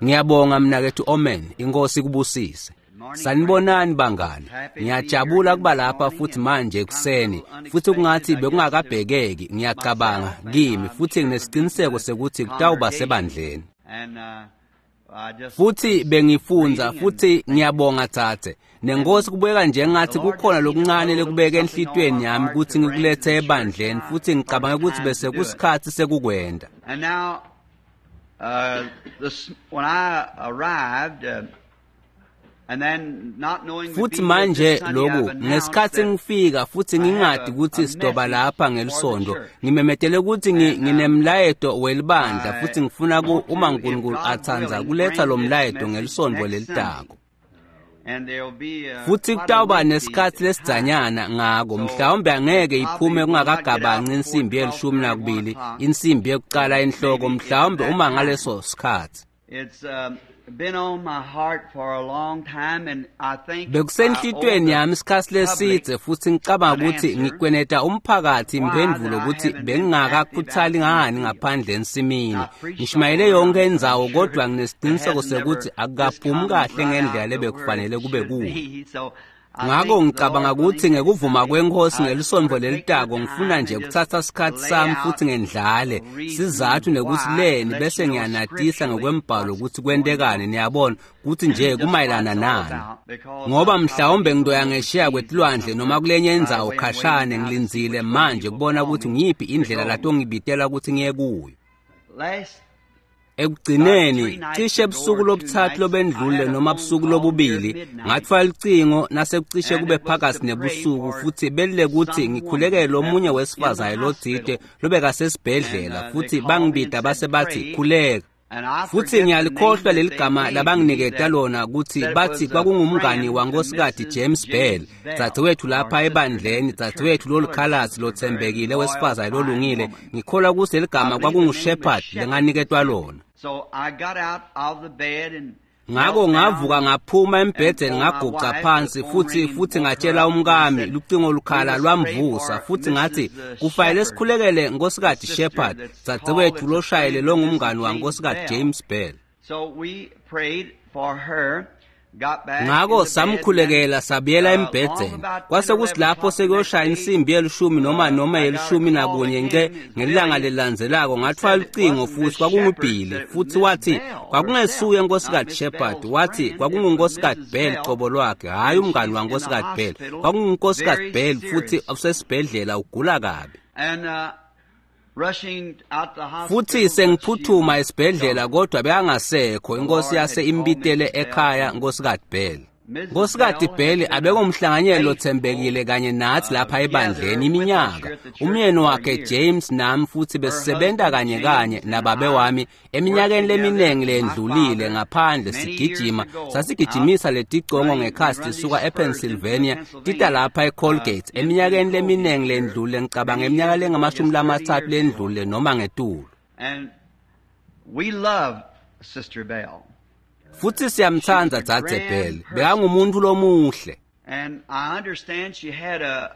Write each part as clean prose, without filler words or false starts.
Ngiyabonga mnakethu Omen, inkosi kubusise. Sanibonani bangani. Ngiyajabula kuba lapha futhi manje ekuseni, futhi kungathi bekungakabhekeki, ngiyacabanga kimi, futhi nginesiqiniseko sekuthi kutawuba sebandleni. Futhi bengifunza futhi ngiyabonga thathe. Nenkosi kubeka njengathi kukhona lokuncane lekubeka enhlitweni yami ukuthi ngikulethe ebandleni, futhi ngicabanga ukuthi bese kusikhathi sekukwenda. And now, when I arrived, and then not knowing futhi manje lokhu ngesikhathi ngifika futhi ngingadi ukuthi sidoba lapha ngelisonto, ngimemetele ukuthi nginemlayeto welibandla, futhi ngifuna uma uNkulunkulu athanza kuletha lo mlayeto ngelisonto lelitako. Futhi kutawuba nesikhathi lesidzanyana ngako, mhlawumbe angeke iphume kungakagabanci insimbi ye-12, insimbi yekucala enhloko, mhlawumbe uma ngaleso sikhathi. Bekusenhlitweni yami isikhathi lesidze, futhi ngicabanga ukuthi ngikweneta umphakathi imphendulo ukuthi bengingakakhuthali ngani ngaphandle ensimini. Ngishumayele yonke indzawo, kodwa nginesiqiniseko sekuthi akukaphumi kahle ngendlela lebekufanele kube kuyo. Ngako ngicabanga ukuthi ngekuvuma kwenkosi ngelisonto lelitako ngifuna nje ukuthatha isikhathi sami futhi ngendlale sizathu nekuthi leni bese ngiyanatisa ngokwembhalo ukuthi kwentekani, niyabona ukuthi nje kumayelana nani. Ngoba mhlawumbe ngidoya ngeshiya kwetilwandle noma kulenye indzawo khashane, ngilindzile manje kubona ukuthi ngiyiphi indlela latongibitela ukuthi ngiye kuyo. Ekugcineni cishe ebusuku lobuthathu lobendlule noma busuku lobubili ngathwala ucingo nasekucishe kube phakathi nebusuku, futhi belile ukuthi ngikhulekele omunye wesifazane lothide lobekasesibhedlela, futhi bangibida base bathi khuleka. Futhi ngiyalikhohlwa leli gama labanginiketa lona ukuthi bathi kwakungumngani wankosikazi James Bell, dzadzewethu lapha ebandleni, dzadzewethu lolukhalazi lothembekile wesifazane lolungile. Ngikholwa ukuthi leli gama kwakunguShepherd lenganiketwa lona. Ngako ngavuka ngaphuma embhedeni ngaguca phansi, futhi ngatshela umkami, lucingo lukhala lwamvusa, futhi ngathi kufanele sikhulekele nkosikazi Shepherd, dzadzewethu loshayele longumngani wankosikazi James Bell. Ngako samkhulekela sabuyela embhedeni. Kwase kusilapho sekuyoshaya insimbi ye-10 noma ye-11 nce ngelanga lelandzelako ngathwala ucingo futhi kwakungubhili, futhi wathi kwakungesuye nkosikazi Shepherd, wathi kwakungunkosikazi Bell qobo lwakhe, hhayi umngani wankosikazi Bell, kwakungunkosikazi Bell futhi usesibhedlela ugula kabi. Futhi sengiphuthuma esibhedlela kodwa bekangasekho, inkosi yase imbitele ekhaya nkosikazi Bell. Nkosikazi Bell abengumhlanganyeli lothembekile kanye nathi lapha ebandleni iminyaka. Umyeni wakhe James nami futhi besisebenza kanye kanye nababe wami eminyakeni leminingi lendlulile ngaphandle sigijima, sasigijimisa leticongo ngekhasi lisuka ePennsylvania tita lapha eColgate eminyakeni leminingi lendlule, ngicabanga eminyaka lengama-30 lendlule noma ngetulu. And we love Sister Bell. Futhi siyamthanda dzadze Bell, bekangumuntu lomuhle. And I understand she had a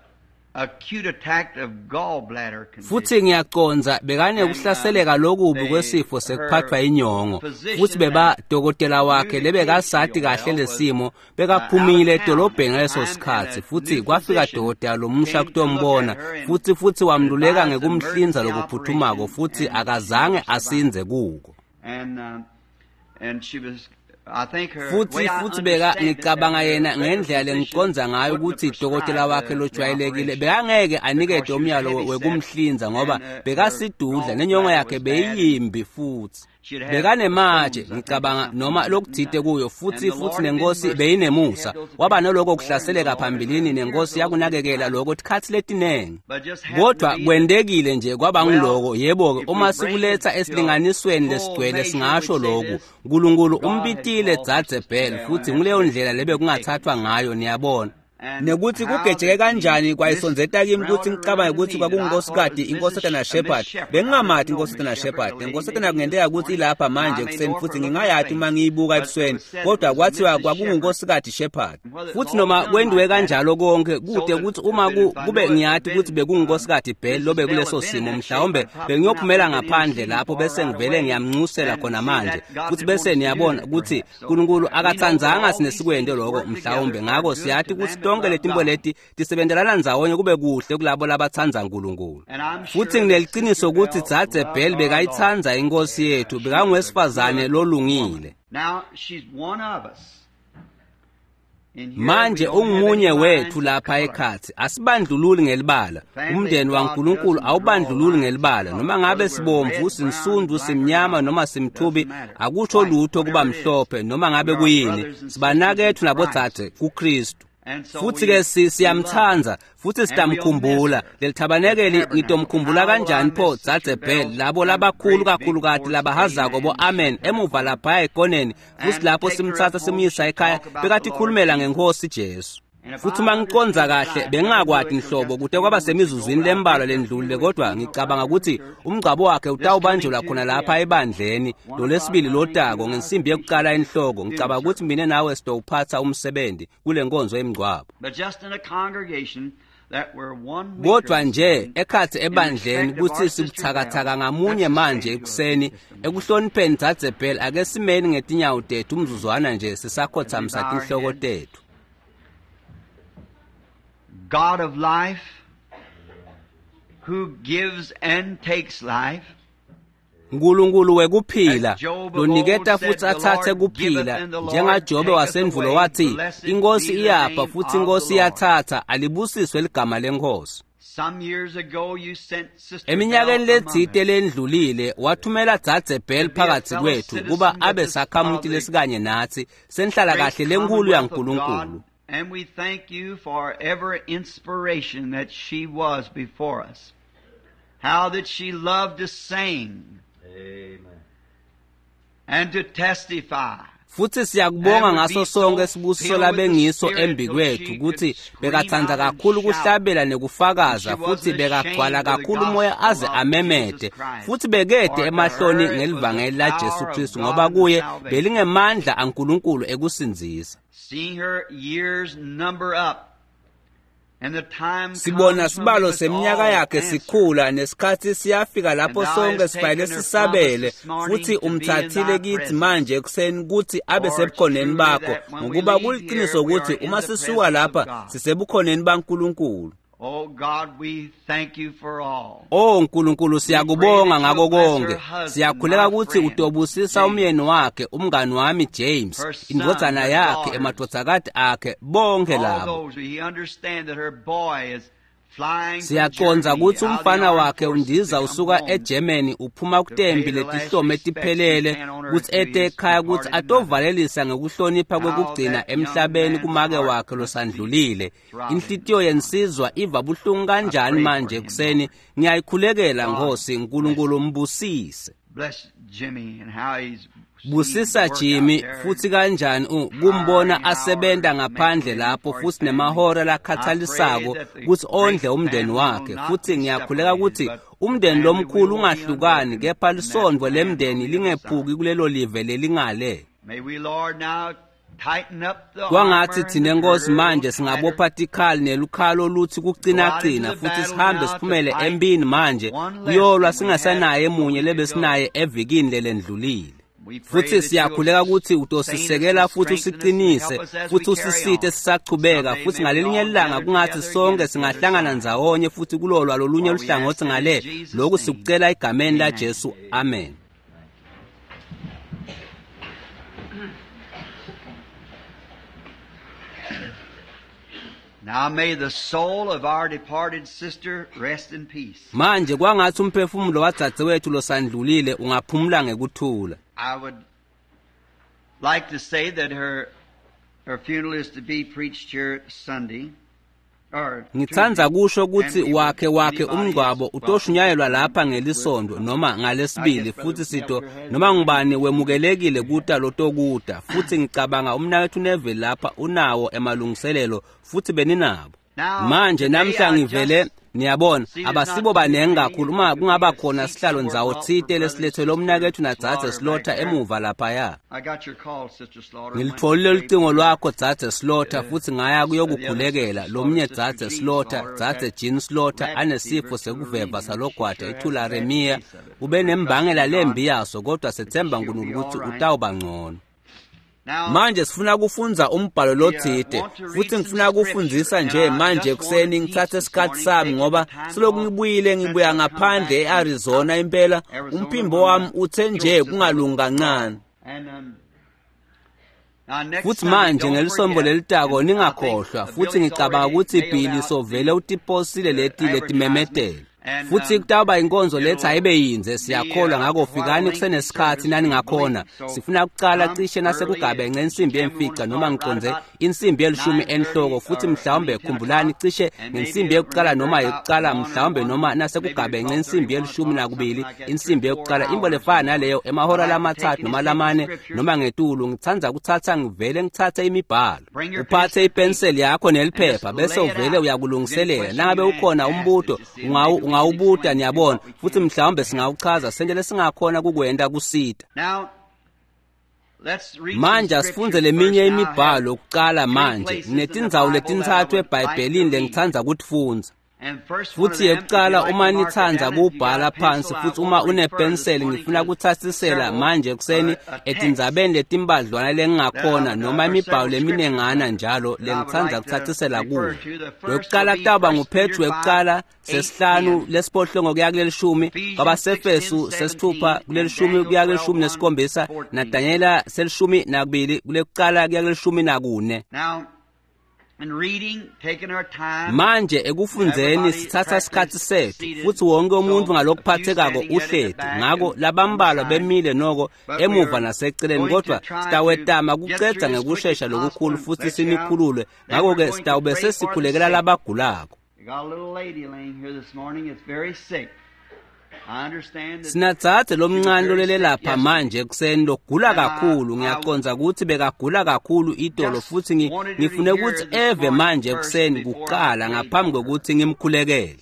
acute attack of gallbladder condition. Futhi ngiyaqonza bekanekuhlaseleka lokubi kwesifo sekuphathwa inyongo, futhi beba dokotela wakhe lebekasati kahle lesimo bekaphumile edolobheni ngaleso sikhathi, futhi kwafika dokotela lomusha kutombona, futhi wamluleka ngekumhlinza lokuphuthumako, futhi akazange asinze kuko. And she was, I think her, futhi beka ngicabanga yena ngendlela lengiconza ngayo ukuthi dokotela wakhe lojwayelekile bekangeke anikete umyalo wekumhlinza ngoba bekasidudla nenyongo yakhe beyimbi, futhi bekanematshe ngicabanga noma lokuthite kuyo, futhi nenkosi beyinemusa, waba noloko kuhlaseleka phambilini nenkosi yakunakekela lokho tikhathi letinengi, kodwa kwendekile nje kwaba ngiloko. Yebo-ke, uma sikuletha esilinganisweni lesigcwele singasho lokhu, uNkulunkulu umbitile dzadze Bell, futhi nguleyo ndlela lebe kungathathwa ngayo, niyabona. Nekuthi kugejeke kanjani kwayisondzeta kimi kutsi ngicabange kutsi kwakungunkhosikati inkosatana Shepherd. Bengingamati inkosatana Shepherd. Inkosatana kungenteka kutsi ilapha manje ekuseni futhi ngingayati uma ngiyibuka ebusweni, kodwa kwathiwa kwakungunkhosikati Shepherd. Futhi noma kwendiwe kanjalo konke kude kutsi uma kube ngiyati kutsi bekungunkhosikati Bell lobe kuleso simo, mhlawumbe bengiyophumela ngaphandle lapho bese ngivele ngiyamnxusela khona manje. Futhi bese niyabona kutsi uNkulunkulu akatsandzanga sinesikwente lokho mhlawumbe. Ngako siyati kutsi tonke letimbo leti tisebentelana ndzawonye kube kuhle kulabo labatsandza uNkulunkulu. Futhi ngineliciniso kutsi Dzadze Bell bekayitsandza inkosi yethu, bekangowesifazane lolungile. Manje ungumunye wethu lapha ekhatsi. Asibandlululi ngelibala. Umndeni waNkulunkulu awubandlululi ngelibala. Noma ngabe sibomvu, sinsundu, simnyama noma simthubi, akusho lutho kuba mhlophe noma ngabe kuyini. Sibanakethu nabodzadze kuKristu. Futhi ke siyamtsandza futhi sitamkhumbula. Lelithabanekeli ngitomkhumbula kanjani pho Dzadze Bell, labo labakhulu kakhulukati labahazako bo amen emuva lapha ekoneni, futhi lapho simtsatsa simyisa ekhaya bekatikhulumela ngenkosi Jesu. Futhi uma ngiconza kahle bengingakwati nhlobo kute kwaba semizuzwini lembalwa lendlulile, kodwa ngicabanga ukuthi umgcwabo wakhe utawubanjelwa khona lapha ebandleni lolesibili lotako ngensimbi yekucala enhloko. Ngicabanga ukuthi mina nawe sitowuphatsa umsebenzi kule nkonzo yemngcwabo. Kodwa nje ekhatsi ebandleni kutsi sibuthakathaka ngamunye manje ekuseni ekuhlonipheni Dzadze Bell, ake simeni ngetinyawo tethu umzuzwana nje sisakhothamisa tinhloko tethu. God of life, who gives and takes life. Nkulunkulu wekuphila loniketa futhi atsatse kuphila, njengaJobe wasendvulo wathi inkosi iyapha futhi inkosi iyathatha, alibusiswe ligama lenkosi. Eminyakeni letsite lendlulile wathumela Dzadze Bell phakathi kwethu kuba abe sakhamuti lesikanye natsi senhlala kahle lenkulu yaNkulunkulu. And we thank you for every inspiration that she was before us. How that she loved to sing. Amen. And to testify. Futhi siyakubonga ngaso sonke sibusiso labengiso embi kwethu kutsi bekatsandza kakhulu kuhlabela nekufakaza, futhi bekagcwala kakhulu umoya aze amemete, futhi bekede emahloni ngelivangeli laJesu Kristu, ngoba kuye belingemandla aNkulunkulu ekusindzisa. Sibona sibalo seminyaka yakhe sikhula, nesikhatsi siyafika lapho sonke sifanele sisabele, futhi umthathile kithi manje ekuseni kutsi abe sebukhoneni bakho, ngokuba kuliciniso ukuthi uma sisuka lapha sisebukhoneni baNkulunkulu. Oh Nkulunkulu, siyakubonga ngako konke. Siyakhuleka kutsi utobusisa umyeni wakhe, umngani wami James, indvodzana yakhe, emadvodzakati akhe, bonke labo. Siyacondza kutsi umfana wakhe undiza usuka eGermany uphuma kutembi letihlome tiphelele kutsi ete ekhaya kutsi atovalelisa ngekuhlonipha kwekugcina emhlabeni kumake wakhe losandlulile. Inhlitiyo yensizwa iva buhlungu kanjani manje ekuseni. Ngiyayikhulekela Nkosi Nkulunkulu, mbusise. Busisa Jimmy futhi kanjani kumbona asebenta ngaphandle lapho futhi nemahora lakhathalisako kutsi ondle umndeni wakhe. Futhi ngiyakhuleka kutsi umndeni lomkhulu ungahlukani, kepha lisondvo lemndeni lingephuki kulelo live lelingale. Kwangatsi thina Nkosi manje singabopha tikhali nelukhalo lutsi kucinacina, futhi sihambe siphumele empini manje kuyolwa singasanaye munye lebesinaye evikini lelendlulile. Futhi siyakhuleka kutsi utosisekela futhi usiqinise futhi usisite sisachubeka, futhi ngalelinye ilanga kungathi sonke singahlangana ndzawonye futhi kulolwa lolunye luhlangotsi ngale. Lokhu sikucela egameni laJesu, amen. Now may the soul of our departed sister rest in peace. Manje kwangatsi umphefumulo wadzadzewethu losandlulile ungaphumula ngekuthula. I would like to say that her funeral is to be preached here Sunday. Ngitsandza kusho kutsi wakhe umngcwabo utoshunyayelwa lapha ngelisondo noma ngalesibili, futhi sito noma ngubani wemukelekile kuta lotokuta. Futhi ngicabanga umnaketfu Neville lapha unawo emalungiselelo, futhi beninabo. Manje namhla ngivele niyabona abasibo banengi kakhulu, uma kungaba khona sihlalo ndzawo tsite lesilethelwe umnaketfu nadzadze Slaughter emuva laphaya. Ngilitfolile lucingo lwakho dzadze Slaughter, futhi ngaya kuyokukhulekela lomnye dzadze Slaughter, dzadze Jean Slaughter, anesifo sekuveva salogwada itularemia, ube nembangela lembi yaso, kodwa sethemba Nkulunkulu ukuthi utawuba ngcono. Manje sifuna kufundza umbhalo lotsite, futhi ngifuna kufundzisa nje manje ekuseni, ngitsatse isikhathi sami ngoba selokhu ngibuyile ngibuya ngaphandle e-Arizona impela, umphimbo wami uthe nje kungalungi kancane. Futhi manje ngelisonto lelitako ningakhohlwa, futhi ngicabanga ukuthi Billy sovele utiposile leti letimemetelo. Futhi kutawuba inkonzo letha ayibe yinze, siyakholwa, ngakho fikani kusenesikhathi naningakhona. Sifuna kucala cishe nasekugabenxe insimbi yemfica noma ngiconze insimbi yelishumi enhloko, futhi mhlawumbe khumbulani cishe ngensimbi yekucala noma yekucala mhlawumbe noma nasekugabenxe insimbi yelishumi nakubili insimbi yekucala, imbo lefana naleyo, emahora lamathathu noma lamane noma ngetulu. Ngitsandza kuthatha ngivele ngitsatse imibhalo. Uphathe ipenseli yakho neliphepha bese uvele uyakulungiselela. Nangabe ukhona umbuto ungawubuta, niyabona, futhi mhlawumbe singawuchaza sente lesingakhona kukwenta kusita. Manje asifundze leminye imibhalo kucala manje. Nginetindzawo letintsatfu eBhayibhelini lengitsandza kutifundza. Futhi yekucala, uma nitsandza kubhala phansi futhi uma unepenseli, ngifuna kutsatsisela manje ekuseni etindzabeni letimbadlwana lengingakhona noma imibhalo leminengana njalo lengitsandza kutsatsisela kuyo. Wekucala kutawuba nguPetru wekucala sesihlanu lesiphohlongo kuya kulelishumi, kwabaseFesu sesithupha kulelishumi kuya kulelishumi nesikhombisa, naDanyela selishumi nakubili kulekucala kuya kulelishumi nakune. Manje ekufundzeni sitsatsa isikhathi sethu, futhi wonke umuntu ngalokuphathekako uhleti, ngako labambalwa bemile noko emuva naseceleni, kodwa sitawetama kucedza ngekushesha lokukhulu futhi sinikhulule. Ngako-ke sitawube sesikhulekela labagulako. Sinadzadze lomncane lolele lapha manje ekuseni logula kakhulu. Ngiyacondza ukuthi bekagula kakhulu itolo, futhi ngifune ukuthi eve manje ekuseni kuqala ngaphambi kokuthi ngimkhulekele.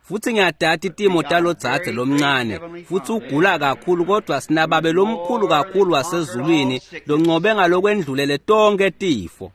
Futhi ngiyadada itimo talodzadze lomncane, futhi ugula kakhulu, kodwa sinababe lomkhulu kakhulu wasezulwini loncobe ngalokwendlulele tonke tifo.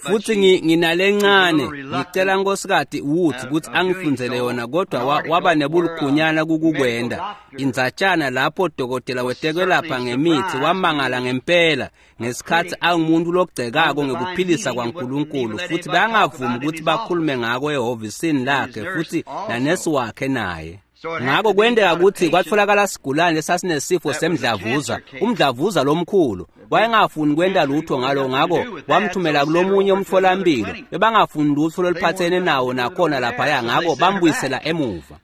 Futhi nginalencane, ngicela Nkosikati Woods ukuthi angifundzele yona, kodwa waba nebulukhunyana kukukwenda. Indzatshana lapho dokotela wetekwelapha ngemithi wamangala ngempela ngesikhathi angumuntu logcekako ngekuphilisa kwaNkulunkulu, futhi bangavumi ukuthi bakhulume ngako ehhovisini lakhe futhi nanesi wakhe naye. Ngako kwenteka ukuthi kwatfolakala sigulane lesasinesifo semdlavuza, umdlavuza lomkhulu. Wayengafuni kwenta lutho ngalo, ngako wamthumela kulomunye umtholampilo. Bebangafuni lutho loluphathene nawo nakhona laphaya, ngako bambuyisela emuva.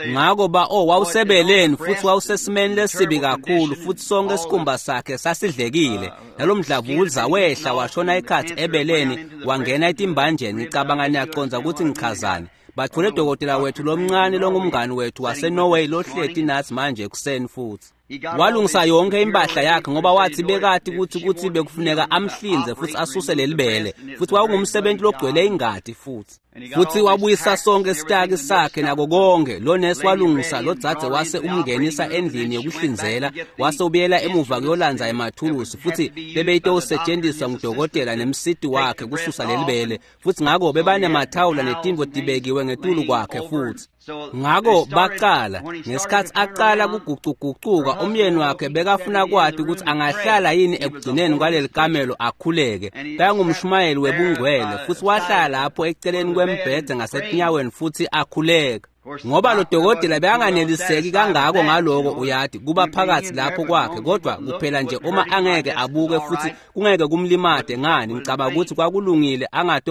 Ngako wawusebeleni futhi wawusesimeni lesibi kakhulu, futhi sonke isikhumba sakhe sasidlekile. Nalomdlavuza wehla washona ikhathi ebeleni wangena etimbanjeni. Ngicabanga niyacondza ukuthi ngichazani. Bathole dokotela wethu lomncane longumngani wethu waseNorway lohleti nathi manje ekuseni futhi. Walungisa yonke impahla yakhe ngoba wathi bekati ukuthi bekufuneka amhlinze futhi asuse lelibele, futhi wawungumsebenzi logcwele ingadi futhi. Futhi wabuyisa sonke isitaki sakhe nako konke. Lo nesi walungisa lo dzadze wase umngenisa endlini yokuhlinzela, wase ubuyela emuva kuyolandza emathulusi, futhi bebeyitosetshenziswa ngudokotela nemsiti wakhe kususa lelibele, futhi ngako bebanemathawula netintfo tibekiwe ngetulu kwakhe futhi. Ngako baqala ngesikhathi aqala kugucugucuka, umyeni wakhe bekafuna kwati ukuthi angahlala yini ekugcineni kwaleli kamelo akhuleke. Bekangumshumayeli webungcwele, futhi wahlala lapho eceleni kwembhede ngasetinyaweni futhi akhuleka. Ngoba lo dokotela bekanganeliseki kangako ngaloko, uyati kuba phakathi lapho kwakhe, kodwa kuphela nje uma angeke abuke futhi kungeke kumlimate ngani, ngicabanga ukuthi kwakulungile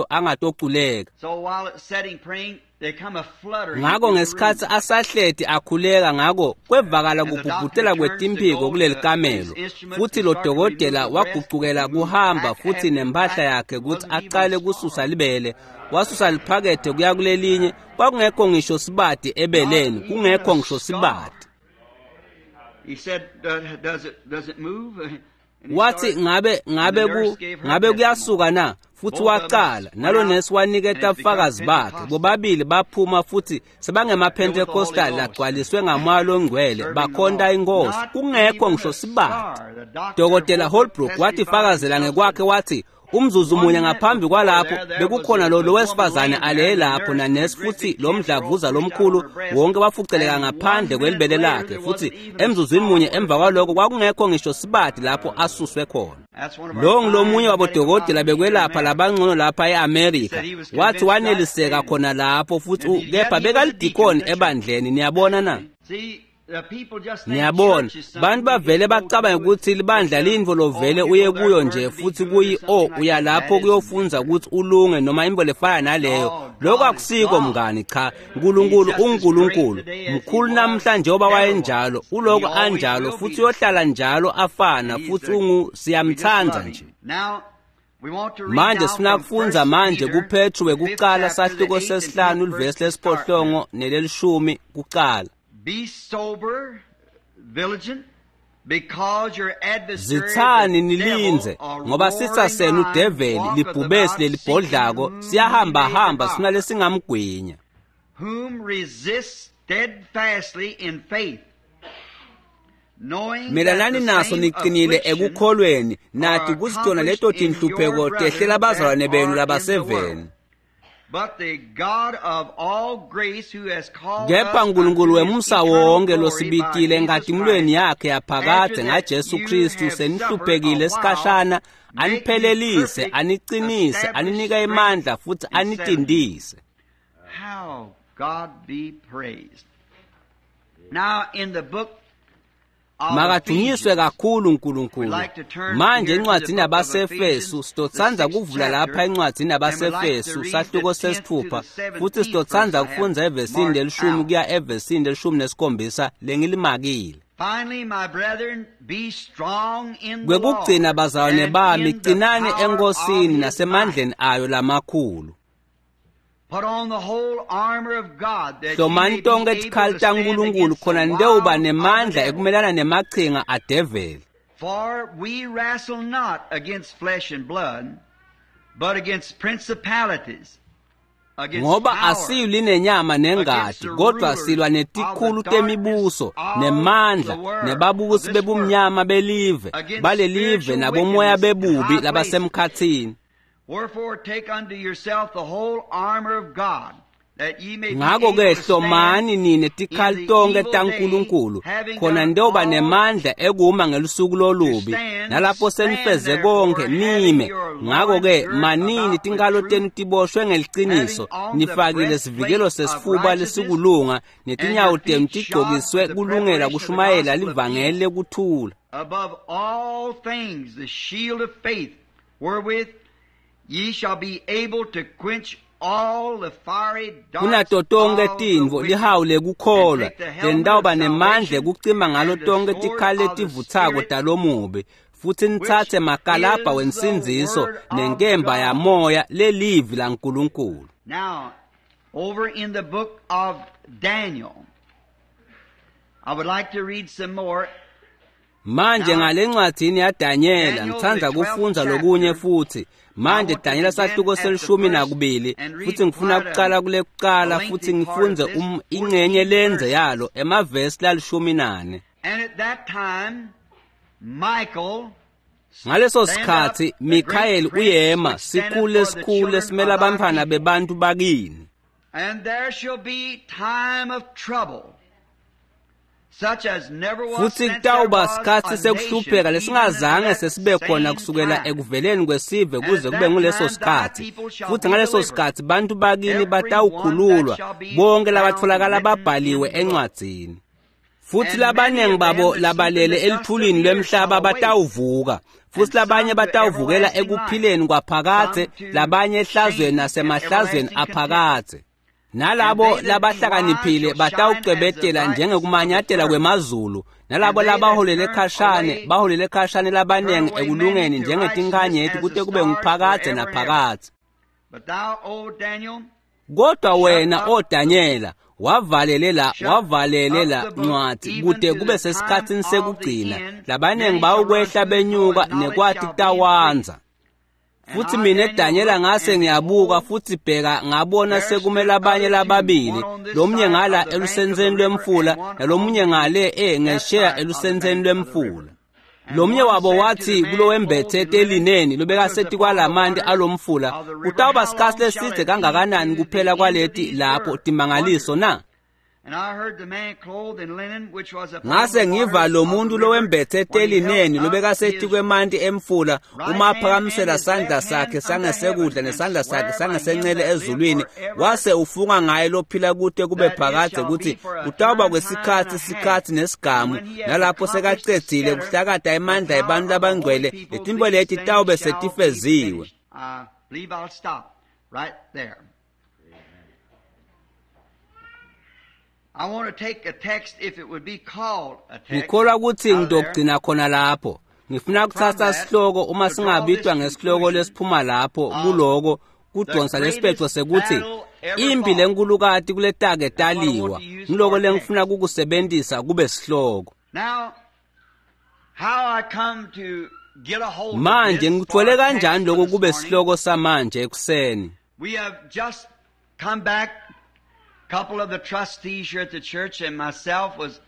angatoculeka. Ngako ngesikhatsi asahleti akhuleka ngako kwevakala kubhubhutela kwetimphiko kuleli kamelo, futhi lo dokotela wagucukela kuhamba futhi nempahla yakhe kutsi aqale kususa libele, wasusa liphakethe kuya kulelinye, kwakungekho ngisho sibati ebeleni, kungekho ngisho sibati. Wathi ngabe kuyasuka na? Futhi waqala nalo nesi waniketa ubufakazi bakhe, bobabili baphuma futhi sebangemaPentecostal lagcwaliswe ngamoya longcwele, bakhonta inkosi, kungekho ngisho sibati. Dokotela Holbrook wathi fakazela ngekwakhe wathi umzuzu munye ngaphambi kwalapho bekukhona lo wesifazane alele lapho nanesi futhi lo mdlavuza lomkhulu wonke wafuceleka ngaphandle kwelibele lakhe, futhi emzuzwini munye emva kwaloko kwakungekho ngisho sibati lapho asuswe khona. Lo ngilomunye wabodokotela bekwelapha labangcono lapha e-Amerika, wathi waneliseka khona lapho futhi kepha bekalidikoni ebandleni. Niyabona na? Niyabona, bantu bavele bacabanga ukuthi libandla lintfo lovele uye kuyo nje futhi kuyi uya lapho kuyofunza ukuthi ulunge noma intfo lefana naleyo. Lokho akusiko mngani, cha. uNkulunkulu unguNkulunkulu, mkhulu namhlanje njengoba wayenjalo, uloko anjalo futhi uyohlala njalo afana futhi siyamthanda nje. Manje sifuna kufundza manje kuPetru wekucala sahluko sesihlanu livesi lesiphohlongo nelelishumi kucala. Be sober, vigilant, because your adversary Zithani nilinze, ngoba sitha senu udeveli libhubesi lelibhodlako siyahamba hamba sifuna lesingamgwinya. Whom resist steadfastly in faith, knowing Melanani naso niqinile ekukholweni, nathi kuzitona leto tinhlupheko tehlela abazalwane benu labaseveni. But the God of all grace who has called Kepha uNkulunkulu wemusa wonke losibitile enkatimulweni yakhe yaphakade ngaJesu Kristu senihluphekile esikhashana, aniphelelise, aniqinise, aninike imandla futhi anitindise. How God be praised. Now in the book Makadunyiswe kakhulu uNkulunkulu. Manje encwadini yabaseEfesu sitotsandza kuvula lapha encwadini yabaseEfesu sahluko sesithupha futhi sitotsandza kufundza evesini lelishumi kuya evesini lelishumi nesikhombisa lengilimakile. Finally, my brethren, be strong in the Kwekugcina Lord bazalwane and bami, in the qinani power enkosini of his nasemandleni might. ayo lamakhulu. Put on the whole armor of God that you may Hlomani be tonke able tikhali to stand taNkulunkulu against the khona nitewuba wiles of the nemandla devil. ekumelana nemachinga adeveli. For we wrestle not against flesh and blood, but against principalities, against Ngoba powers, asilwi nenyama nengati, kodwa silwa netikhulu temibuso, nemandla, nebabusi bebumnyama belive, balelive nabomoya bebubi labasemkhathini. Wherefore take unto yourself the whole armor of God, that ye may be Ngako able ke to stand hlomani nine tikhali in the tonke evil taNkulunkulu, day, having khona done nitewuba all nemandla ekuma ngelusuku lolubi, nalapho senifeze konke nime. Ngako ke manini tinkhalo tenu tiboshwe ngeliciniso, nifakile sivikelo sesifuba lesikulunga, netinyawo tenu tigcokiswe kulungela kushumayela livangeli lekuthula. Above all things the shield of faith, wherewith ye shall be able to quench all the fiery darts Kunato tonke of the tintfo wicked, lihawu lekukholwa, and take the helmet lenitawuba of nemandla salvation ekucima ngalo and the tonke sword tikhali of the letivutsako Spirit, talomubi, futhi nitsatse which makalabha is the wensindziso word of nenkemba God. yamoya lelivi laNkulunkulu. Now, over in the book of Daniel, I would like to read some more. Manje ngale ncwadzini yaDanyela Daniel, ngitsandza the 12th kufundza lokunye chapter. futhi. Manje I want to Danyela begin sahluko at the selishumi first nakubili and read futhi ngifuna quite a kucala kule kucala lengthy futhi part of ngifundze this ingcenye 14 lenze verses. yalo emavesi lalishumi nane. And at that time, Michael, Ngaleso stand up, sikhatsi the great Mikhayeli prince uyema which standeth sikhulu for the lesikhulu children lesimela of thy abantfwana people. bebantu bakini. And there shall be time of trouble, such as never was Futhi since there kutawuba was sikhatsi a nation, sekuhlupheka even unto lesingazange that sesibe khona same kusukela time. ekuveleni kwesive And kuze at kube that nguleso time thy sikhatsi. people shall Futhi be ngaleso delivered, sikhatsi bantu bakini every one that batawukhululwa, shall be bonke found labatfolakala written in babhaliwe the book. encwadzini. Futhi And many labaningi of them babo that sleep in labalele the dust of elithulini the earth shall lwemhlaba awake, batawuvuka, futhi and labanye some to batawuvukela everlasting life, ekuphileni kwaphakadze, some to labanye ehlazweni shame and nasemahlazweni everlasting contempt. aphakadze. Nalabo labahlakaniphile batawucwebetela njengekumanyatela kwemazulu, nalabo labaholele khashane baholele khashane labanengi ekulungeni njengetinkhanyeti kute kube nguphakadze naphakadze. Kodwa wena, O Danyela, wavalele la ncwadzi kute kube sesikhatsini sekugcina. Labanengi bawukwehla benyuka nekwati kutawandza. Futhi mina Danyela ngase ngiyabuka futhi bheka ngabona sekumele abanye lababili, lomunye ngala elusentseni lwemfula nalomunye ngale ngesheya elusentseni lwemfula. Lomunye wabo wathi kulowembethe telineni lobekasethi kwalamanti alomfula, kutawuba sikhatsi lesidze kangakanani kuphela kwaleti lapho timangaliso na? Ngase ngiva lo muntu lowembethe telineni lobekasethi kwemanti emfula uma aphakamisela sandla sakhe sangesekudla nesandla sakhe sangesencele ezulwini, wase ufunga ngaye lophila kute kube phakadze kutsi kutawuba kwesikhatsi sikhatsi nesigamu, nalapho sekacedzile kuhlakata emandla ebantfu labangcwele, letintfo leti tawube setifeziwe. Ngikholwa kutsi ngitogcina khona lapho. Ngifuna kutsatsa sihloko uma singabitwa ngesihloko lesiphuma lapho kuloko kudonsa lesiphetfo sekuthi impi lenkulukati kuletake taliwa. Ngiloko lengifuna kukusebentisa kube sihloko. Manje ngitfole kanjani lokho kube sihloko samanje ekuseni? Couple of the trustees here at the church and myself was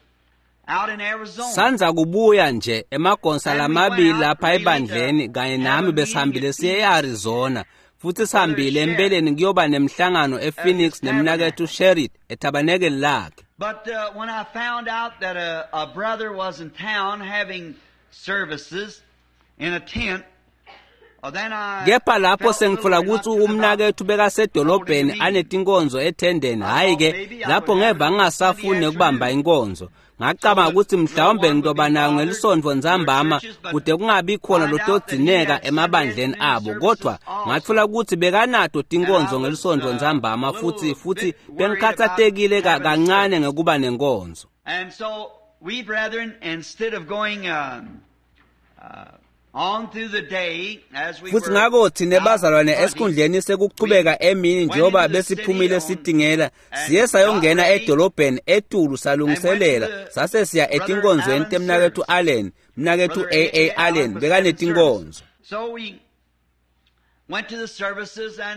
out in Arizona. Sanza kubuya nje emagonsa lamabili lapha ebandleni kanye nami besihambile siye eArizona, futhi sihambile empeleni kuyoba nemhlangano ePhoenix nemnaketfu Sherrit etabanekeli lakhe. But when I found out that a brother was in town having services in a tent, Kepha lapho sengitfola kutsi umnaketfu bekasedolobheni anetinkonzo ethendeni, hhayi-ke lapho ngeva ngingasafuni nekubamba inkonzo. Ngacabanga kutsi mhlawumbe ngitoba nayo ngelisontfo ntsambama kute kungabi khona lotodzineka emabandleni abo, kodvwa ngatfola kutsi bekanato tinkonzo ngelisontfo ntsambama futhi bengikhatsatekile kancane ngekuba nenkonzo. And so we brethren, instead of going Futhi ngako thina bazalwane esikhundleni sekuchubeka emini njengoba besiphumile sitingela, siye sayongena edolobheni etulu salungiselela, sase siya etinkonzweni temnaketfu Allen, mnaketfu A.A. Allen bekanetinkonzo.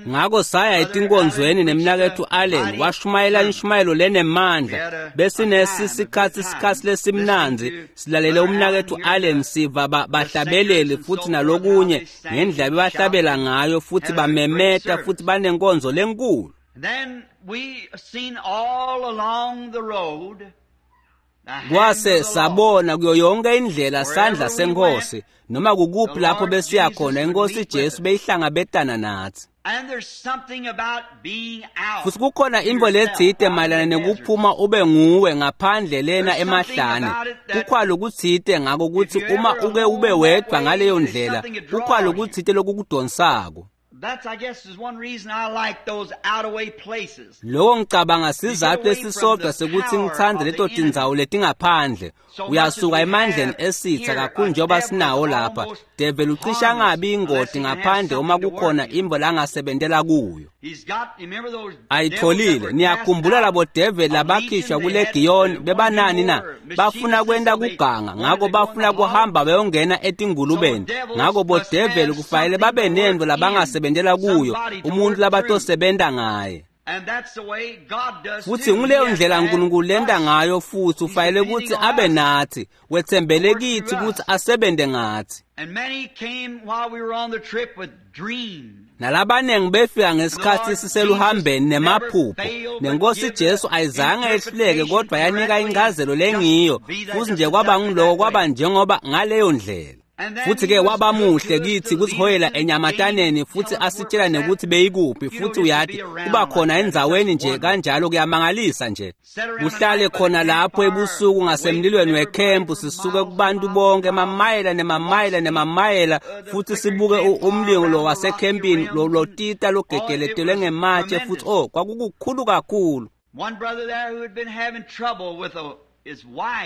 Ngako saya etinkonzweni nemnaketfu Allen, washumayela inshumayelo lenemandla. Besinesisikhatsi sikhatsi lesimnandzi silalele umnaketfu Allen siva bahlabeleli futhi nalokunye ngendlela bebahlabela ngayo futhi bamemeta futhi banenkonzo lenkulu. Kwase sabona kuyo yonke indlela sandla senkosi, noma kukuphi lapho besiya khona, inkosi Jesu beyihlangabetana nathi. Futhi kukhona intfo letsite mayelana nekuphuma ube nguwe ngaphandle lena emahlane. Kukhona lokutsite ngako kutsi uma uke ube wedvwa ngaleyo ndlela, kukhona lokutsite lokukudonsako. Loko ngicabanga sizatfu lesisodwa sekutsi ngitsandze leto tindzawo letingaphandle. Uyasuka emandleni esitsa kakhulu njengoba sinawo lapha. Develi ucishe angabi ingoti ngaphandle uma kukhona intfo langasebentela kuyo. Ayitfolile. Niyakhumbula labo develi labakhishwa kulegiyoni bebanani na? Bafuna kwenta kuganga, ngako bafuna kuhamba bayongena etingulubeni. Ngako bodeveli kufanele babe nentfo labangasebentela kuyo, umuntu labatosebenta ngaye. Futhi nguleyo ndlela uNkulunkulu lenta ngayo, futhi ufanele kutsi abe nathi, wetsembele kitsi kutsi asebente ngathi. Nalabanengi befika ngesikhatsi siseluhambeni nemaphupho, nenkosi Jesu ayizange ehluleke kodwa yanika incazelo lengiyo, futhi nje kwaba ngiloko kwaba njengoba ngaleyo ndlela. Futhi-ke wabamuhle kithi kusihoyela enyamataneni futhi asitshela nekuthi beyikuphi, futhi uyathi kuba khona endzaweni nje kanjalo kuyamangalisa nje. Kuhlale khona lapho ebusuku ngasemlilweni wekhempu, sisuke kubantu bonke emamayela nemamayela nemamayela, futhi sibuke umlilo wasekhempini lotita logegeletelwe ngematshe, futhi oh kwakukukhulu kakhulu.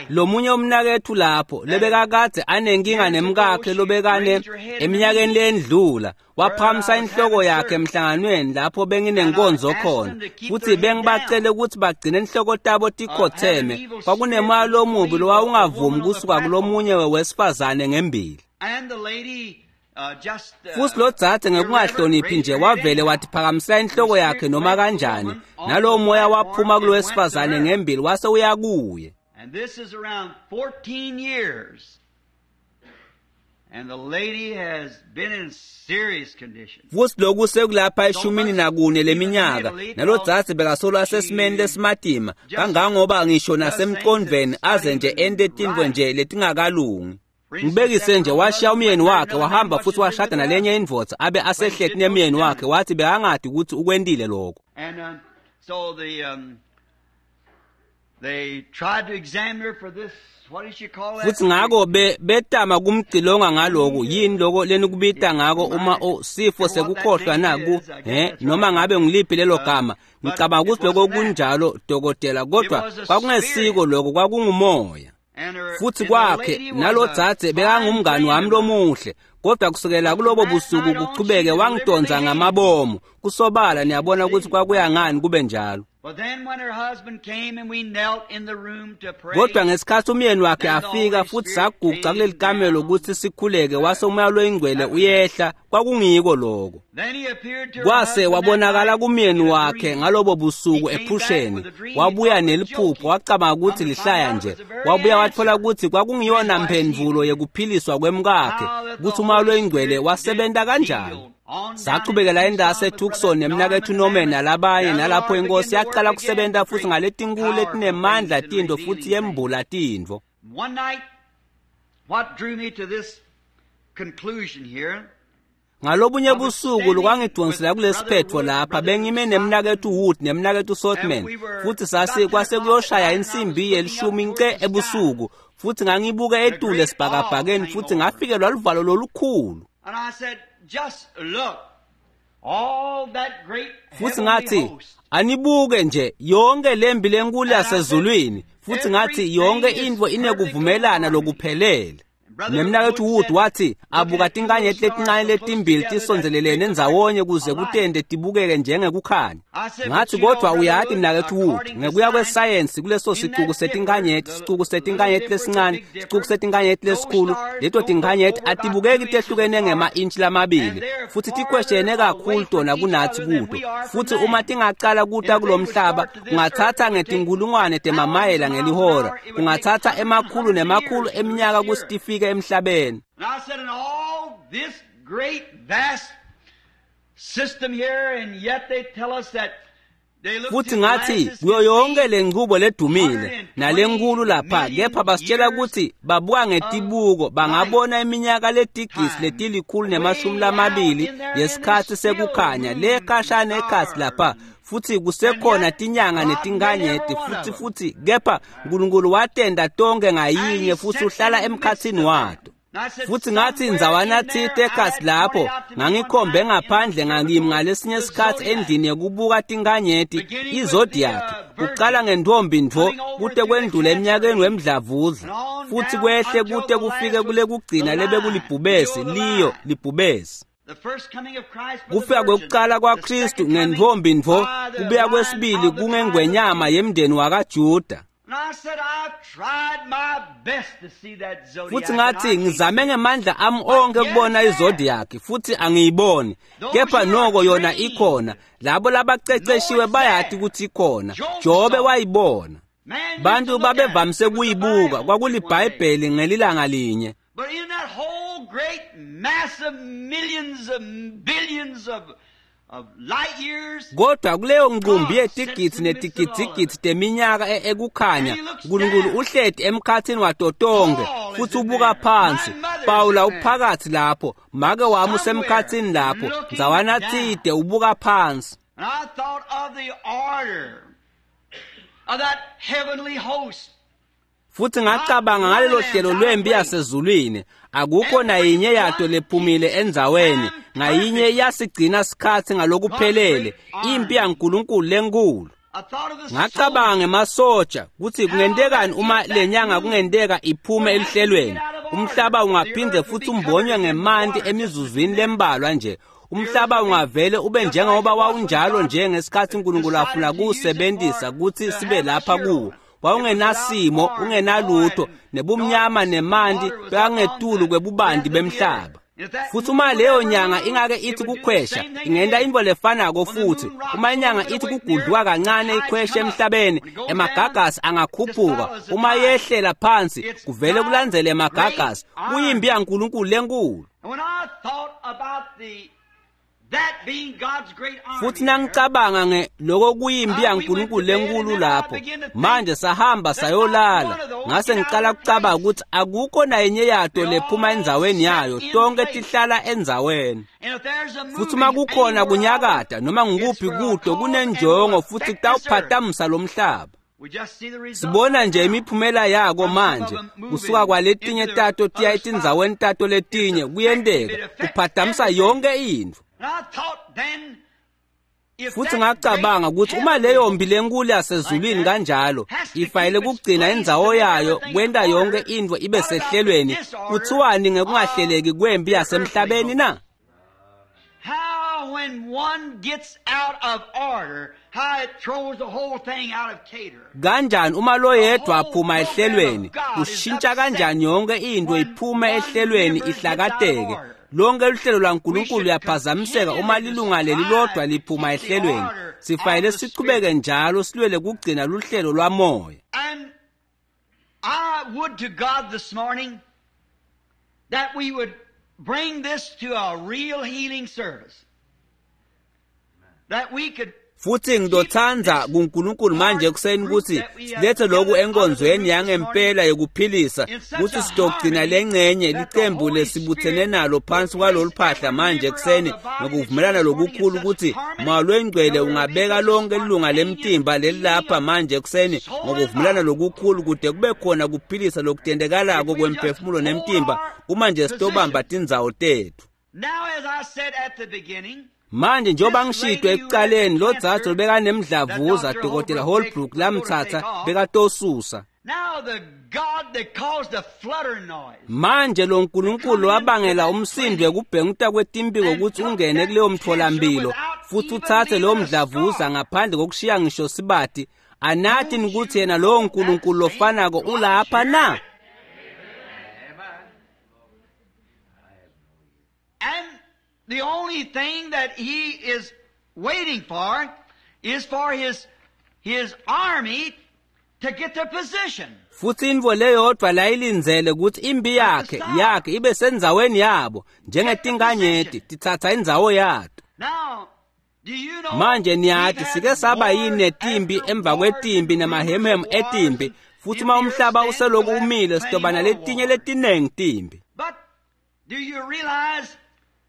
Lomunye umnakethu lapho lebekakade anenkinga nemkakhe lobekane eminyakeni lendlula, waphakamisa inhloko yakhe emhlanganweni lapho benginenkonzo khona, futhi bengibacele ukuthi bagcine inhloko tabo tikhotheme. Kwakunemoya lomubi lowawungavumi kusuka kulomunye wesifazane ngembili. Futhi lo dzadze ngekungahloniphi nje wavele wathi phakamisa inhloko yakhe noma kanjani, nalowo moya waphuma kulowesifazane ngembili wase uyakuye. And this is around 14 years. And the lady has been in serious condition. Futhi lokhu sekulapha 14 leminyaka, nalo dzadze bekasolo asesimeni lesimatima kangangoba ngisho nasemqondvweni aze nje ente tintfo nje letingakalungi. Ngibekise nje washiya umyeni wakhe wahamba futhi washada nalenye indvodza abe asehleti nemyeni wakhe, wathi bekangadi ukuthi ukwentile lokho. And so they tried to examine her for this, what did she call that? Futhi ngako betama kumcilonga ngaloko, yini loko lenikubita ngako uma sifo sekukhohlwa naku, noma ngabe ngiliphi lelo gama. Ngicabanga ukuthi lokho kunjalo dokotela, kodwa kwakungesiko lokho, kwakungumoya. Futhi kwakhe nalo dzadze bekangumngani wami lomuhle, kodwa kusukela kulobo busuku kuchubeke wangidonsa ngamabomu. Kusobala niyabona ukuthi kwakuya ngani kube njalo. Kodwa ngesikhathi umyeni wakhe afika futhi saguca kuleli kamelo ukuthi sikhuleke, wase umoya loyingcwele uyehla, kwakungiko lokho. Kwase wabonakala kumyeni wakhe ngalobo busuku ephusheni, wabuya neliphupho, wacabanga ukuthi lihlaya nje. Wabuya wathola ukuthi kwakungiyona mphendvulo yekuphiliswa kwemkakhe, ukuthi umoya loyingcwele wasebenta kanjani. Sachubekela endase eTucson nemnakethu Norman nalabanye, nalapho inkosi yaqala kusebenta futhi ngaletinkulu letinemandla tintfo futhi yembula tintfo. One night, what drew me to this conclusion here? Ngalobunye busuku lokwangidonsela kulesiphetfo lapha, bengime nemnakethu Wood nemnakethu Sothman, futhi sasi kwase kuyoshaya insimbi yelishumi nce ebusuku, futhi ngangibuka etulu esibhakabhakeni futhi ngafikelwa luvalo lolukhulu. And I said, just look, all that great futhi ngathi anibuke nje yonke lembi lenkulu yasezulwini, futhi ngathi yonke intfo inekuvumelana lokuphelele. Nemnakethu Wood wathi abuka tinkanyeti letincane letimbili tisondzelelene endzawonye kuze kutente tibukeke njengekukhanya. Ngathi kodwa uyati mnakethu Wood, ngekuya kwesayensi kuleso sicuku setinkanyeti, sicuku setinkanyeti lesincane, sicuku setinkanyeti lesikhulu, leto tinkanyeti atibukeki tehlukene ngema-intshi lamabili, futhi tikweshene kakhulu tona kunathi kuto. Futhi uma tingacala kuta kulomhlaba, kungathatha ngetinkulungwane temamayela ngelihora, kungathatha emakhulu nemakhulu eminyaka kutsi tifike emhlabeni. And I said, in all this great vast system here, and yet they tell us that they look futhi ngathi kuyo yonke lenqubo ledumile nalenkulu lapha, kepha basitshela ukuthi babuka ngetibuko bangabona iminyaka letigisi 120 yesikhathi sekukhanya le khashana ekhasi lapha, futhi kusekhona tinyanga netinkanyeti futhi kepha uNkulunkulu watenda tonke ngayinye futhi uhlala emkhathini wato. Futhi ngathi ndzawana thite ekhasi lapho ngangikhombe ngaphandle ngakimi ngalesinye isikhathi endlini yekubuka tinkanyeti izodiac, kuqala ngentombi ntfo kute kwendlula eminyakeni wemdlavuza, futhi kwehle kute kufike kule kugcina lebe kulibhubesi liyo libhubesi. Kufika kwekuqala kwaKristu ngentombi ntfo, kubuya kwesibili kungengwenyama yemndeni wakaJuda. Futhi ngathi ngizame ngemandla ami onke kubona izodiac futhi angiyiboni, kepha noko yona ikhona. Labo labaceceshiwe bayati ukuthi ikhona. Jobe wayibona. Bantu babevamise kuyibuka, kwakulibhayibheli ngelilanga linye. But in that whole great mass of millions of billions of light years, kodwa kuleyo nqumbi yetigidzi netigidzigidzi teminyaka ekukhanya, uNkulunkulu uhleti emkhathini wato tonke, futhi ubuka phansi. Pawula uphakathi lapho, make wami usemkhathini lapho, ndzawana tside ubuka phansi. And I thought of the order of that heavenly host. Futhi ngacabanga ngalelo hlelo lwempi yasezulwini, akukho nayinye yato lephumile endzaweni, ngayinye yasigcina sikhatsi ngalokuphelele, impi yaNkulunkulu lenkulu. I thought of the Ngacabanga ngemasoja kutsi kungentekani uma lenyanga kungenteka iphume elihlelweni. Umhlaba ungaphinde futhi umbonywe ngemanti emizuzwini lembalwa nje. Umhlaba ungavele ube njengoba wawunjalo nje ngesikhatsi uNkulunkulu afuna kuwusebentisa kutsi sibe lapha kuwo. Wawungenasimo, ungenalutho, nebumnyama nemanti bekangetulu kwebubanti bemhlaba. Futhi uma leyo nyanga ingake ithi kukhwesha, ingenta intfo lefanako futhi. Uma inyanga ithi kugudluka kancane ikhweshe emhlabeni, emagagasi angakhuphuka. Uma yehlela phansi, kuvele kulandzele emagagasi. Kuyimpi yaNkulunkulu lenkulu. And when I thought about the that being God's great army, Futhi nangicabanga nge lokho kuyimpi yaNkulunkulu lenkulu lapho, manje sahamba sayolala, ngase ngicala kucabanga ukuthi akukho nayinye yato lephuma endzaweni yayo, tonke tihlala endzaweni. and if there's a Futhi uma moving kukhona anywhere kunyakata noma ngikuphi it's for a kuto cause and kunenjongo will futhi affect this earth. kutawuphatamisa lo mhlaba. We just see the result Sibona nje now. imiphumela yako manje, kusuka kwaletinye tato tiya etindzaweni tato letinye, kuyenteka kuphatamisa yonke intfo. And I thought then, if Futhi that ngacabanga great ukuthi uma leyo mpi lenkulu yasezulwini kanjalo ifanele kugcina indzawo yayo kwenta yonke intfo ibe sehlelweni, kuthiwani ngekungahleleki kwempi yasemhlabeni na? How when one gets out of order, how it throws the whole thing out of cater. Kanjani uma loyedwa aphuma ehlelweni, kushintsha kanjani yonke intfo iphume ehlelweni ihlakateke. Lonke luhlelo lwaNkulunkulu luyaphazamiseka uma lilunga lelilodwa liphuma ehlelweni. Sifanele sichubeke njalo silwele kugcina luhlelo lwamoya. And I would to God this morning that we would bring this to a real healing service. That we could Futhi ngidothanda kuNkulunkulu manje ekuseni ukuthi silethe lokhu enkonzweni yangempela yokuphilisa, ukuthi sidogcina lengcenye licembu lesibuthene nalo phansi kwalolu phahla manje ekuseni ngokuvumelana lokukhulu ukuthi Moya loyiNgcwele ungabeka lonke ilunga lemtimba lelilapha manje ekuseni ngokuvumelana lokukhulu kude kube khona kuphilisa lokutendekalako kwemphefumulo nemtimba uma nje sitobamba tindzawo tethu. Now, as I said at the beginning, Manje njengoba ngishito ekucaleni lo dzadze bekanemdlavuza Dr. Holbrook lamtsatsa bekatosusa. now the God that caused the flutter noise Manje lo nkulunkulu wabangela umsindo wekubhenguta kwetimpiko ukuthi ungene kuleyo mtfolamphilo futhi uthathe lowo mdlavuza ngaphandle kokushiya ngisho sibati. Anathi ukuthi yena lowo nkulunkulu lofanako ulapha na? And the only thing that he is waiting for is for his army to get their position. Futhi intfo leyodvwa layilindzele ukuthi impi yakhe yakhe ibe sendzaweni yabo njengetinkanyeti titsatsa indzawo yato. Now, do you know Manje niyati we've sike had saba wars yini netimpi after emva wars kwetimpi and nemahemhem rumors of etimpi, wars. futhi If uma the umhlaba earth stands, useloku we'll have umile plenty sitoba more naletinye wars. letinengi timpi. But do you realize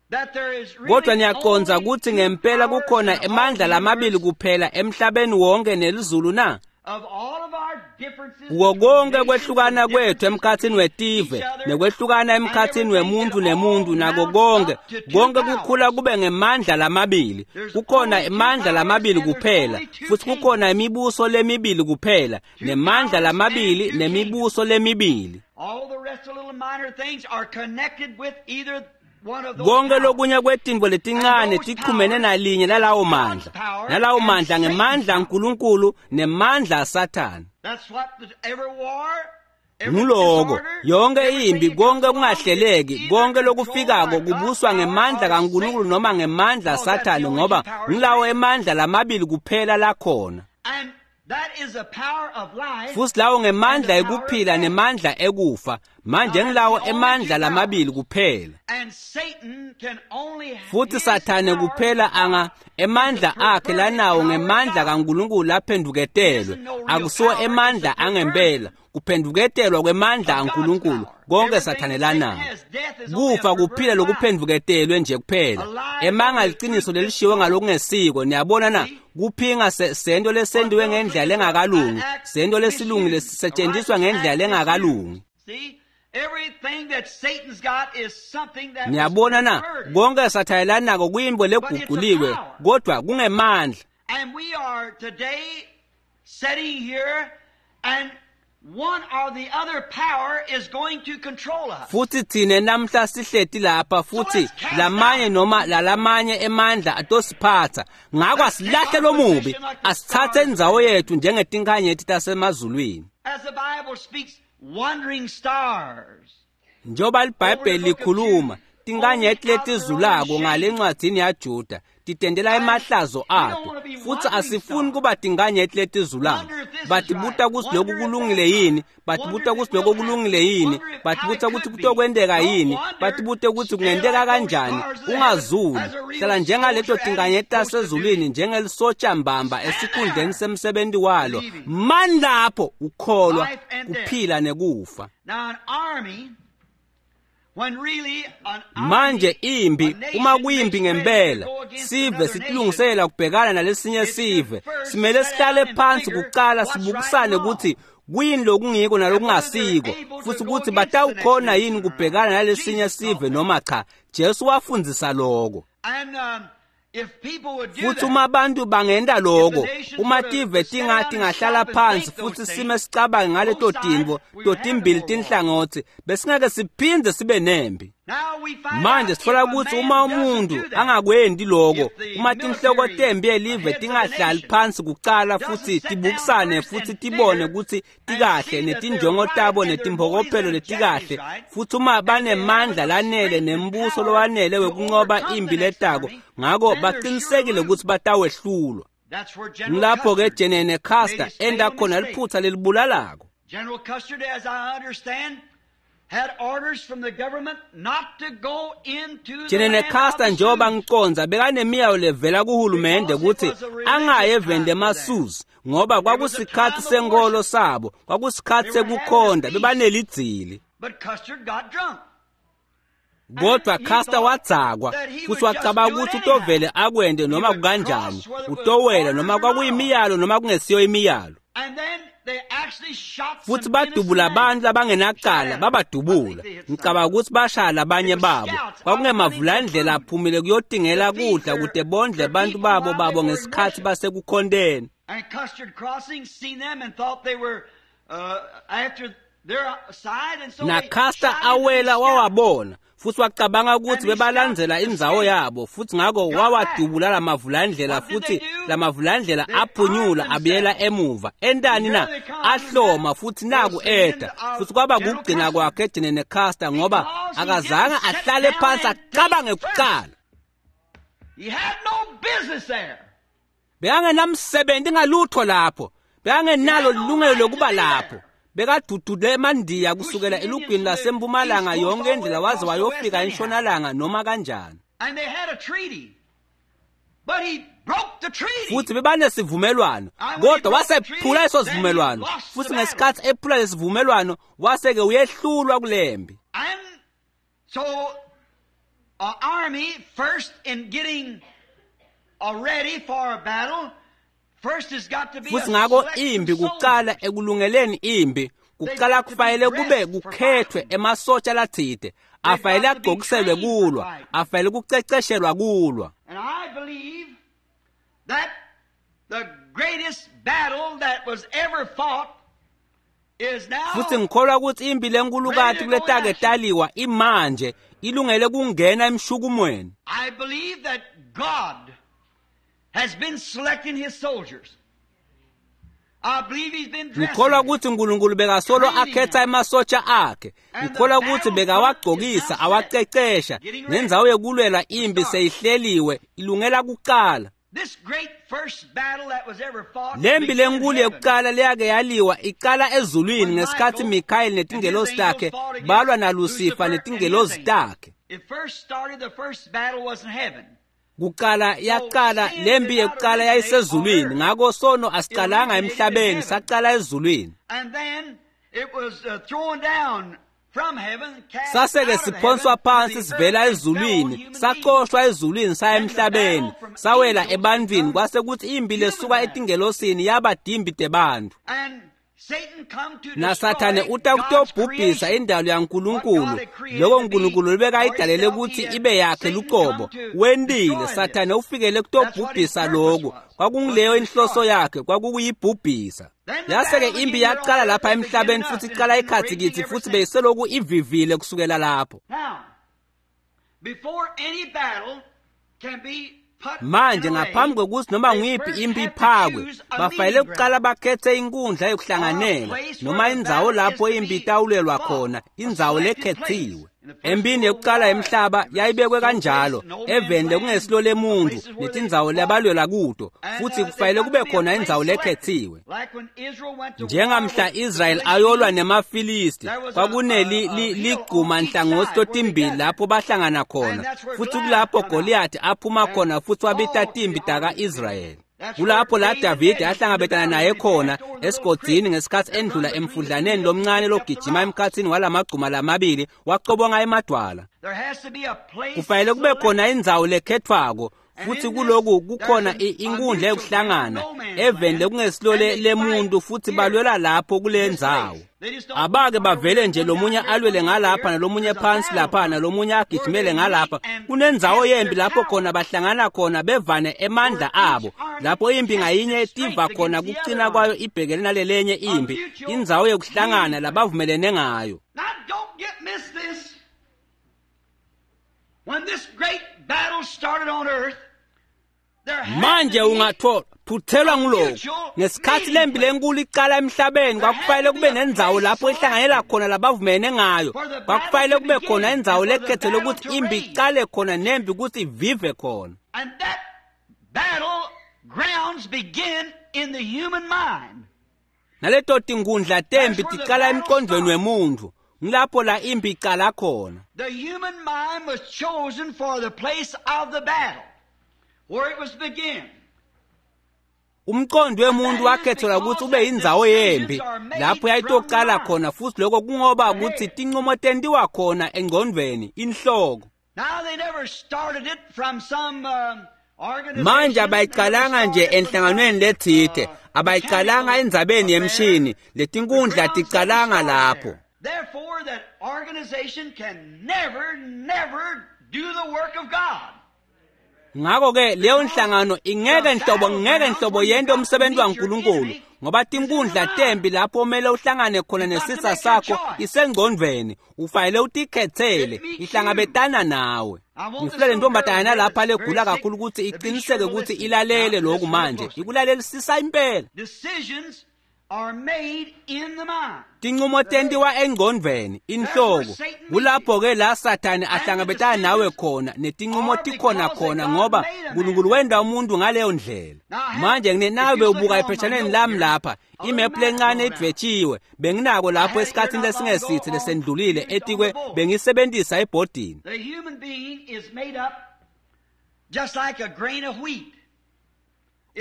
that there is really Kodwa niyacondza only kutsi two ngempela powers kukhona in all emandla the lamabili universe kuphela emhlabeni wonke nelizulu na? of all of our differences Kuko between konke nations kwehlukana and kwethu differences emkhatsini between wetive each other nekwehlukana and emkhatsini everything, wemuntu it nemuntu all nako mounts konke up to two konke kukhula powers. kube ngemandla lamabili. There's Kukhona only two emandla powers lamabili and there's kuphela only two futhi kukhona kingdoms. imibuso lemibili kuphela Two nemandla powers and lamabili two kingdoms. nemibuso lemibili. All the rest of the little minor things are connected with either one of those Konke powers. lokunye kwetintfo And letincane those tichumene powers nalinye is lalawo God's mandla. power Nalawo and mandla Satan's ngemandla power. aNkulunkulu nemandla aSathane. That's what every war, every Nguloko disorder, yonke everything impi that comes konke along is kungahleleki either konke controlled lokufikako by God's kubuswa power ngemandla or kaNkulunkulu Satan. noma ngemandla Because that's the aSathane only two ngoba powers ngilawo there is. emandla lamabili kuphela lakhona. And that is the power of life Futhi lawo and ngemandla the power of ekuphila death. nemandla ekufa. Manje ngilawo emandla lamabili kuphela. Futhi Sathane kuphela anga emandla akhe lanawo ngemandla kaNkulunkulu laphenduketelwe, akusiwo emandla angempela, kuphenduketelwa kwemandla aNkulunkulu konke Sathane lanawo. Kufa kuphila lokuphenduketelwe nje kuphela. Emanga liqiniso lelishiwe ngalokungesiko, niyabona na? Kuphinga sento lesendiwe ngendlela lengakalungi, sento lesilungile sisetshenziswa ngendlela lengakalungi. Niyabona na? Konke Sathane lanako kuyintfo leguculiwe, kodwa kungemandla. And we are today sitting here and one or the other power is going to control us. Futhi thine namhla sihleti lapha futhi lamanye noma lalamanye emandla atosiphatha. Ngako asilahle lomubi, asithathe indzawo yethu njengetinkhanyeti tasemazulwini. As the Bible speaks, wandering stars. Njengoba liBhayibheli likhuluma, tinkhanyeti letizulako ngale ncwadzini yaJuda titendela emahlazo ato, futhi asifuni kuba tinkhanyeti letizulako. Batibuta kutsi lokhu kulungile yini, batibuta kutsi lokho kulungile yini, batibuta kutsi kutokwenteka yini, batibute kutsi kungenteka kanjani. Ungazuli, hlala njengaleto tinkhanyeti tasezulwini, njengelisotsha mbamba esikhundleni semsebenti walo. Mani lapho ukholwa kuphila nekufa. Manje impi, uma kuyimpi ngempela, sive sitilungisela kubhekana nalesinye sive, simele sihlale phansi kucala sibukisane ukuthi kuyini lokungiko nalokungasiko, futhi ukuthi batawukhona yini kubhekana nalesinye sive noma cha. Jesu wafundzisa lokho. Futhi uma abantu bangenta lokho, uma tive tingahlala phansi futhi sime sicabange ngaleto tintfo totimbili tinhlangotsi, besingeke siphindze sibe nempi. Manje sitfola kutsi uma umuntu angakwendi lokho, uma tinhloko tempi yelive tingahlali phansi kucala futhi tibukisane futhi tibone kutsi tikahle netinjongo tabo netimphokophelo letikahle, futhi uma banemandla lanele nembuso lowanele wekuncoba impi letako, ngako baqinisekile kutsi batawehlulwa. Ngilapho-ke Jenene Custer enta khona liphutha lelibulalako. General Custer, as I understand, had orders from the government not to go into Jenene Custer, njengoba ngicondza, bekanemiyayo levela kuhulumende kutsi angayi eveni lemaSuzi, ngoba kwakusikhatsi senkholo sabo, kwakusikhatsi sekukhonta, bebanelidzili. But Custer got drunk. Kodwa Custer wadzakwa futhi wacabanga ukuthi utovele akwende noma kukanjani, utowela noma kwakuyimiyalo noma kungesiyo imiyalo. Futhi badubula abantu labangenacala, babadubula. Ngicabanga ukuthi bashaya labanye babo. Kwakungemavulandlela aphumile kuyotingela kudla kute bondle abantu babo ngesikhatsi basekukhonteni. And Custer crossing seen them and thought they were after their side, and so Na Custer awela wawabona futhi wacabanga ukuthi bebalandzela indzawo yabo, futhi ngako wawadubula lamavulandlela, futhi lamavulandlela aphunyula abuyela emuva. Entani na? Ahloma futhi naku eta, futhi kwaba kugcina kwakhe Jenene Custer, ngoba akazange ahlale phansi acabange kucala. He had no business there. Bekangenamsebenzi ngalutho lapho, bekangenalo ilungelo lokuba lapho. Bekadudule emandiya kusukela elugwini lasempumalanga yonke indlela waze wayofika entshonalanga noma kanjani. And they had a treaty. But he broke the treaty. Futhi bebanesivumelwano, kodwa wasephula leso sivumelwano. Futhi ngesikhatsi ephula lesivumelwano, wase-ke uyehlulwa kulempi. And so an army first in getting ready for a battle, Futhi ngako impi kucala ekulungeleni impi, kucala kufanele kube kukhethwe emasotsha latsite, afanele agcokiselwe kulwa, afanele kuceceshelwa kulwa. And I believe that the greatest battle that was ever fought is now Futhi ngikholwa ukuthi impi lenkulukati kuletake taliwa imanje ilungele kungena emshukumweni. I believe that God has been selecting his soldiers. I believe he's been dressing Ngikholwa them. ukuthi uNkulunkulu bekasolo akhetha emasotsha akhe. Ngikholwa ukuthi bekawagcokisa, awacecesha. Nendzawo yekulwela impi seyihleliwe, ilungela kucala. Lempi lenkulu yekuqala leyake yaliwa iqala ezulwini ngesikhathi Mikhayeli netingelosi takhe balwa naLusifa netingelosi takhe. Kuqala yaqala lempi yekuqala yayisezulwini, ngakho sono asiqalanga emhlabeni, saqala ezulwini. Saseke siphonswa phansi sivela ezulwini, saxoshwa ezulwini saya emhlabeni, sawela ebantwini, kwase kuthi impi lesuka etingelosini yaba timpi tebantfu. NaSathane uta kutobhubhisa indalo yaNkulunkulu, loko uNkulunkulu lebekayidalele ukuthi ibe yakhe luqobo. Wentile, Sathane ufikele kutobhubhisa lokhu. Kwakungileyo inhloso yakhe, kwakukuyibhubhisa. Yase-ke impi yaqala lapha emhlabeni futhi iqala ikhathi kithi futhi beyiseloku ivivile kusukela lapho. Manje ngaphambi kokuthi noma nguyiphi impi iphakwe, bafanele kuqala bakhethe inkundla yokuhlanganela noma indzawo lapho impi itawulelwa khona, indzawo lekhethiwe. Empini yokuqala yemhlaba yayibekwe kanjalo, eveni lekungesilo lemuntu netindzawo labalwela kuto, futhi kufanele kube khona indzawo lekhethiwe. Njengamhla Israel ayolwa nemaFilisti, kwakuneligquma nhlangothi totimbili lapho bahlangana khona, futhi kulapho Goliath aphuma khona futhi wabita timpi taka-Israyeli. Kulapho la Davide ahlangabetana naye khona esigodini ngesikhathi endlula emfudlaneni lomncane logijima emkhathini walamagcuma lamabili, wacobonga emadwala. Kufanele kube khona indzawo lekhethwako, futhi kuloku kukhona inkundla yokuhlangana eveni lekungesilo lemuntu, futhi balwela lapho kule ndzawo. Abake bavele nje lomunye alwele ngalapha nalomunye phansi lapha nalomunye agijimele ngalapha. Kunendzawo yempi lapho khona bahlangana khona bevane emandla abo, lapho impi ngayinye tiva khona kucina kwayo ibhekene nalelenye impi, indzawo yokuhlangana labavumelene ngayo. Manje ungathola phuthelwa ngulokhu. Ngesikhathi lempi lenkulu iqala emhlabeni, kwakufanele kube nendzawo lapho ihlanganela khona labavumene ngayo. Kwakufanele kube khona indzawo lekhethelwe ukuthi impi iqale khona nempi ukuthi ivive khona. Naleto tinkundla tempi tiqala emqondweni wemuntu, ngilapho la impi iqala khona. The human mind was chosen for the place of the battle, where it was begin. Umqondo wemuntu wakhethelwa ukuthi ube yindzawo yempi lapho yayitoqala khona, futhi lokho kungoba ukuthi tinqumo tentiwa khona engqondweni, inhloko. Manje abayiqalanga nje enhlanganweni lethite, abayiqalanga endzabeni yemshini, letinkundla tiqalanga lapho. Therefore, that organization can never, never do the work of God. Ngakho-ke leyo nhlangano ingeke nhlobo yente umsebenzi waNkulunkulu, ngoba tinkundla tempi lapho kumele uhlangane khona nesitsa sakho isengqondweni, ufanele utikhethele, ihlangabetana nawe. Ngifuna le ntombazanyana lapha legula kakhulu ukuthi iqiniseke ukuthi ilalele lokhu manje, ikulalelisisa impela. Tinqumo tentiwa engqondweni, inhloko. Kulapho-ke la Sathane ahlangabetana nawe khona, netinqumo tikhona khona, ngoba uNkulunkulu wenda umuntu ngaleyo ndlela. Manje nawe ubuka epheshaneni lami lapha, imephu lencane idvetshiwe, benginako lapho esikhathini lesingesithe lesendlulile etikwe bengisebenzisa ebhodini. The human being is made up just like a grain of wheat.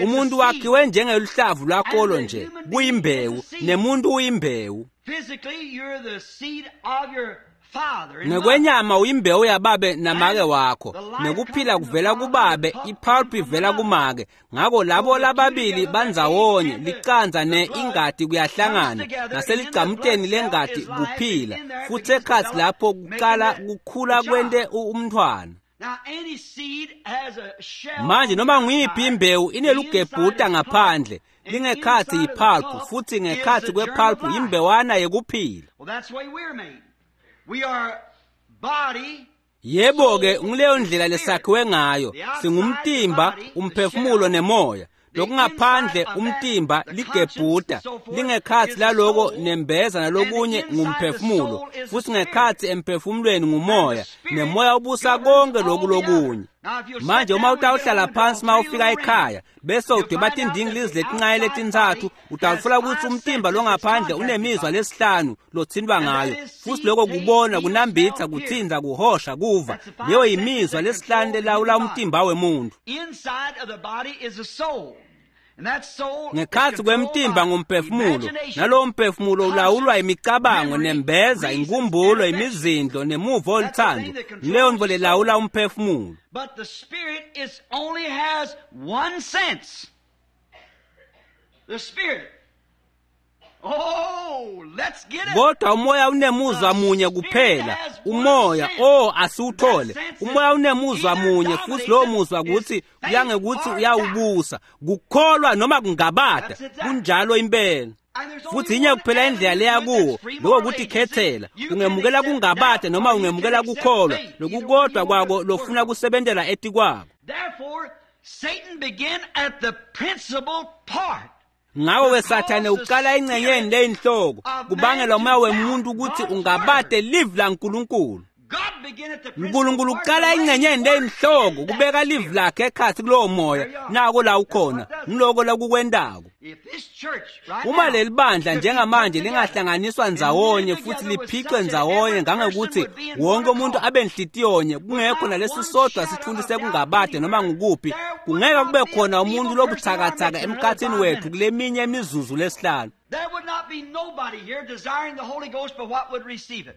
Umuntu wakhiwe njengeluhlavu lwakolo nje, kuyimbewu, nemuntu uyimbewu. Ngekwenyama uyimbewu yababe namake wakho, nekuphila kuvela kubabe, ipulp ivela kumake. Ngakho labo lababili bandzawonye, licanza ne ingati kuyahlangana, naseligcamuteni lengati kuphila, futhi ekhatsi lapho kuqala kukhula kwente umntwana. Manje noma nguyiphi imbewu inelugebhuta ngaphandle, lingekhathi yipulp, futhi ngekhathi kwepulp yimbewana yekuphila. Yebo-ke, ngileyo ndlela lesakhiwe ngayo, singumtimba, umphefumulo nemoya. Lokungaphandle umtimba ligebhuta, lingekhathi laloko nembeza nalokunye ngumphefumulo, futhi ngekhathi emphefumulweni ngumoya, nemoya ubusa konke loku lokunye. Manje uma utawuhlala phansi uma ufika ekhaya bese udweba tindingilizi letincane letintsatfu, utawutfola kutsi umtimba longaphandle unemizwa lesihlanu lotsintwa ngayo, futsi lokho kubona, kunambitsa, kutsintsa, kuhosha, kuva. Leyo yimizwa lesihlanu lelawula umtimba wemuntu. Ngekhatsi kwemtimba ngumphefumulo, nalowo mphefumulo ulawulwa imicabango, nembeza, inkumbulo, imizindlo nemuvo oluthando. Leyo ntfo lelawula umphefumulo. But the spirit is only has one sense. The spirit. Oh, let's get it. Kodwa umoya unemuzwa munye kuphela. Umoya, oh, asiwuthole. Umoya unemuzwa munye futhi lowo muzwa kuthi kuyangekuthi uyawubusa. Kukholwa noma kungabata, kunjalo impela. Futhi inye kuphela indlela leya kuwo, lokho ukuthi khethela, ungemukela kungabata noma ungemukela kukholwa, lokukodwa kwako lofuna kusebentela etikwako. Therefore, Satan began at the principal part. Ngakho-ke Sathane uqala engcenyeni leyinhloko kubangela umoya wemuntu ukuthi ungabate livi laNkulunkulu. God began at the principal uNkulunkulu part uqala to lay engcenyeni his word leyinhloko in that kubeka livi spirit. lakhe ekhatsi kulowo moya, nako la ukhona, ngiloko lakukwentako. If this church right Uma now leli bandla could be njengamanje put together lingahlanganiswa and ndzawonye knitted futhi together with liphicwe such that ndzawonye every person ngangekuthi would be in wonke one umuntu accord, abe nhlityonye, kungekho without nalesi one sodwa shadow sithundi of doubt sekungabade noma anywhere, ngukuphi, there would kungeke not kube be a khona umuntu feeble person in our lobuthakathaka midst in another emkhathini 5 wethu minutes. kuleminye imizuzu lesihlanu. There would not be nobody here desiring the Holy Ghost but what would receive it.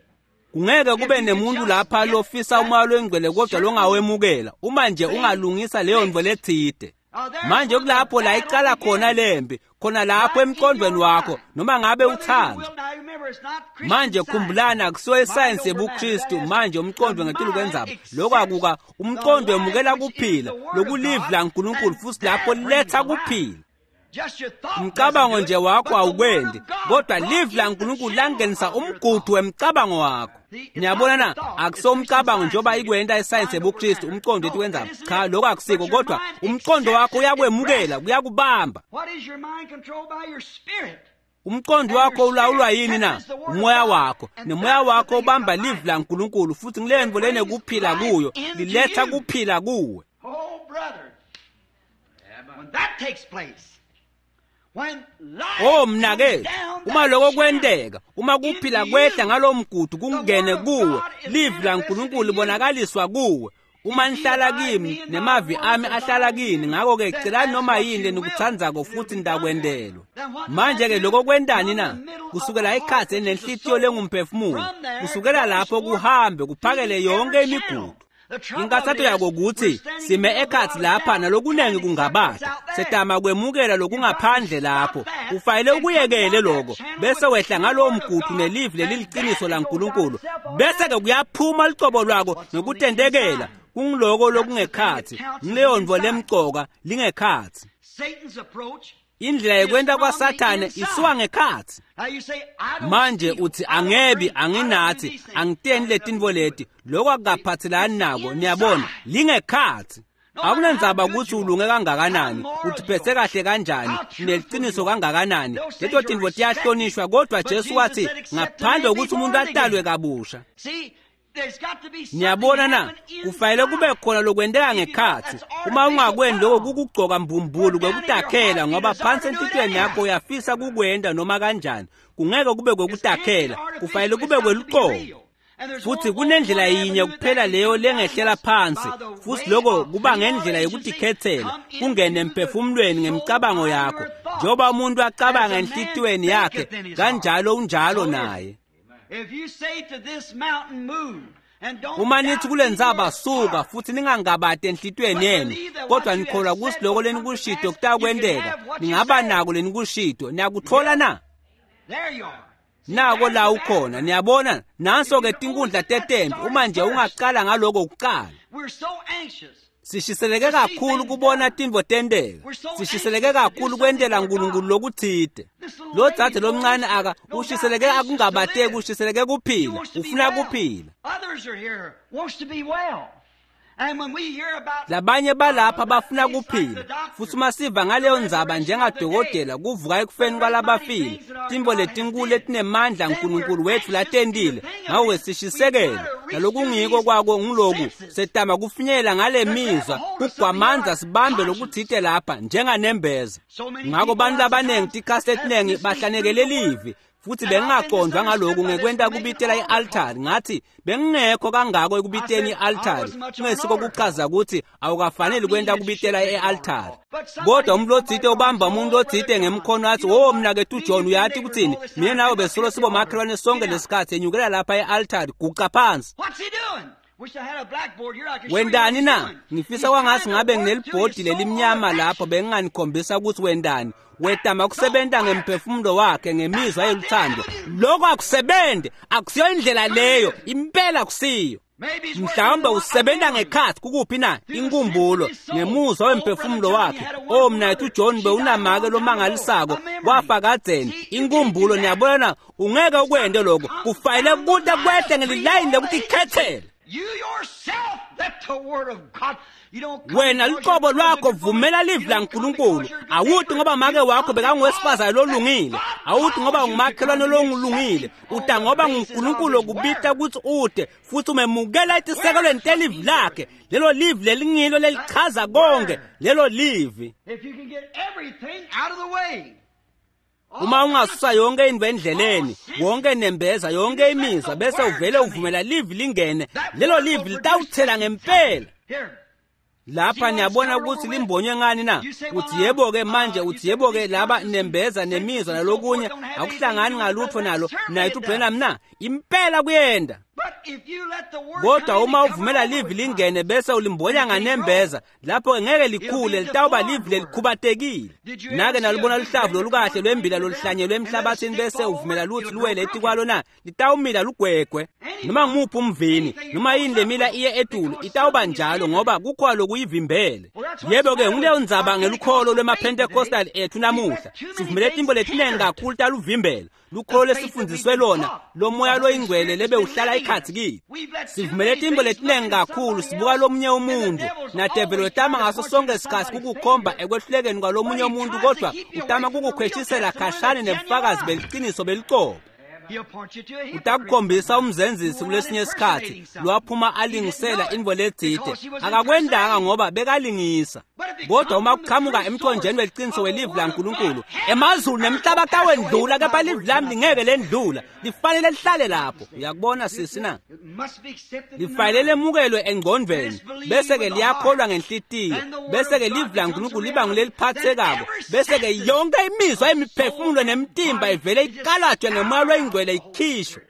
Kungeke If kube you could nemuntu just lapha get lofisa that umoya longcwele kodwa certain longawemukela, uma nje thing ungalungisa leyo ntfo fixed. letsite. Now there's Manje where the kulapho la battle icala khona begins. lempi, khona lapho Right in emqondweni your wakho, mind. noma ngabe Whether you uthanda. will, now remember, it's not Christian Manje science. khumbulani akusiyo Mind isayensi over matter. That yebuKristu, has manje the umqondo ngetulu mind kwendzaba. Lokho accepts akuka the umqondo life wemukela which is kuphila, the Word of lokulivi God, laNkulunkulu and futhi lapho that brings letha the life. kuphila. Just your thought doesn't Umcabango do it, nje wakho but the Word awukwendi, of God kodwa brought livi in the laNkulunkulu channel langenisa of your umgudu thought. wemcabango wakho. See, it's Niyabona not na, the thought, it's akusiwo Christian umcabango science njengoba when you get ikwenta isayensi mind over yebuKristu, matter. umqondo No, ethi kwenzaba. that isn't Cha, it. lokho akusiko, But your kodwa mind umqondo accepts wakho it, it uyakwemukela, grasps it. kuyakubamba. What is your mind controlled by? Your spirit. Umqondo And your wakho ulawulwa spirit yini na? catches the Word of Umoya God, wakho. and Nemoya that's the wakho thing that's ubamba got livi life. laNkulunkulu futhi ngile It ntfo brings lenekuphila life kuyo, into liletha you. kuphila kuwe. Oh, brother, when that takes place, when life Oh comes mnakethu, down uma that lokho channel kwenteka, uma into kuphila kwehla you, ngalowo mgudu the kungene Word of kuwe, God is livi manifested laNkulunkulu in you. libonakaliswa kuwe. Uma If ye nihlala abide kimi me and my nemavi words ami ahlala abide in kini, you, ngakho-ke then celani ask noma what yini you will, lenikutsandzako and it'll futhi be done for you. nitakwentelwa. Then what does that Manje-ke do? lokho kwentani From na? the middle of the Kusukela heart, ikhatsi which is the enenhlitiyo soul, lengumphefumulo, from there kusukela goes lapho forth kuhambe kuphakele feeding yonke every channel. imigudu. The trouble of it Inkathato is, yako we're kuthi standing in the sime middle of a ekhatsi lot of lapha doubt, trying nalokunengi to accept what's kungabata, out there. setama kwemukela You've got to lokungaphandle stop lapho. that Ufanele and come ukuyekele down that lokho, channel bese with the wehla true ngalowo Word of mgudu God, nelivi and leliliciniso that goes out laNkulunkulu, itself bese-ke automatically. kuyaphuma lucobo lwako What's on the nokutendekela inside? kungiloko That's the thing that lokungekhatsi, counts is ngileyo ntfo inside. lemcoka lingekhatsi. Satan's approach Indlela is yekwenta from the kwaSathane inside. isuka ngekhatsi. Now you say, I don't Manje steal, uthi I don't angebi, drink, I don't do anginathi, these things. angiteni That has nothing letintfo to do with leti. it. Lokho See, akukaphathelani it's nako, niyabona, inside. lingekhatsi. No matter how Akunandzaba good ukuthi you are, ulunge how kangakanani, moral you uthiphethe are, kahle kanjani, how truthful uneliciniso you are, kangakanani, those things leto are tintfo respected. tiyahlonishwa kodwa But Jesu Jesus wathi said, except a ngaphandle man be kokuthi umuntu born atalwe again. kabusha. See, there's got to be something Niyabona na, happen kufanele kube inside. khona lokwenteka If you don't, ngekhatsi. that's Uma artificial ungakweni lokho put on. kukugcoka mbumbulu But down in your kwekutakhela heart, you ngoba desire phansi to do it enhlitiyweni yakho anyhow. uyafisa kukwenta noma kanjani. Kungeke kube It can't be kwekutakhela, kufanele artificial. kube It's got to be kweluqobo. real. And there's Futhi only kunendlela one yinye avenue that kuphela can leyo come down, and lengehlela that's by phansi, the futhi way lokho of kuba free will ngendlela agency, yokutikhethela, come kungene into the emphefumulweni soul ngemicabango by yakho. your thoughts. Njengoba umuntu As acabanga a man enhlitiyweni yakhe, thinketh in his heart, kanjalo unjalo so is naye. he. If you say to this mountain, move, and don't Uma nithi doubt kule in ntsaba your suka heart, futhi ningangabati enhlitiyweni but yenu, believe that kodwa what you have nikholwa kutsi said loko will come to lenikushito pass, you can kutakwenteka, have what you ningaba say. nako lenikushito. You Niyakutfola get it? na? There you are. See, Nako there's la the ukhona, battle. niyabona, If nanso you ke could only tinkundla get that tetempi, started uma nje first. ungaqala ngaloko kuqala. We're so anxious Sishiseleke to see kakhulu things kubona done. tintfo tenteka. We're so Sishiseleke anxious to do kakhulu something kwentela for uNkulunkulu God. lokutsite. This little Lo lady dzadze going lomncane is aka no doubt ushiseleke anxious to akungabateki, live. ushiseleke She kuphila, wants to be ufuna well. kuphila. Others are here wants to be well. Labanye balapha bafuna kuphila, futhi uma siva ngaleyo ndzaba njengadokotela kuvuka ekufeni kwalabafile, tintfo letinkulu letinemandla Nkulunkulu wetfu latentile, ngako-ke sishisekele. Nalokungiko kwako ngiloku, setama kufinyelela ngale mizwa, kugwamandza sibambe lokutsite lapha njenganembeza. Ngako bantfu labanengi tikhatsi letinengi bahlanekele livi, futhi bengingaqondwa ngaloku ngekwenta kubitela i-altari. Ngathi bengingekho kangako ekubiteni i-altari, kungesiko kuchaza ukuthi awukafaneli kwenta kubitela i-altari. Kodwa umuntu lotsite ubamba umuntu lotsite ngemkhono athi, "Oh mnaketfu uJohn, uyati kuthini? Mina nawe besolo sibomakhelwane sonke lesikhathi, enyukela lapha e-altari, guqa phansi." Wendani na? Ngifisa kwangathi ngabe nginelibhodi lelimnyama lapho benginganikhombisa ukuthi wendani. Wetama kusebenta ngemphefumulo wakhe ngemizwa yeluthando. Lokho akusebenzi, akusiyo indlela leyo, impela akusiyo. Mhlawumbe usebenta ngekhathi kukuphi na? Inkumbulo ngemuzwa wemphefumulo wakhe. Oh mnaketfu uJohn bewunamake lomangalisako, wafa kadzeni. Inkumbulo, niyabona na, ungeke ukwente lokho. Kufanele kude kwehle ngelilayini lekutikhetsela. Wena luqobo lwakho vumela livi laNkulunkulu. Awuthi ngoba make wakho bekangowesifazane lolungile, awuthi ngoba ungumakhelwane lolungile, uta ngoba nguNkulunkulu okubita ukuthi ude, futhi umemukela etisekelweni telivi lakhe. Lelo livi lelingilo lelichaza konke, lelo livi. Uma ungasusa yonke into endleleni, wonke nembeza, yonke imizwa, bese uvele uvumela livi lingene, lelo livi litawuthela ngempela. Lapha niyabona ukuthi limbonywe ngani na? Uthi yebo-ke manje, uthi yebo-ke laba nembeza nemizwa nalokunye akuhlangani ngalutho nalo nayithi uBrenham na? Impela kuyenda. Kodwa uma uvumela livi lingene bese ulimbonya nganembeza, lapho ngeke likhule, litawuba livi lelikhubatekile. Nake nalubona luhlavu lolukahle lwembila loluhlanyelwe emhlabathini bese uvumela lutsi luwele etikwalo na? Litawumila lugwegwe. Noma ngumuphi umvini, noma yini lemila iye etulu, itawuba njalo ngoba kukhona lokuyivimbele. Yebo-ke nguleyo ndzaba ngelukholo lwemaPentecostal ethu namuhla. Sivumele tintfo letinengi kakhulu taluvimbela. Lukholo lesifundiswe lona, lomoya loyingcwele lebe uhlala ikhatsi kithi. Sivumele tintfo letinengi kakhulu, sibuka lomunye umuntu, nadeveli wetama ngaso sonke isikhatsi kukukhomba ekwehlulekeni kwalomunye umuntu, kodwa utama kukukhweshisela khashane nebufakazi beliciniso belucobo. Utakukhombisa umzenzisi kulesinye isikhatsi lwaphuma alingisela intfo letsite, akakwendanga ngoba bekalingisa. Kodwa uma kuqhamuka emthonjeni weliciniso welivi laNkulunkulu, emazulu nemhlaba atawendlula, kepha livi lami lingeke lendlula, lifanele lihlale lapho. Uyakubona sisi na? Lifanele lemukelwe engcondvweni, bese-ke liyakholwa ngenhlitiyo, bese-ke livi laNkulunkulu liba nguleliphathekako, bese-ke yonke imizwa yemiphefumulo nemitimba ivele ikalajwe ngemoya loyingcwele ikhishwe.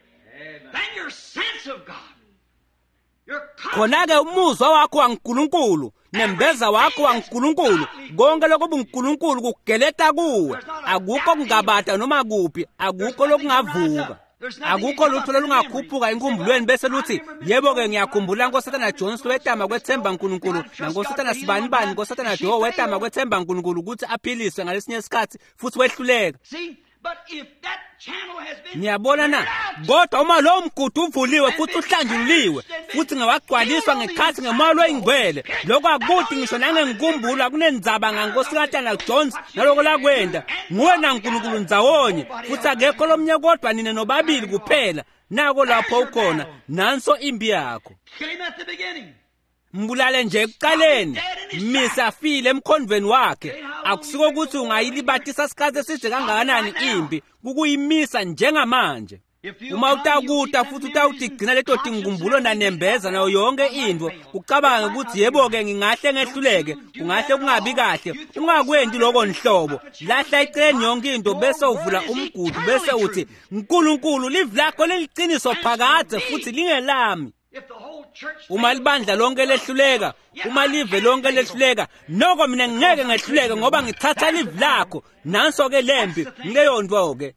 Khona-ke umuzwa wakho waNkulunkulu, nembeza wakho waNkulunkulu, konke lokubuNkulunkulu kugeleta kuwe. Akukho kungabata noma kuphi, akukho lokungavuka. Akukho lutho lolungakhuphuka enkumbulweni bese luthi, yebo-ke ngiyakhumbula Nkosatana Jones wetama kwethemba Nkulunkulu, naNkosatana Sibanibani, Nkosatana Joe wetama kwethemba Nkulunkulu ukuthi aphiliswe ngalesinye isikhathi futhi wehluleka. Niyabona na? Kodwa uma lowo mgudu uvuliwe futhi uhlanjululiwe futhi ngewagcwaliswa ngekhathi ngemoya loyingcwele, lokho akuthi ngisho nangenkumbulo akunendzaba ngaNkosikatana Jones naloko lakwenda. Nguwe naNkulunkulu ndzawonye, futhi akekho lomnye kodwa nine nobabili kuphela. Nako lapho ukhona, nanso impi yakho. Mbulale nje ekuqaleni, misafile emkhondvweni wakhe. Akusiko ukuthi ungayilibatisa isikhathi eside kangakanani impi, kukuyimisa njengamanje. Uma utakuta futhi utawutigcina leto tinkumbulo nanembeza nayo yonke intfo, ucabange ukuthi yebo-ke ngingahle ngehluleke, kungahle kungabi kahle, ungakwendi lokho nhlobo. Lahla eceleni yonke into bese uvula umgudu bese uthi, Nkulunkulu, livi lakho liliciniso phakadze futhi lingelami. Uma libandla lonke lehluleka, uma live lonke lehluleka, noko mina ngeke ngehluleke ngoba ngithatha livi lakho. Nanso-ke lempi, ngileyo nto-ke.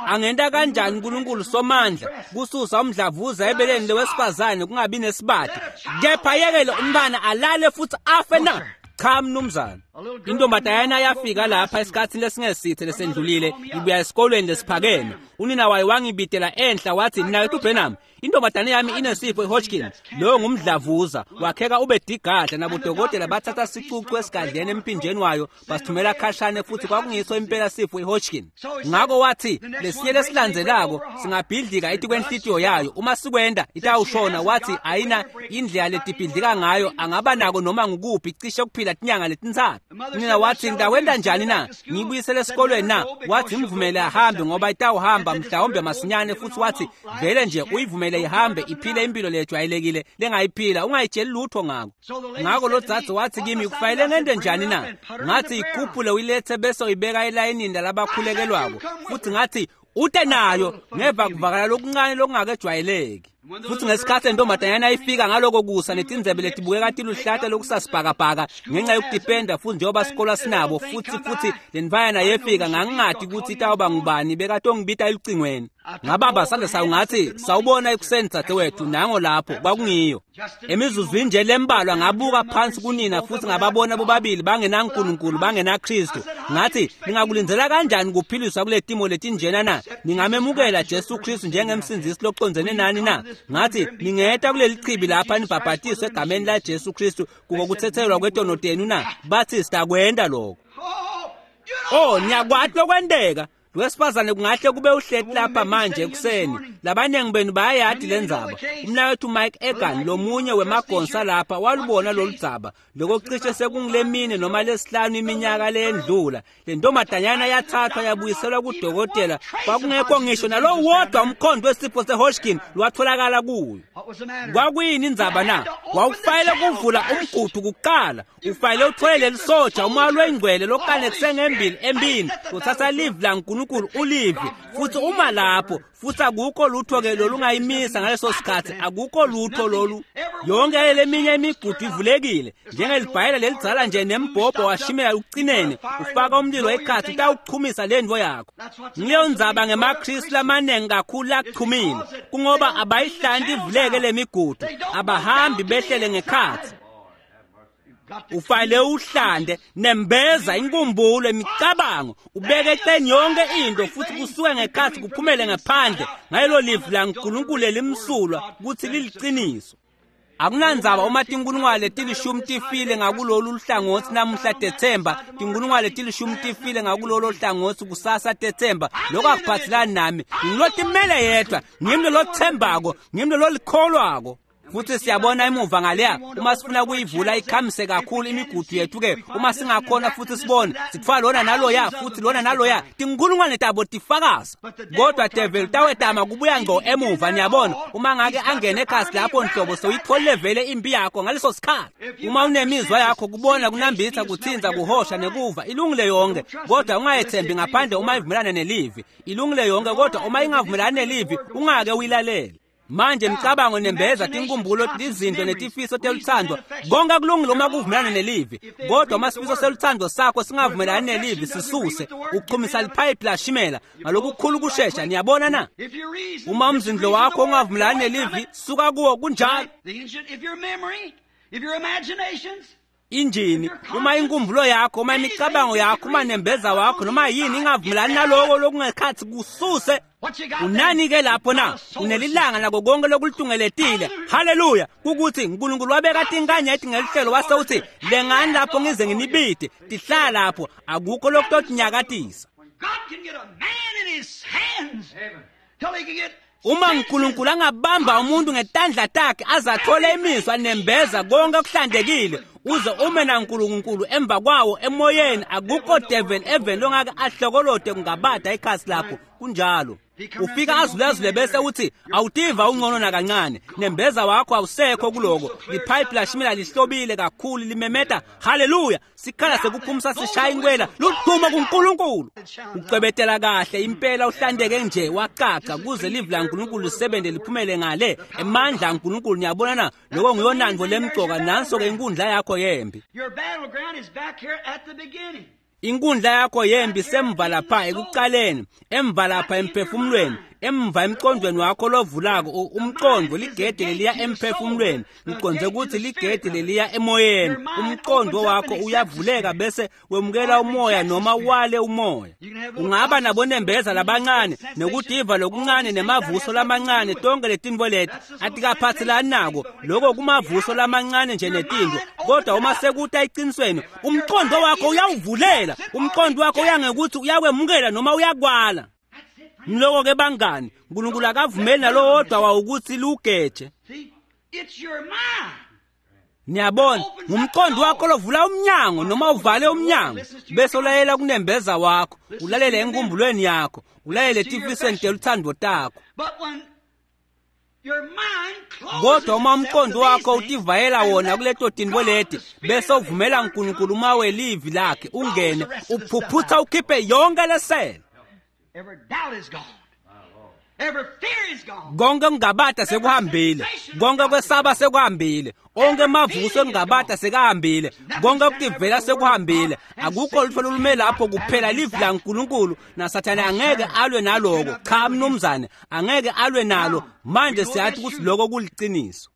Angenta kanjani uNkulunkulu somandla kususa umdlavuza ebeleni lowesifazane kungabi nesibadi, kepha yekele umntwana alale futhi afe na? Cha mnumzane. Intombazanyana yafika lapha esikhatsini lesingesithe lesendlulile ibuya esikolweni lesiphakeme. Unina wayo wangibitela enhla wathi, "Mnaketfu Branham, intombazane yami inesifo iHodgkin, loyo ngumdlavuza, wakheka ube digadla." Nabodokotela bathatha sicucu esigadleni emphinjeni wayo basithumela khashane, futhi kwakungiso impela sifo iHodgkin. Ngako wathi lesinye lesilandzelako singabhidlika etikwenhlitiyo yayo, uma sikwenda itawushona. Wathi ayina indlela letibhidlika ngayo, angaba nako noma ngukuphi, cishe kuphila tinyanga letintsatfu. Nina wathi, "Ngitawenta njani na? Ngiyibuyisele esikolweni na?" Wathi, "Mvumele ahambe, ngoba itawuhamba mhlawumbe masinyane." Futhi wathi, "Vele nje uyivumele ihambe, iphile impilo lejwayelekile lengayiphila, ungayitsheli lutho ngako." Ngako lo dzadze wathi kimi, "Kufanele ngente njani na?" Ngathi, "Ikhuphule uyilethe bese uyibeka elayinini lalabakhulekelwako." Futhi ngathi, "Ute nayo." Ngeva kuvakala lokuncane lokungakejwayeleki. Futhi ngesikhathi lentombazanyana ifika ngaloko kusa netindzebe letibukeka tiluhlata lokusasibhakabhaka ngenxa yokutipenda, futhi njengoba sikolwa sinabo, futhi lentfwanyana yefika, ngangingati kutsi itawuba ngubani bekatongibita elucingweni. Ngabamba sandla sayo ngathi, "Sawubona ekuseni, dzadzewethu." Nango lapho kwakungiyo. Emizuzwini nje lembalwa ngabuka phansi kunina futhi ngababona bobabili bangenaNkulunkulu, bangenaKristu. Ngathi, "Ningakulindzela kanjani kuphiliswa kule timo letinjena na? Ningamemukela Jesu Kristu njengemsindzisi locondzene nani na?" Ngathi, "Ningeta kuleli chibi lapha nibhabhatiswe egameni la Jesu Kristu kuko kuthethelwa kwetono tenu na?" Bathi, "Sitakwenta lokho." Oh, niyakwati lokwenteka. Lowesifazane kungahle kube uhleti lapha manje ekuseni. Labaningi benu bayayati lendzaba. Umnaketfu Mike Egan, lomunye wemagonsa lapha, walubona loludzaba. Loko cishe sekungulemine noma lesihlanu iminyaka leyendlula. Le ntombazanyana yathathwa yabuyiselwa kudokotela. Kwakungekho ngisho nalowo wodwa umkhondo wesifo seHodgkin lwatholakala kuyo. Kwakuyini indzaba na? Wawufanele kuvula umgudu kuqala. Ufanele uthole leli soja, umoya lwengcwele lokane kusengembili embini, uthatha livi laNkulunkulu ulivi, futhi uma lapho, futhi akukho lutho-ke lolungayimisa ngaleso sikhathi, akukho lutho lolu. Yonke leminye imigudu ivulekile njengelibhayela lelidzala nje nembhobho washimela ucinene, ufaka umlilo ekhatsi utawuchumisa lentfo yakho. Ngileyo ndzaba ngemaKristu lamaningi kakhulu lachumile, kungoba abayihlanti ivuleke lemigudu, abahambi behlele ngekhatsi. Ufanele uhlande nembeza inkumbulo, imicabango, ubeke eceleni yonke into, futhi kusuke ngekhatsi kuphumele ngephandle ngalelo livi laNkulunkulu elimsulwa kutsi liliciniso. Akunandzaba uma tinkulungwane letilishumi tifile ngakulolu luhlangotsi namuhla tetsemba, tinkulungwane letilishumi tifile ngakulolo hlangothi kusasa tetsemba, lokho akuphathelani nami. Ngilotimele yedwa, ngimi lolothembako, ngimi lololikholwako. Futhi siyabona emuva ngaleya, uma sifuna kuyivula ikhamise kakhulu imigudu yethu-ke, uma singakhona futhi sibone sitfwala lona naloya futhi lona naloya, tinkulungwane tabo tifakaza. Kodwa devil tawetama kubuya ngco emuva. Niyabona, uma ngake angene ekhasi lapho nhlobo, sewuyitholile vele impi yakho ngaleso sikhathi. Uma unemizwa yakho, kubona, kunambitha, kuthinza, kuhosha nekuva, ilungile yonke, kodwa ungayethembi ngaphandle uma ivumelana nelivi. Ilungile yonke, kodwa uma ingavumelani nelivi, ungake uyilalele. Manje imicabango, nembeza, tinkumbulo, izinto netifiso teluthando, konke kulungile uma kuvumelana nelivi, kodwa uma sifiso seluthando sakho singavumelani nelivi, sisuse. Uchumisa liphayiphi lashimela ngalokukhulu kushesha. Niyabona na? Uma umzindlo wakho ungavumelani nelivi, suka kuwo. Kunjalo. Injini, uma inkumbulo yakho, uma imicabango yakho, uma nembeza wakho, noma yini ingavumelani naloko lokungekhathi, kususe. Unani-ke lapho na? Unelilanga nako konke lokulitungeletile. Haleluya! Kukuthi uNkulunkulu wabeka tinkanyeti ngelihlelo, wase uthi, "Lengani lapho ngize nginibide." Tihlala lapho, akukho lokutotinyakatisa. Uma uNkulunkulu angabamba umuntu ngetandla takhe aze athole imizwa, nembeza, konke okuhlantekile, uze ume naNkulunkulu emva kwawo emoyeni, akukho devil even longake ahlokolode kungabada ikhasi lakho. Kunjalo. Ufika azulazule bese uthi awutiva ungcono nakancane, nembeza wakho awusekho kuloko. Liphayiphi lashimela lihlobile kakhulu, limemeta haleluya, sikhala sekuphumisa sishaya inkwela, ludumo kuNkulunkulu. Ucwebetela kahle impela, uhlandeke nje waqaqa kuze livi laNkulunkulu lisebenze liphumele ngale emandla aNkulunkulu. Niyabona na? Lokho ngiyonandvo lemcoka. Nanso-ke inkundla yakho yempi. Inkundla yakho yempi semva lapha ekuqaleni, emva lapha emphefumulweni, Emva emqondweni wakho lovulako umqondo ligede leliya emphefumulweni, ngiqonde ukuthi ligede leliya emoyeni. Umqondo wakho uyavuleka bese wemukela umoya noma wale umoya. Ungaba nabonembeza labancane nokudiva lokuncane nemavuso lamancane, tonke letinto leti atikaphathelani nako lokho, kumavuso lamancane nje netinto. Kodwa uma sekuta eqinisweni, umqondo wakho uyawuvulela, umqondo wakho uyangekuthi uyakwemukela noma uyakwala. Mloko-ke bangani, uNkulunkulu akavumeli nalowodwa wawukuthi lugeje. Niyabona, ngumqondo wakho lovula umnyango noma uvale umnyango, bese ulayela kunembeza wakho, ulalele enkumbulweni yakho, ulalele etifisweni teluthando takho. Kodwa uma umqondo wakho utivayela wona kuleto tinto leti, bese uvumela uNkulunkulu uma welivi lakhe ungene, uphuphutha ukhiphe yonke lesele. Konke kungabata sekuhambile, konke kwesaba sekuhambile, onke emavuso engabata sekahambile, konke kutivela sekuhambile. Akukho lutho lolume lapho kuphela livi laNkulunkulu, naSathane angeke alwe naloko. Cha mnumzane, angeke alwe nalo. Manje siyathi ukuthi lokho kuliciniso.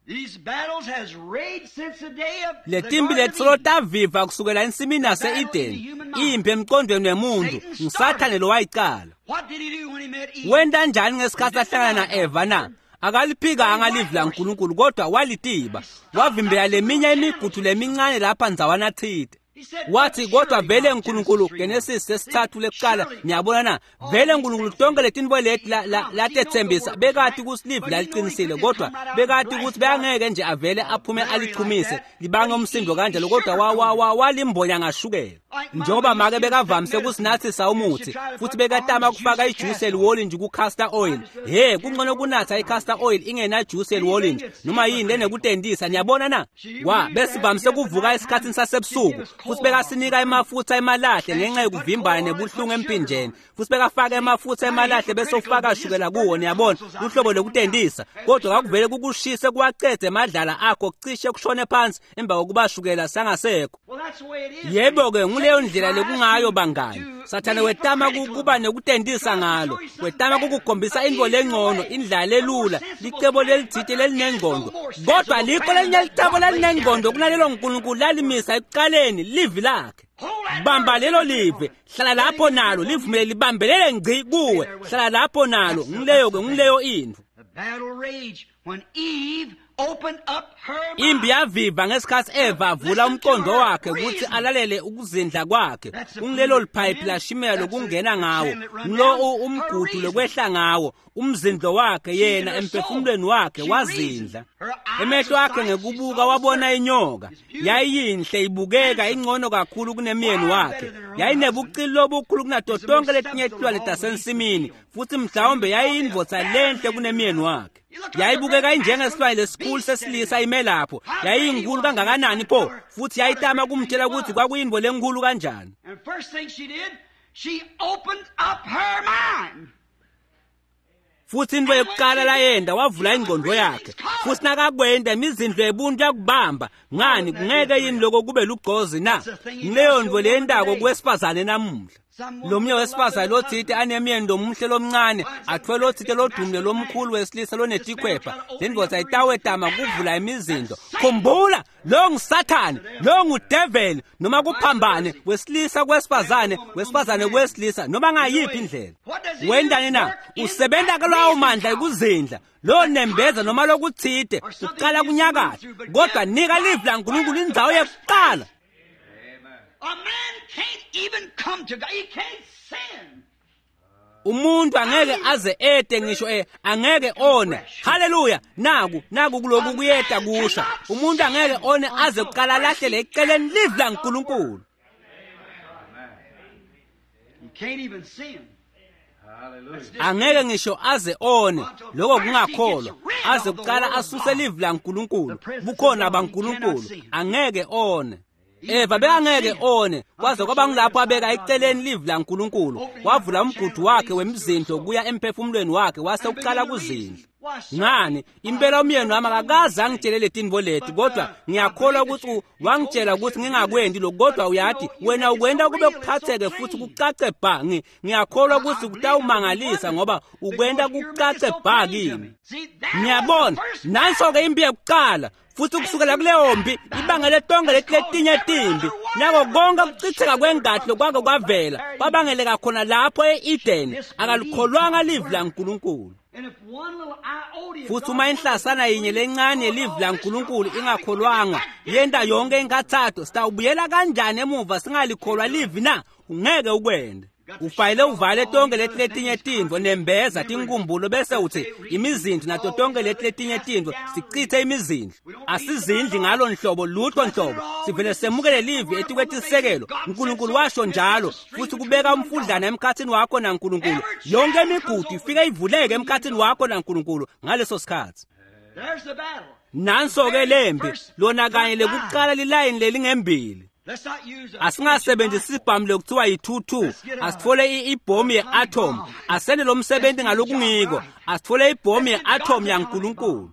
Letimbi letisolo taviva kusukela ensimini yase-Edeni, impi emqondweni wemuntu, nguSathane lo wayicala. Wenta njani ngesikhathi ahlangana na-Eva na? Akaliphikanga livi laNkulunkulu, kodwa walitiba, wavimbela leminye imigudu lemincane lapha ndzawana thide. Wathi kodwa vele uNkulunkulu, Genesis sesithathu lekuqala, niyabona na, vele uNkulunkulu tonke letinto leti latethembisa bekati ukuthi livi laliqinisile, kodwa bekati ukuthi bekangeke nje avele aphume alichumise libange umsindo kanjalo, kodwa walimbonya ngashukela. Njengoba make bekavamise kusinathisa umuthi, futhi bekatama kufaka ijuice eliwolintshi ku-castor oil. He, kungcono kunatha i-castor oil ingenajuice eliwolintshi noma yini lenekutendisa, niyabona na. Besivamise kuvuka esikhathini sasebusuku, futhi bekasinika emafutha emalahle ngenxa yokuvimbana nebuhlungu empinjeni, futhi bekafaka emafutha emalahle bese ufaka shukela kuwo, niyabona, uhlobo lokutendisa. Kodwa kwakuvele kukushise kuwacede emadlala akho cishe kushone phansi emva kokuba shukela sangasekho. Yebo-ke, nguleyo ndlela lekungayo bangani. Sathane wetama kuba nekutendisa ngalo, wetama kukukhombisa into lengcono, indlela lelula, licebo lelithite lelinengqondo. Kodwa likho lelinye licebo lelinengqondo kunalelo uNkulunkulu lalimisa ekuqaleni, livi lakhe. Bamba lelo live, hlala lapho nalo, livumele libambelele ngci kuwe, hlala lapho nalo. Ngileyo-ke, ngileyo intfo. Imbi yaviva ngesikhathi Eva avula umqondo wakhe ukuthi alalele ukuzindla kwakhe. Kungilelo liphayiphi lashimela lokungena ngawo, ngilo umgudu lokwehla ngawo, umzindlo wakhe yena emphefumulweni wakhe wazindla. Emehlo akhe ngekubuka wabona inyoka, yayiyinhle ibukeka ingcono kakhulu kunemyeni wakhe, yayinebucili lobukhulu kunato tonke letinye tilwane tasensimini, futhi mhlawumbe yayiyindvodza lenhle kunemyeni wakhe. Yayibukeka injengesilwane lesikhulu sesilisa ime lapho, yayiyinkulu kangakanani pho, futhi yayitama kumtshela ukuthi kwakuyintfo lenkulu kanjani. Futhi into yokuqala layenda wavula ingqondo yakhe, futhi nakakwenda imizindlo yebuntu yakubamba. Ngani kungeke yini lokho kube lugcozi na? Ngileyo nto leyendako kuwesifazane namuhla. Lomnye wesifazane lothite anemyeni lomuhle lomncane, athwele lothite lodumile lomkhulu wesilisa lonetikhwepha, le ndvodza itawetama kuvula imizindlo. Khumbula, lo nguSathane, lo ngudeveli, noma kuphambane wesilisa kwesifazane, wesifazane kwesilisa, noma ngayiphi indlela. Wendani na? Usebenta kulawo mandla ekuzindla, lo nembeza noma lokuthite uqala kunyakatha. Kodwa nika livi laNkulunkulu indzawo yokuqala. A man can't even come to God. He can't sin. Umuntu angeke aze ede ngisho angeke one. Haleluya. Naku kuloku kuyeta kusha. Umuntu angeke one aze kuqala lahlele eceleni livi laNkulunkulu. He can't even sin. Angeke ngisho aze one, lokho kungakholwa, aze kuqala asuse livi laNkulunkulu, bukhona baNkulunkulu, angeke one. Eva bekangeke one, kwaze kwaba ngilapho abeka eceleni livi laNkulunkulu, wavula umgudu wakhe wemizindlo kuya emphefumulweni wakhe, wase uqala kuzindla. Ngani impela umyeni wami akakaze angitshele letintfo leti, kodwa ngiyakholwa ukuthi wangitshela ukuthi ngingakwendi lokhu, kodwa uyathi wena ukwenta kube kuphatheke futhi kucace bha. Ngiyakholwa ukuthi kutawumangalisa ngoba ukwenta kucace bha kimi. Ngiyabona nanso-ke impi yekuqala, futhi kusukela kuleyo mpi ibangele tonke leti letinye timbi, nako konke ukuchitheka kwengati lokwake kwavela kwabangeleka khona lapho e-Edeni. Akalikholwanga livi laNkulunkulu. Futhi uma inhlasana yinye lencane yelivi laNkulunkulu ingakholwanga, yenta yonke inkathatho, sitawubuyela kanjani emuva singalikholwa livi na? Ungeke ukwende. Ufayile uvale tonke leti letinye tintfo, nembeza tinkumbulo, bese uthi imizindlo nato tonke leti letinye tintfo, sichithe imizindlo. Asizindli ngalo nhlobo lutho nhlobo, sivele semukele livi etikwetisekelo. uNkulunkulu washo njalo, futhi kubeka umfudlana emkhathini wakho naNkulunkulu. Yonke imigudu ifike ivuleke emkhathini wakho naNkulunkulu ngaleso sikhathi. Nanso-ke lempi, lona kanye lekuqala lilayini lelingembili. Asingasebenzisi isibhamu lokuthiwa yi-22, asitfole ibhomu ye-atom, asende lo msebenzi ngalokungiko, asitfole ibhomu ye-atom yaNkulunkulu.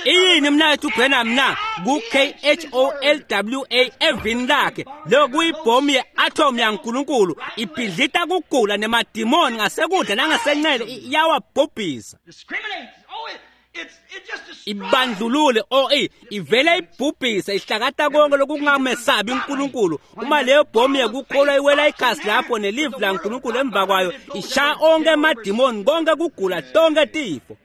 Iyini mnaketfu Branham na? Ku-K-H-O-L-W-A evini lakhe, leyo kuyibhomu ye-atom yaNkulunkulu, ibhidlita kugula nemadimoni ngasekudla nangasencele, iyawabhubhisa. Ibandlulule ivele ibhubhise, ihlakata konke lokungamesabi uNkulunkulu. Uma leyo bhomu yekukholwa iwela ikhasi lapho nelivi laNkulunkulu emva kwayo, ishaya onke emadimoni, konke kugula, tonke tifo.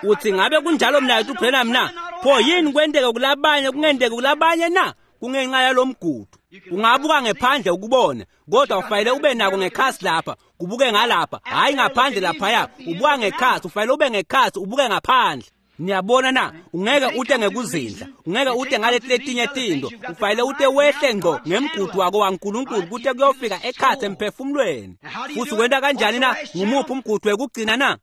Uthi ngabe kunjalo mnaketfu Branham na? Pho yini kwenteke kulabanye kungenteki kulabanye na? Kungenxa yalomgudu. Ungabuka ngephandle ukubone, kodwa ufanele ube nako ngekhasi lapha, kubuke ngalapha, hhayi ngaphandle laphaya. Ubuka ngekhasi, ufanele ube ngekhasi, ubuke ngaphandle. Niyabona na? Ungeke ute ngekuzindla, ungeke ute ngaleti letinye tintfo, ufanele ute wehle ngqo ngemgudu wako waNkulunkulu kute kuyofika ekhatsi emphefumulweni. Futhi wenta kanjani na? Ngumuphi umgudu wekugcina na?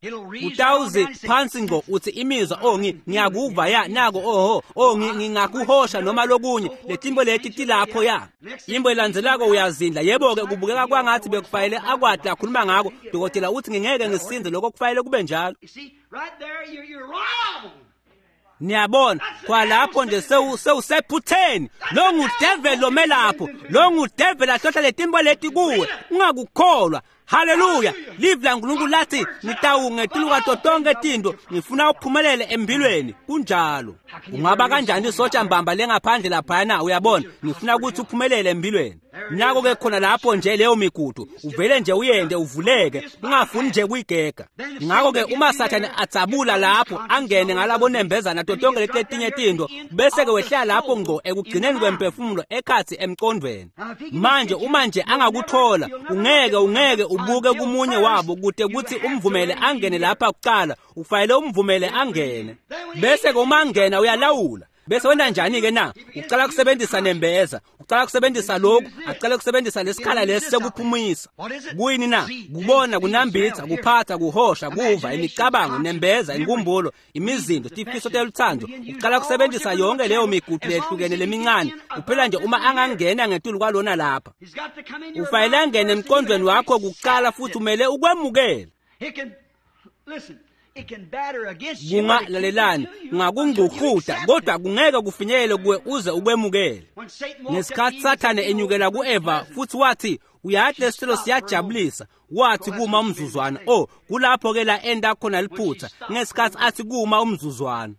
Utawuzi phansi ngqo uthi imizwa, ngiyakuva ya nako, oho ngingakuhosha noma lokunye, letimbo leti tilapho ya. Imbo elandzelako uyazindla, yebo-ke kubukeka kwangathi bekufanele akwati akhuluma ngako. Dokotela uthi ngingeke ngisinze, lokho kufanele kube njalo. Niyabona kwalapho nje sewusephutheni. Lo ngudeveli lomelapho, lo ngudeveli ahlohla letimbo leti kuwe, ungakukholwa. Haleluya! Livi laNkulunkulu lathi ngitawungetulu kwato tonke tintfo, ngifuna uphumelele empilweni. Kunjalo. Ungaba kanjani isotsha mbamba lengaphandle laphayana? Uyabona, ngifuna ukuthi uphumelele empilweni. Nako-ke khona lapho nje leyo migudu, uvele nje uyende uvuleke, ungafuni nje kuyigega. Ngakho-ke uma Sathane adzabula lapho angene ngalabo nembezana nato tonke leti letinye tintfo, bese-ke wehlela lapho ngqo ekugcineni kwemphefumulo ekhatsi emcondvweni. Manje uma nje angakuthola, ungeke ubuke kumunye wabo kute kutsi umvumele angene lapha kuqala, ufanele umvumele angene. Bese-ke uma angena uyalawula. Bese wenta njani-ke na? Ucala kusebenzisa nembeza, ucala kusebenzisa lokhu, acale kusebenzisa lesikhala lesi sekuphumisa. Kuyini na? Kubona, kunambitha, kuphatha, kuhosha, kuva, imicabango, nembeza, inkumbulo, imizindo, tifiso teluthando. Ucala kusebenzisa yonke leyo migudu lehlukene lemincane, kuphela nje uma angangena ngetulu kwalona lapha. Ufanele angene emqondweni wakho kuqala, futhi umele ukwemukele. Kungalalelani, kungakungcukuta, kodwa kungeke kufinyelele kuwe uze ukwemukele. Ngesikhathi Sathane enyukela ku-Eva futhi wathi, uyathi lesithelo siyajabulisa, wathi kuma umzuzwana. Kulapho-ke la enda khona liphutha, ngesikhathi athi kuma umzuzwana.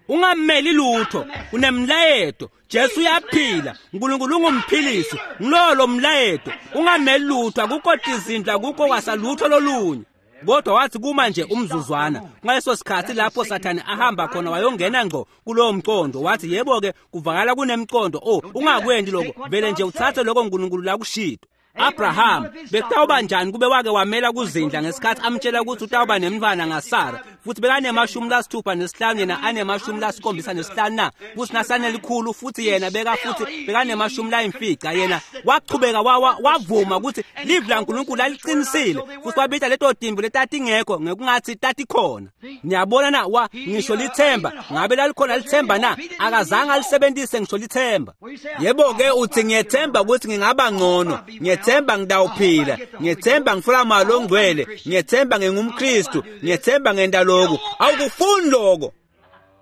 Ungameli lutho, unemlayeto. Jesu uyaphila, uNkulunkulu ungumphilisi, ngilolo mlayeto. Ungameli lutho, akukho tizindlu, akukho kwasalutho lolunye. Kodwa wathi kuma nje umzuzwana. Ngaleso sikhathi lapho Sathane ahamba khona wayongena ngqo kulowo mcondo, wathi yebo-ke kuvakala kunemcondo. Ungakwendi lokho, vele nje uthathe lokho uNkulunkulu lakushito. Abraham bekutawuba njani kube wake wamela kuzindla ngesikhathi amtshela ukuthi utawuba nemntfwana ngaSara, Futhi bekanemashumi lasithupha nesihlanu, yena anemashumi lasikhombisa nesihlanu na? Futhi nasanelikhulu, futhi yena beka futhi bekanemashumi layimfica. Yena wachubeka wavuma ukuthi livi laNkulunkulu laliqinisile, futhi wabita leto timvu letatingekho ngekungathi tatikhona. Niyabona na? Wa ngisho lithemba, ngabe lalikhona lithemba na? Akazange alisebenzise ngisho lithemba. Yebo-ke, uthi, "Ngiyethemba ukuthi ngingaba ngcono, ngiyethemba ngidawuphila, ngiyethemba ngifuna malo ongcwele, ngiyethemba ngingumKristu, ngiyethemba ngenta lokhu." Awukufuni lokho.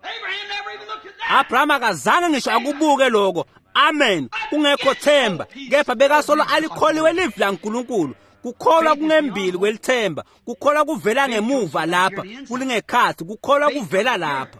Abraham never even looked at that. Abraham akazange ngisho akubuke lokho. Amen. Kungekho themba, kepha bekasolo alikholiwe livi laNkulunkulu. Kukholwa kungembili kwelithemba. Kukholwa kuvela ngemuva lapha, kulingekhathi. Kukholwa kuvela lapha.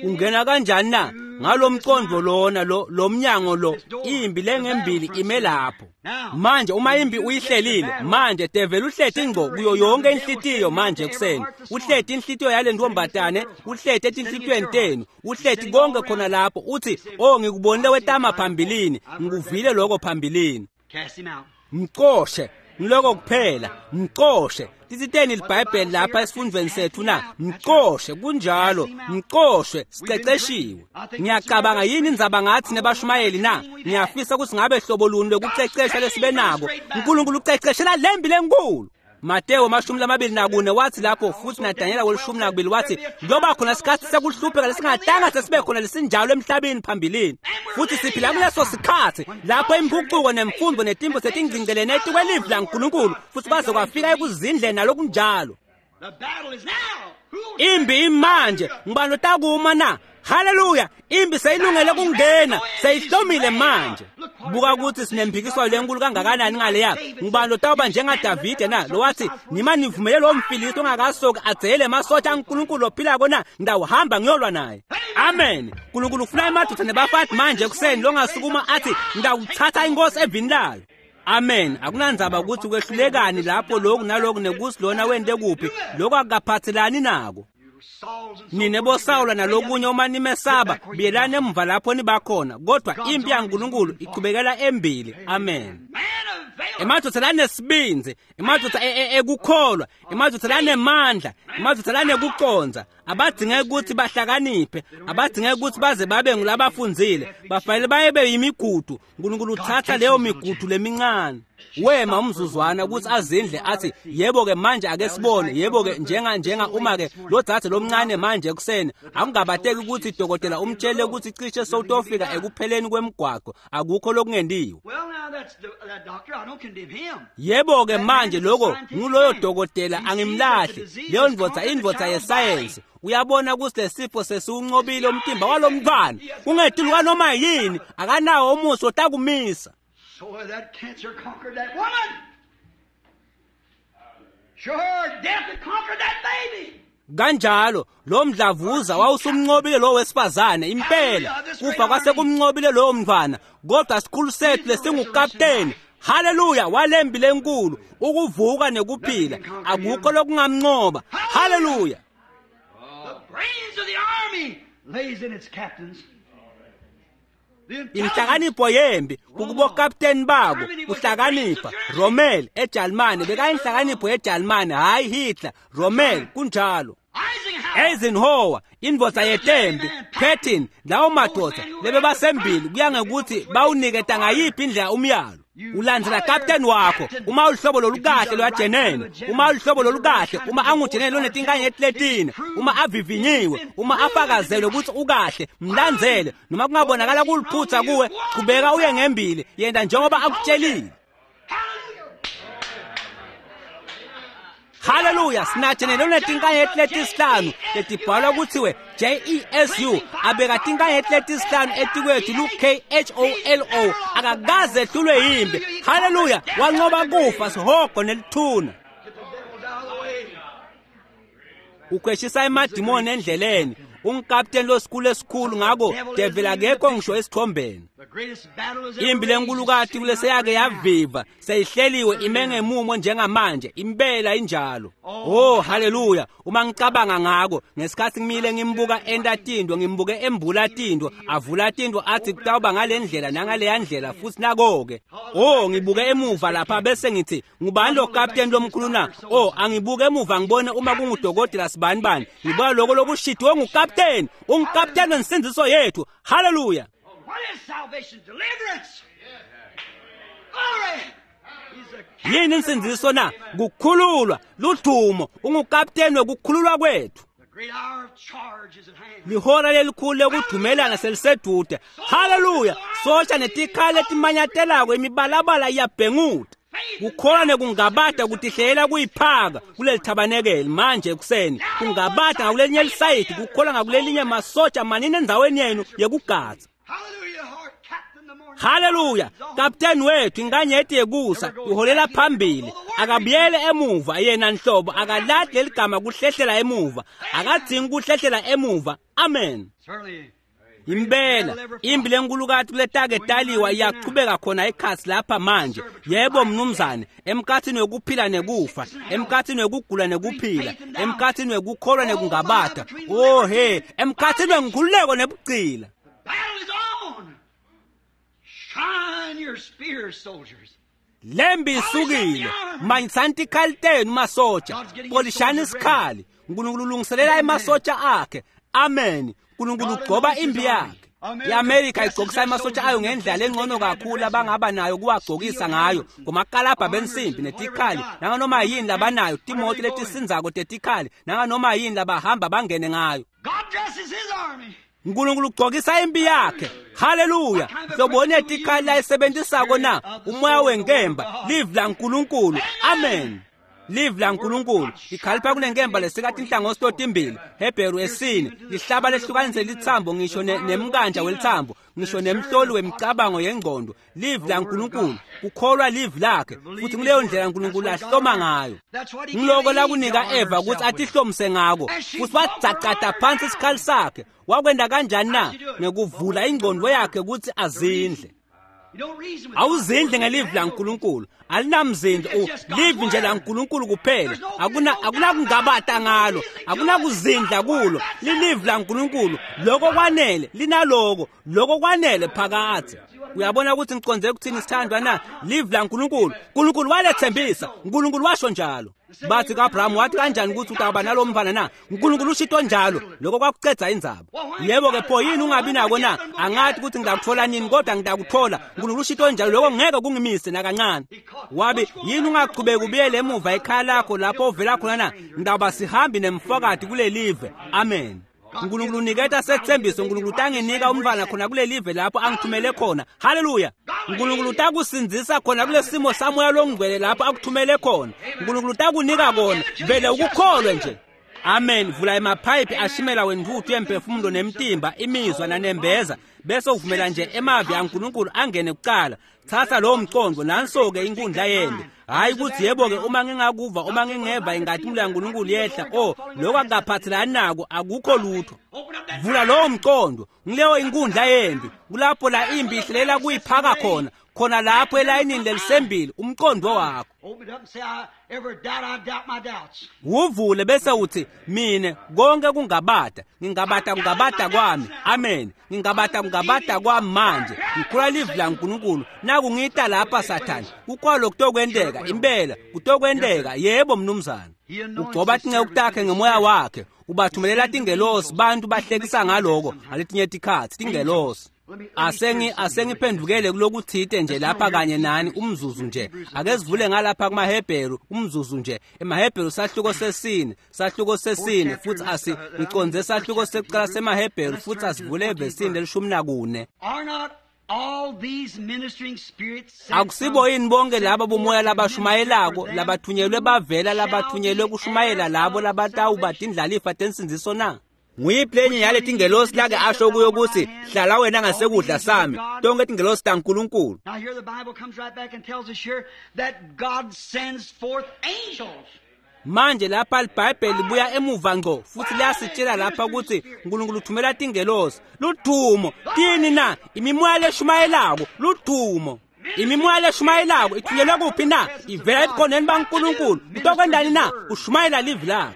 Ungena kanjani na? Ngalo mcondvo lona lo, lo mnyango lo, imbi lengembili ime lapho. Manje uma imbi uyihlelile, manje develi uhleti ngco kuyo yonke inhlitiyo manje ekuseni. Uhleti inhlitiyo yale ntombazane, uhleti etinhlitiyweni tenu, uhleti konke khona lapho. Uthi, "Oh, ngikubonile wetama phambilini, ngikuvile lokho phambilini." Cast him out. Mcoshe, ngiloko kuphela, mcoshe. Titsiteni liBhayibheli lapha esifundweni sethu na? Mcoshe, kunjalo, mcoshe, siceceshiwe. Ngiyacabanga yini indzaba ngathi nebashumayeli na? Ngiyafisa ukuthi ngabe hlobo luni lokucecesha lesibe nako. uNkulunkulu uceceshela lembi lenkulu. Mateo 24 wathi lapho, futhi naDanyela kwelishumi nakubili wathi kuyoba khona isikhathi sekuhlupheka lesingatanga sesibe khona lesinjalo emhlabeni phambilini. Futhi siphila kuleso sikhathi lapho impucuko nemfundo netimbo setingcingelene etikwelivi laNkulunkulu, futhi kwaze kwafika ekuzindleni nalokunjalo. The battle is now. Who Imbi imanje, ngibani otakuma na? Haleluya! Imbi seyilungele kungena, seyihlomile manje. Buka ukuthi sinemphikiswano lenkulu kangakanani ngaleya. Ngibani lotawuba njengaDavide na? Lo wathi, "Nima nivumele lo mFilisti ongakasoki adzele emasotsha aNkulunkulu ophilako na? Ngidawuhamba ngiyolwa naye." Amen. Nkulunkulu ufuna emadoda nebafati manje ekuseni longasukuma athi, "Ngidawuthatha inkosi evini layo." Amen. Akunandzaba ukuthi kwehlulekani lapho, lokhu naloku, nekuthi lona wente kuphi, lokho akukaphathelani nako. Sauls and so Nine forth. boSawula nalokunye, uma nimesaba, buyelani emva lapho nibakhona. Kodwa impi yaNkulunkulu ichubekela embili. Amen. Man of valor. Emadvodza lanesibindzi, emadvodza ekukholwa, emadvodza lanemandla, emadvodza lanekucondza, abadzingeki ukuthi bahlakaniphe, abadzingeki ukuthi baze babe ngulabafundzile, bafanele baye yimigudu. Nkulunkulu uthatha leyo migudu lemincane. Wema umzuzwana ukuthi azindle, athi, "Yebo-ke manje, ake sibone. Yebo-ke, njenga uma-ke lo dzadze lomncane manje ekuseni, akungabateki ukuthi dokotela umtshele ukuthi cishe sowutofika ekupheleni kwemgwaco, akukho lokungentiwe." Well, now that's that doctor. I don't condemn him. Yebo-ke manje, lokho nguloyo dokotela, angimlahli. Leyo ndvodza, indvodza yesayensi, uyabona ukuthi lesifo sesiwuncobile umtimba walo mntwana, kungetulu kwanoma yini, akanawo umusi otakumisa. So that cancer conquered that woman. Sure, death had conquered that baby. Kanjalo lo mdlavuza wawusumncobile lo wesifazane, impela kufa kwase kumncobile lowo mntwana. Kodwa sikhulu sethu lesingukapteni, haleluya, walembi lenkulu, ukuvuka nekuphila, akukho lokungamncoba. Haleluya! The brains of the army lays in its captains. The intelligence Inhlakanipho yembi kukubokapteni babo, kuhlakanipha. Rommel eJalimane bekayinhlakanipho yeJalimane, hayi Hitler, Rommel, kunjalo. Eisenhower. Eisenhower, indvodza yetembi, Patton, lawo madoda lebebasembili, kuya ngekuthi bawuniketa ngayiphi indlela umyalo. Ulandzela kapteni wakho. Uma uluhlobo lolukahle lwajenene, uma uluhlobo lolukahle, uma angujenene lonetinkanyeti letine, uma avivinyiwe, uma afakazelwe ukuthi ukahle, mlandzele. Noma kungabonakala kuliphutha kuwe, chubeka uye ngembili, yenta njengoba akutshelile. Haleluya! Sinajenene lonetinkanyeti letisihlanu letibhalwa kuthiwe Jesu, abeka tinkanyeti letisihlanu etikwethu lu-Kholo, akakaze ehlulwe yimbi. Haleluya! Wanqoba kufa, sihogo nelithuna. Get the devils out of the way. Ukhweshisa emadimoni endleleni. Ungukapteni losikhulu esikhulu, ngako devil akekho ngisho esithombeni. Impi lenkulukati kuleseyake yaviva seyihleliwe ime ngemumo njengamanje, impela injalo. Oh haleluya! Uma ngicabanga ngako ngesikhathi ngimile ngimbuka enta tintfo, ngimbuke embula tintfo, avula tintfo athi kutawuba ngale ndlela nangaleya ndlela futhi nako-ke. Oh ngibuke emuva lapha bese ngithi ngubani lo kapteni lomkhulu na? Oh angibuke emuva ngibone uma kungudokotela sibani bani. Ngibona lokho lokushidiwe ngukapteni, ungukapteni wensindziso yethu. Haleluya! What is salvation? Deliverance. Glory. He's a Yini insindziso na? Kukhululwa, ludumo, ungukapteni wekukhululwa kwethu. The great hour of charge is at hand. Lihora lelikhulu lekudumelana selisedude. Haleluya! Sosha netikhali letimanyatelako imibalabala iyabhenguta. Kukholwa nekungabata kutihlela kuyiphaka kuleli thabanekeli manje ekuseni. Kungabata ngakulelinye lisayidi, kukholwa ngakulelinye masotsha manini endzaweni yenu yekugadza. Hallelujah, our captain the morning. Haleluya! Kapteni wethu inkanyeti yekusa uholela phambili, akabuyele emuva yena nhlobo, akalahli leligama kuhlehlela emuva, akadzingi kuhlehlela emuva. Amen. Certainly. Impela impi lenkulukati kuletake taliwa iyachubeka khona ekhatsi lapha manje. Yebo mnumzane, emkhatsini wekuphila nekufa, emkhatsini wekugula nekuphila, emkhatsini wekukholwa nekungabata. Oh he, emkhatsini wenkhululeko nebugcila. The battle is on. Shine your spears, soldiers. Lembi isukile, manyisani tikhali tenu masotsha, polishani isikhali. Nkulunkulu ulungiselela emasotsha akhe. Amen. Nkulunkulu ugcoba impi yakhe. I-Amerika igcokisa emasotsha ayo ngendlela engcono kakhulu abangaba nayo kuwagcokisa ngayo ngomakalabha bensimbi netikhali nanganoma yini labanayo, timoto letisindzako tetikhali nanganoma yini labahamba bangene ngayo. God dresses his army. Nkulunkulu ugcokisa impi yakhe. Haleluya! Hloboni yetikhali layisebentisako na? Umoya wenkemba, livi laNkulunkulu. Amen. Livi laNkulunkulu likhalipha kunenkemba lesika tinhlangothi totimbili. Hebheru esine lihlaba lehlukanise litsambo ngisho nemkanja welitsambo, ngisho nemhloli wemicabango yengqondo. Livi laNkulunkulu, kukholwa livi lakhe, futhi kuleyo ndlela uNkulunkulu ahloma ngayo. That's what he Ngiloko gave Eve lakunika to arm Eva ukuthi herself with. atihlomise ngako, futhi wadzacada phansi isikhali sakhe. Wakwenda kanjani na? Ngekuvula ingqondo yakhe ukuthi azindle. You don't reason with Awuzindle ngelivi laNkulunkulu, alinamzindlo, livi nje laNkulunkulu kuphela. Akunakungabata ngalo, akunakuzindla kulo, lilivi laNkulunkulu. Lokho kwanele, linaloko, lokho kwanele phakathe. Uyabona ukuthi ngiconze ukuthini sithandwa na? Livi laNkulunkulu. uNkulunkulu walethembisa, uNkulunkulu washo njalo. Bathi kaAbraham wathi kanjani ukuthi utawuba nalo mfana na? uNkulunkulu ushito njalo, lokho kwakucedza indzaba. Yebo ke pho yini ungabi nako na? Angathi ukuthi ngingakuthola nini kodwa ngitakuthola. uNkulunkulu ushito njalo, lokho ngeke kungimise nakancane. Wabi yini ungaqhubeki ubuyele emuva ekhaya lakho lapho ovela khona na? Ngitawuba sihambi nemfokati kulelive. Amen. uNkulunkulu uniketa sethembiso, uNkulunkulu utanginika umntwana khona kulelive lapho angithumele khona. Haleluya! uNkulunkulu utakusindzisa khona kulesimo samoya longcwele lapho akuthumele khona. uNkulunkulu utakunika kona, vele ukukholwe nje. Amen. Vula emaphayiphi ashimela wentuthu yemphefumulo nemtimba, imizwa nanembeza, bese uvumela nje emavi aNkulunkulu angene kucala. Thatha lowo mcondo, nanso-ke inkundla yembi. Hhayi ukuthi yebo-ke uma ngingakuva, uma ngingeva inkatimlo yaNkulunkulu yehla, oh lokho akukaphathelani nako, akukho lutho. Open up that Vula lowo mcondo, ngileyo inkundla yembi, kulapho la impi ihlelela kuyiphaka khona, khona lapho elayinini lelisembili, umcondo wakho. Open it up and say, I ever doubt, I doubt my doubts. Wuvule bese uthi mina konke kungabata, ngingabata kungabata kwami. Amen. Ngingabata kungabata kwami manje. Ngikhula livi laNkulunkulu. Naku ngita lapha Sathane. Kukhona kutokwenteka impela, kutokwenteka. Yebo mnumzane. Ugcoba tinceku takhe ngemoya wakhe, ubathumelela tingelosi, bantu bahlekisa ngaloko ngaletinye tikhatsi tingelosi. Asengiphendukele kulokuthite nje lapha kanye nani umzuzu nje. Ake sivule ngalapha kumaHebheru umzuzu nje. EmaHebheru sahluko sesine, sahluko sesine futhi ngiconze sahluko sekuqala semaHebheru futhi asivule evesini lelishumi nakune. Are not all these ministering spirits sent Akusibo yini bonke laba bomoya labashumayelako labathunyelwe bavela labathunyelwe kushumayela labo labatawuba tindlalifa tensindziso na? Nguyiphi lenye yale tingelosi lake asho kuyo ukuthi hlala wena ngasekudla sami, tonke tingelosi taNkulunkulu. Now here the Bible comes right back and tells us here that God sends forth angels. Manje lapha iBhayibheli libuya emuva ngco futhi liyasitshela lapha ukuthi uNkulunkulu uthumela tingelosi. Ludumo tini na? Imimoya leshumayelako ludumo. Imimoya leshumayelako ithunyelwe kuphi na? Ivela ebukhoneni baNkulunkulu. Utokwendani na? Ushumayela livi lakhe.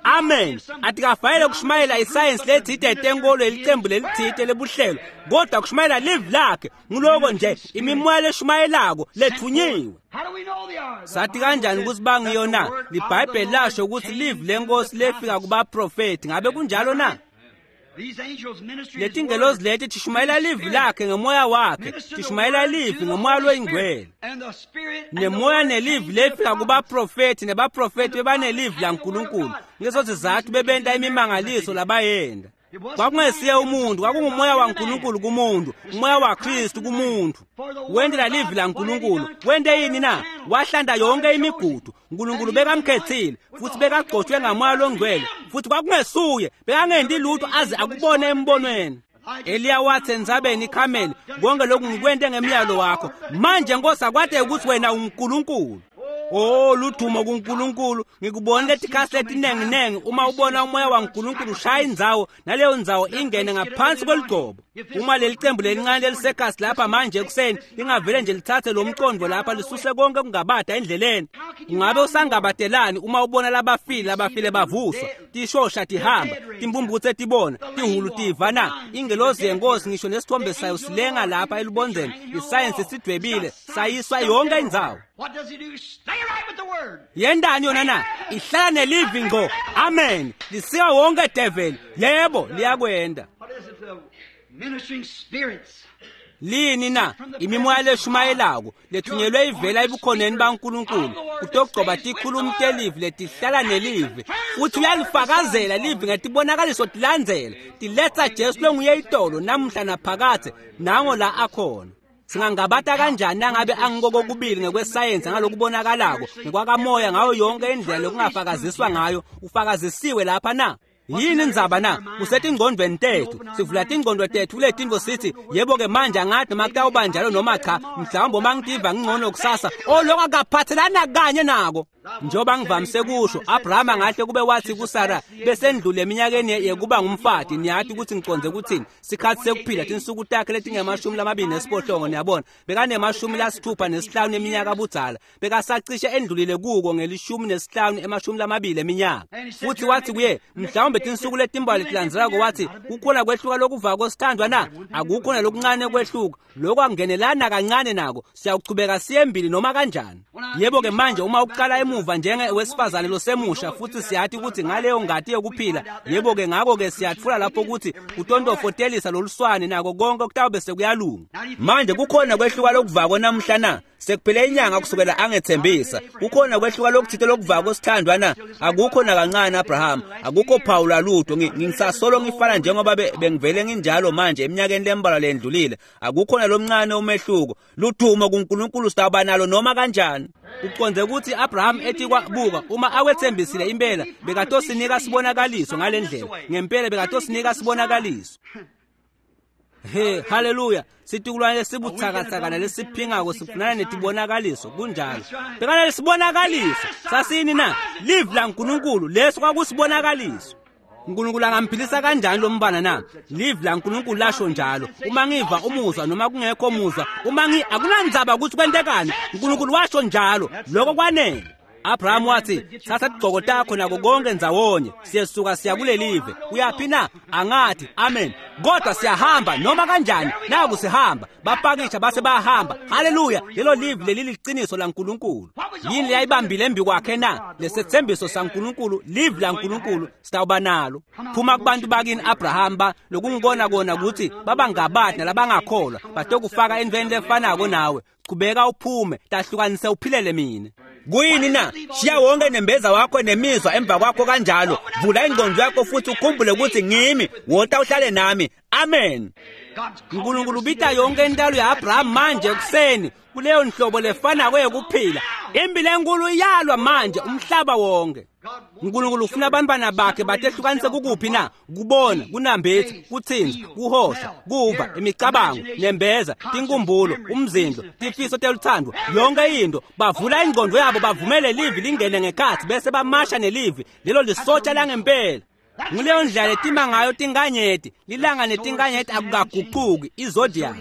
Amen. Atikafanele kushumayela isayensi letsite yetenkolo yelicembu lelitsite lebuhlelo, kodwa kushumayela livi lakhe. Nguloko nje imimoya leshumayelako lethunyiwe. Sathi kanjani ukuthi bangiyo na? LiBhayibheli lasho ukuthi livi lenkosi lefika kubaprofethi. Ngabe kunjalo na? Letingelozi leti tishumayela livi lakhe ngemoya wakhe, tishumayela livi ngemoya loyingcwele. Nemoya nelivi lefika kubaprofethi, nebaprofethi bebanelivi laNkulunkulu. Ngeso sizathu bebenta imimangaliso labayenda. Kwakungesiye umuntu, kwakungumoya waNkulunkulu kumuntu, umoya waKristu kumuntu. Wendela livi laNkulunkulu. Wente yini na? Wahlanda yonke imigudu. uNkulunkulu bekamkhethile futhi bekagcotshwe ngamoya longcwele, futhi kwakungesuye, bekangendi lutho aze akubone embonweni. Eliya wathi entsabeni iKhameli, konke lokhu ngikwente ngemiyalo wakho. Manje Nkosi akwade ukuthi wena unguNkulunkulu. Oh, ludumo kuNkulunkulu. Ngikubona letikhasi letinenginengi uma ubona umoya waNkulunkulu ushaya indzawo, naleyo ndzawo ingene ngaphansi kweligcobo. Uma leli cembu lelincane lelisekhasi lapha manje ekuseni lingavele nje lithathe lo mcondo lapha lisuse konke kungabada endleleni, ungabe usangabatelani uma ubona labafile bavuswa, tishosha tihamba, timbumbutse tibona, tihulu tiva na? Ingelozi yenkosi ngisho nesithombe sayo silenga lapha elubondzeni. Isayensi sidwebile sayiswa yonke indzawo. Yendani yona na? Ihlala nelivi ngco. Amen. Lisiwa wonke devil. Yebo, liyakwenda. Lini na? Imimoya leshumayelako lethunyelwe ivela ebukhoneni baNkulunkulu kutogcoba tikhulumi telivi letihlala nelivi, futhi uyalifakazela livi ngetibonakaliso tilandzela tiletsa Jesu longuye itolo namuhla naphakathe. Nango la akhona. Singangabata kanjani nangabe angikoko kubili ngekwesayensi ngalokubonakalako ngekwakamoya ngayo yonke indlela lokungafakaziswa ngayo? Ufakazisiwe lapha na? Yini indzaba na? Kusetingcondweni tethu. Sivula tingcondo tethu kuletintfo sithi, yebo-ke manje angathi noma kutawuba njalo noma cha, mhlawumbe uma ngitiva ngingcono kusasa. Oh, lokho akaphathelana kanye nako. Njengoba ngivamise kusho, Abrahama ngahle kube wathi kuSara besendlule eminyakeni yekuba ngumfati. Niyati ukuthi ngicondze ukuthini? Sikhathi sekuphila tinsuku takhe letingama-28, niyabona. Bekane-65 eminyaka budzala. Bekasacishe endlulile kuko nge-15 20 eminyaka. Futhi wathi kuye, mhlawumbe tinsuku letimbalwa letilandzelako, wathi kukhona kwehluka lokuvako sithandwa na? Akukho nalokuncane kwehluka. Lokho akungenelana kancane nako. Siyaqhubeka siyembili noma kanjani. Yebo-ke manje uma uqala emuva njenge wesifazane losemusha, futhi siyathi ukuthi ngaleyo ngati yokuphila, yebo-ke ngakho-ke siyatfula lapho ukuthi utontofotelisa loluswane nako konke kutawube sekuyalunga. Manje kukhona kwehluka lokuvako namuhla na? Sekuphele inyanga kusukela angethembisa. Kukhona kwehluka lokuthite lokuvako sithandwa na? Akukho nakancane Abraham, akukho phawula lutho. Ngisasolo ngifana njengoba bengivele nginjalo manje eminyakeni lembalwa lendlulile. Akukho nalomncane umehluko. Ludumo kuNkulunkulu, sitawuba nalo noma kanjani. Uconze ukuthi Abraham ethi kwabuka uma awethembisile impela bekatosinika sibonakaliso ngalendlela. Ngempela bekatosinika sibonakaliso. He, haleluya. Situkulwane lesibutsakatsaka nalesiphingako sifunana netibonakaliso. Kunjalo. Bekana lesibonakaliso. Sasini na? Livi laNkulunkulu leso kwakusibonakaliso. uNkulunkulu angamphilisa kanjani lo mbana na? Livi laNkulunkulu lasho njalo. Uma ngiva umuzwa noma kungekho muzwa, uma akunandzaba ukuthi kwentekani, uNkulunkulu washo njalo. Lokho kwanele. Abraham wathi, thatha tigcoko takho nako konke ndzawonye, siyesuka siya kulelive. Uyaphi na? Angathi, amen. Kodwa siyahamba noma kanjani. Naku sihamba. Bapakisha base bayahamba. Haleluya. Lelo livi leli liqiniso laNkulunkulu. Yini leyayibambile embi kwakhe na? Lesethembiso saNkulunkulu, livi laNkulunkulu sitawuba nalo. Phuma kubantu bakini Abraham ba lokungibona kona ukuthi babangabadi nalabangakholwa, batokufaka entweni lefanako nawe. Qhubeka uphume, tahlukanise uphilele mina. Kuyini na? Shiya wonke nembeza wakho nemizwa emva kwakho kanjalo. Vula ingqondo yakho futhi ukhumbule ukuthi ngimi, wota uhlale nami. Amen. Nkulunkulu ubita yonke intalo ya-Abraham manje ekuseni kuleyo nhlobo lefanako yekuphila. Impilo enkulu iyalwa manje umhlaba wonke. Nkulunkulu ufuna abantwana bakhe batehlukanise kukuphi na? Kubona, kunambitha, kuthinza, kuhosha, kuva, imicabango, nembeza, tinkumbulo, umzindlo, tifiso teluthando, yonke into. Bavula ingqondo yabo bavumele livi lingene ngekhathi bese bamasha nelivi. Lelo lisotsha langempela. Nguleyo ndlela letima ngayo tinkanyeti. Lilanga netinkanyeti akukaguquki, izodiac.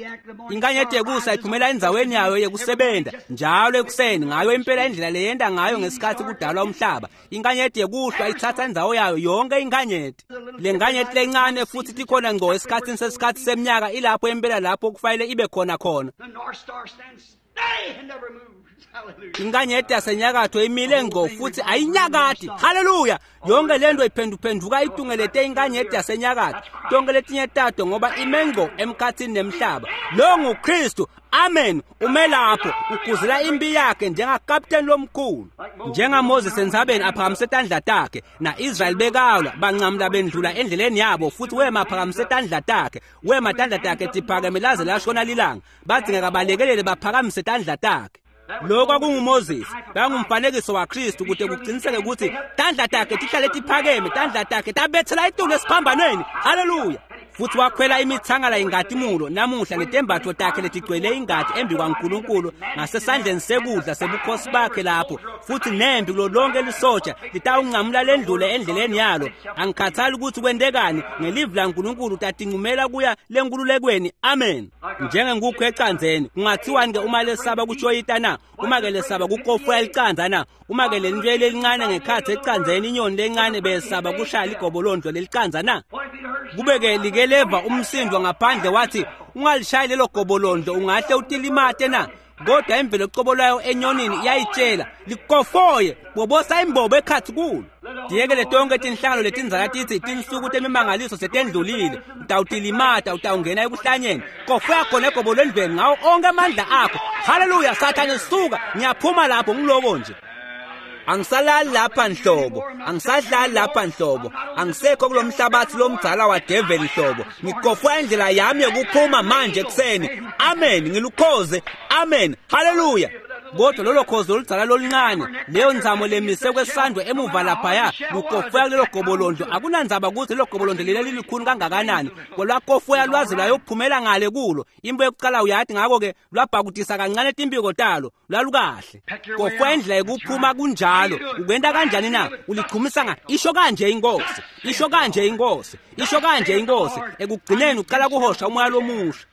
Inkanyeti yekusa iphumela endzaweni yayo yekusebenta njalo ekuseni ngayo impela indlela leyenta ngayo ngesikhathi kudalwa umhlaba. Inkanyeti yekuhlwa ithatha indzawo yayo yonke inkanyeti. Le nkanyeti lencane futhi tikhona ngco esikhathini sesikhathi seminyaka ilapho impela lapho kufanele ibe khona khona. The North Star stands steady and never moves. Hallelujah. Inkanyeti yasenyakatho imile ngco futhi ayinyakati. Haleluya! Yonke lento iphenduphenduka itungelete inkanyeti yasenyakatho. Tonke letinye tato ngoba ime ngco emkhathini nemhlaba. Lo nguKristu. Amen. Ume lapho uguzela impi yakhe njengakapteni lomkhulu. NjengaMoses entsabeni aphakamise tandla takhe, na-Israyeli bekalwa bancamula bendlula endleleni yabo futhi wema aphakamise tandla takhe. Wema tandla takhe tiphakeme laze lashona lilanga. Badzingeka balekelele baphakamise tandla takhe. Lokho kwakunguMoses, bekangumfanekiso waKristu kute kuqiniseke ukuthi tandla takhe tihlale tiphakeme, tandla takhe tabethela itulu esiphambanweni. Haleluya! Futhi wakhwela imithangala ingatimulo namuhla netembatho takhe letigcwele ingati embi kwaNkulunkulu ngasesandleni sekudla sebukhosi bakhe lapho. Futhi nempi kulo lonke lisotsha litawunqamula lendlule endleleni yalo. Angikhathali ukuthi kwentekani, ngelivi laNkulunkulu utatincumela kuya lenkululekweni. Amen. Njengenkukhu ecandzeni, kungathiwani ke uma lesaba kushoyita na? Uma ke lesaba kukofuya licandza na? Uma ke lentwe lelincane ngekhatsi ecandzeni inyoni lencane besaba kushaya ligobolondlo lelicandza na? Kube ke like leva umsindo ngaphandle wathi ungalishayi lelo gobolondlo ungahle utilimate na? Kodwa imvelo cobo lwayo enyonini iyayitshela likofoye bobosa imbobo ekhathi kulo. Diyekele tonke tinhlangano letindzala tithi tinsuku temimangaliso setendlulile, utawutilimata utawungena ekuhlanyeni. Kofoya khona egobolondlweni ngawo onke amandla akho. Haleluya! Sathane suka, ngiyaphuma lapho ngiloko nje. Angisalali lapha nhlobo, angisadlali lapha nhlobo, angisekho kulo mhlabathi lomdzala wadeveli nhlobo. Ngikofoya indlela yami yokuphuma manje ekuseni. Amen, ngilukhoze. Amen. Haleluya. Kodwa lolo khozi oludzala loluncane, leyo nzamo lemise kwesandwe emuva laphaya, lukofoya kulelo gobolondlo. Akunandzaba ukuthi lelo gobolondlo leli lilikhulu kangakanani, lwakofoya lwaze lwayophumela ngale kulo. Imbo yokuqala uyathi ngakho-ke lwabhakudisa kancane timpiko talo, lwalukahle. Kofoya indlela yokuphuma kunjalo. Ukwenta kanjani na? Ulichumisa nga isho kanje inkosi, isho kanje inkosi, isho kanje inkosi. Ekugcineni uqala kuhosha umoya lomusha.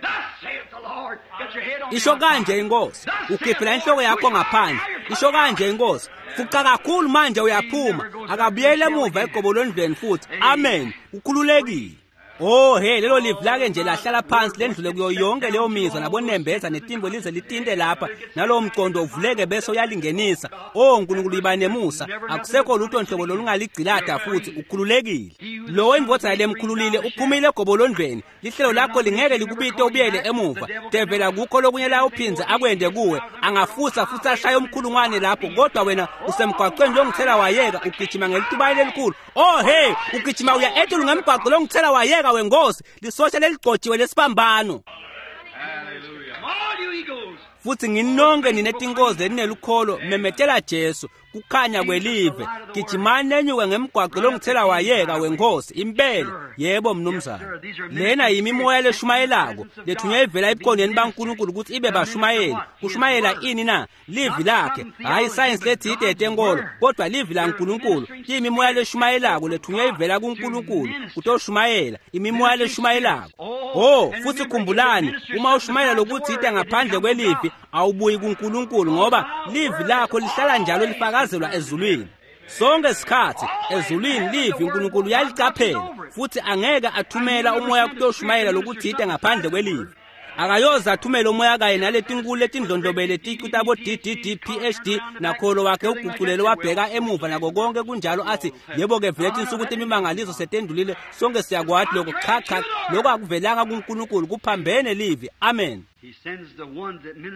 Thus saith the Lord. Get your head on the Isho kanje inkosi, ukhiphela inhloko yakho ngaphandle. Isho kanje inkosi, fuqa kakhulu manje uyaphuma. Akabuyele emuva egobolondlweni futhi. Amen. Ukhululekile. Oh hey, lelo livi lake nje lahlala phansi lendlule kuyo yonke leyo mizwa nabonembeza netimbo lize litinte lapha nalowo mcondo uvuleke bese uyalingenisa. Oh Nkulunkulu iba nemusa, akusekho lutho nhlobo lolungaligcilada futhi ukhululekile. Lowo indvodza lemkhululile uphumile egobolondlweni. Lihlelo lakho lingeke likubite ubuyele emuva. Devela kukho lokunye la uphindze akwende kuwe. Angafusa futhi ashaye umkhulungwane lapho, kodwa wena usemgwaqweni longithela wayeka ugijima ngelitubane lelikhulu. Oh hey, ugijima uya etulu ngemgwaqo longithela wayeka wenkosi, lisosha leligcotshiwe lesibambano. Hallelujah. All you eagles. Futhi nginonke ninetinkozi leninelukholo, memetela Jesu kukhanya kwelive. Gijimani nenyuke ngemgwaqo longithela wayeka wenkosi impela. Yebo mnumzane, lena yimimoya leshumayelako lethunywa ivela ebukhoneni baNkulunkulu ukuthi ibe bashumayeli. Kushumayela ini na? Livi lakhe, hhayi isayensi lethide yetenkolo, kodwa livi laNkulunkulu. Kuyimimoya leshumayelako lethunywa ivela kuNkulunkulu kutoshumayela, imimoya leshumayelako. Oh, futhi khumbulani, uma ushumayela lokuthide ngaphandle kwelivi awubuyi kuNkulunkulu, ngoba livi lakho lihlala njalo lifakazelwa ezulwini. Sonke isikhathi ezulwini livi uNkulunkulu uyalicaphela futhi angeke athumela umoya kutoshumayela lokuthide ngaphandle kwelivi. Akayoze athumele umoya kanye naletinkulu letindlondlobele ticu tabo DDD PhD nakholo wakhe uguculele wabheka emuva nako konke kunjalo, athi yebo-ke vele tinsuku temimangaliso setendlulile, sonke siyakwati lokho. Cha cha, lokho akuvelanga kuNkulunkulu, kuphambene livi. Amen.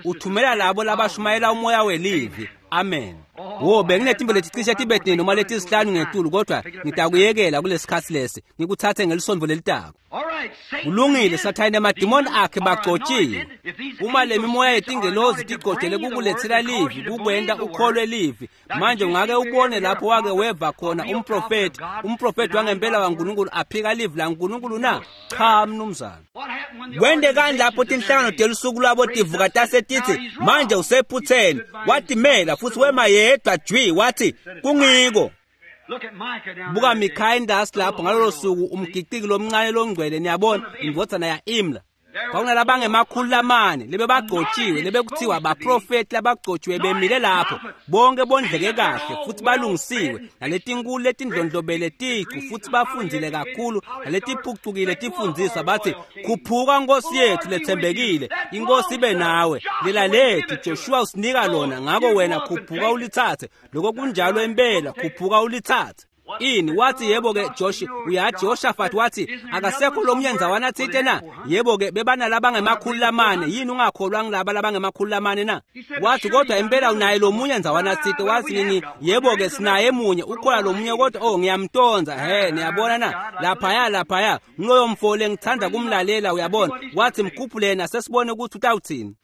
Uthumela labo labashumayela umoya welivi. Amen. Wo benginetimbo leticishe tibe tine noma letisihlanu ngetulu, kodwa ngitakuyekela kulesikhatsi lesi, ngikuthathe ngelisondvo lelitako. Kulungile, Sathane nemadimoni akhe bagcotshiwe. Uma le mimoya yetingelozi tigcotshele kukulethela livi, kukwenta ukholwe livi. Manje ungake ubone lapho wake weva khona umprofeti wangempela waNkulunkulu aphika livi laNkulunkulu na? Cha, mnumzane. Kwentekani lapho tinhlangano telusuku lwabo tivuka tase titsi manje usephutheni? Watimela futhi wema yedwa jwi, wathi kungiko. Buka Mikhaya indasi lapho ngalolo suku, umgiqiki lomncane longcwele, niyabona, indvodzana ya-Imla. Kwakunalabangemakhulu lamane lebebagcotshiwe, lebekuthiwa baprofeti labagcotshiwe bemile lapho, bonke bondleke kahle futhi balungisiwe, naletinkulu letindlondlobele ticu futhi bafundzile kakhulu, naletiphucukile tifundziswa, bathi khuphuka Nkosi yethu lethembekile, inkosi ibe nawe, lela lethu Joshua usinika lona, ngako wena khuphuka ulitsatse. Lokho kunjalo impela, khuphuka ulitsatse. Ini wathi yebo-ke uyathi Jehoshaphat wathi akasekho lomunye ndzawana tsite na? Yebo-ke bebanalabangemakhulu lamane, yini ungakholwa ngilaba labangemakhulu lamane na? Wathi kodwa impela unaye lomunye ndzawana tsite. Wathi nini? Yebo-ke sinaye munye, ukhona lomunye kodwa oh ngiyamtonza. He, niyabona na? Laphaya ngiloyo mfo lengithanda kumlalela, uyabona. Wathi mkhuphule yena sesibone ukuthi utawuthini.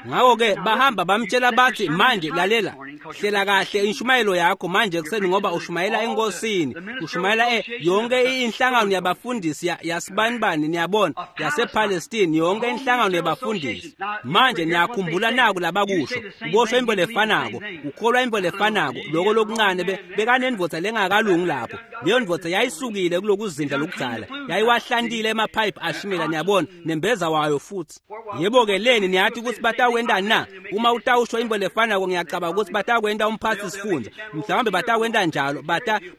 Ngakho-ke bahamba bamtshela bathi manje lalela, hlela kahle inshumayelo yakho manje ekuseni, ngoba ushumayela enkosini, ushumayela yonke inhlangano yabafundisi yasibanibani, niyabona, yasePalestine, yonke inhlangano yabafundisi. Manje niyakhumbula naku labakusho, ubosho into lefanako, ukholwa into lefanako, loko lokuncane bekanendvodza lengakalungi lapho. Leyo ndvodza yayisukile kulokuzindla lokudzala, yayiwahlantile emaphayiphi ashimela, niyabona, nembeza wayo futhi. Yebo-ke leni niyathi ukuthi batakwentani na? Uma utawusho into lefanako, ngiyacabanga ukuthi batakwenta umphathi sifundza, mhlawumbe batakwenta njalo,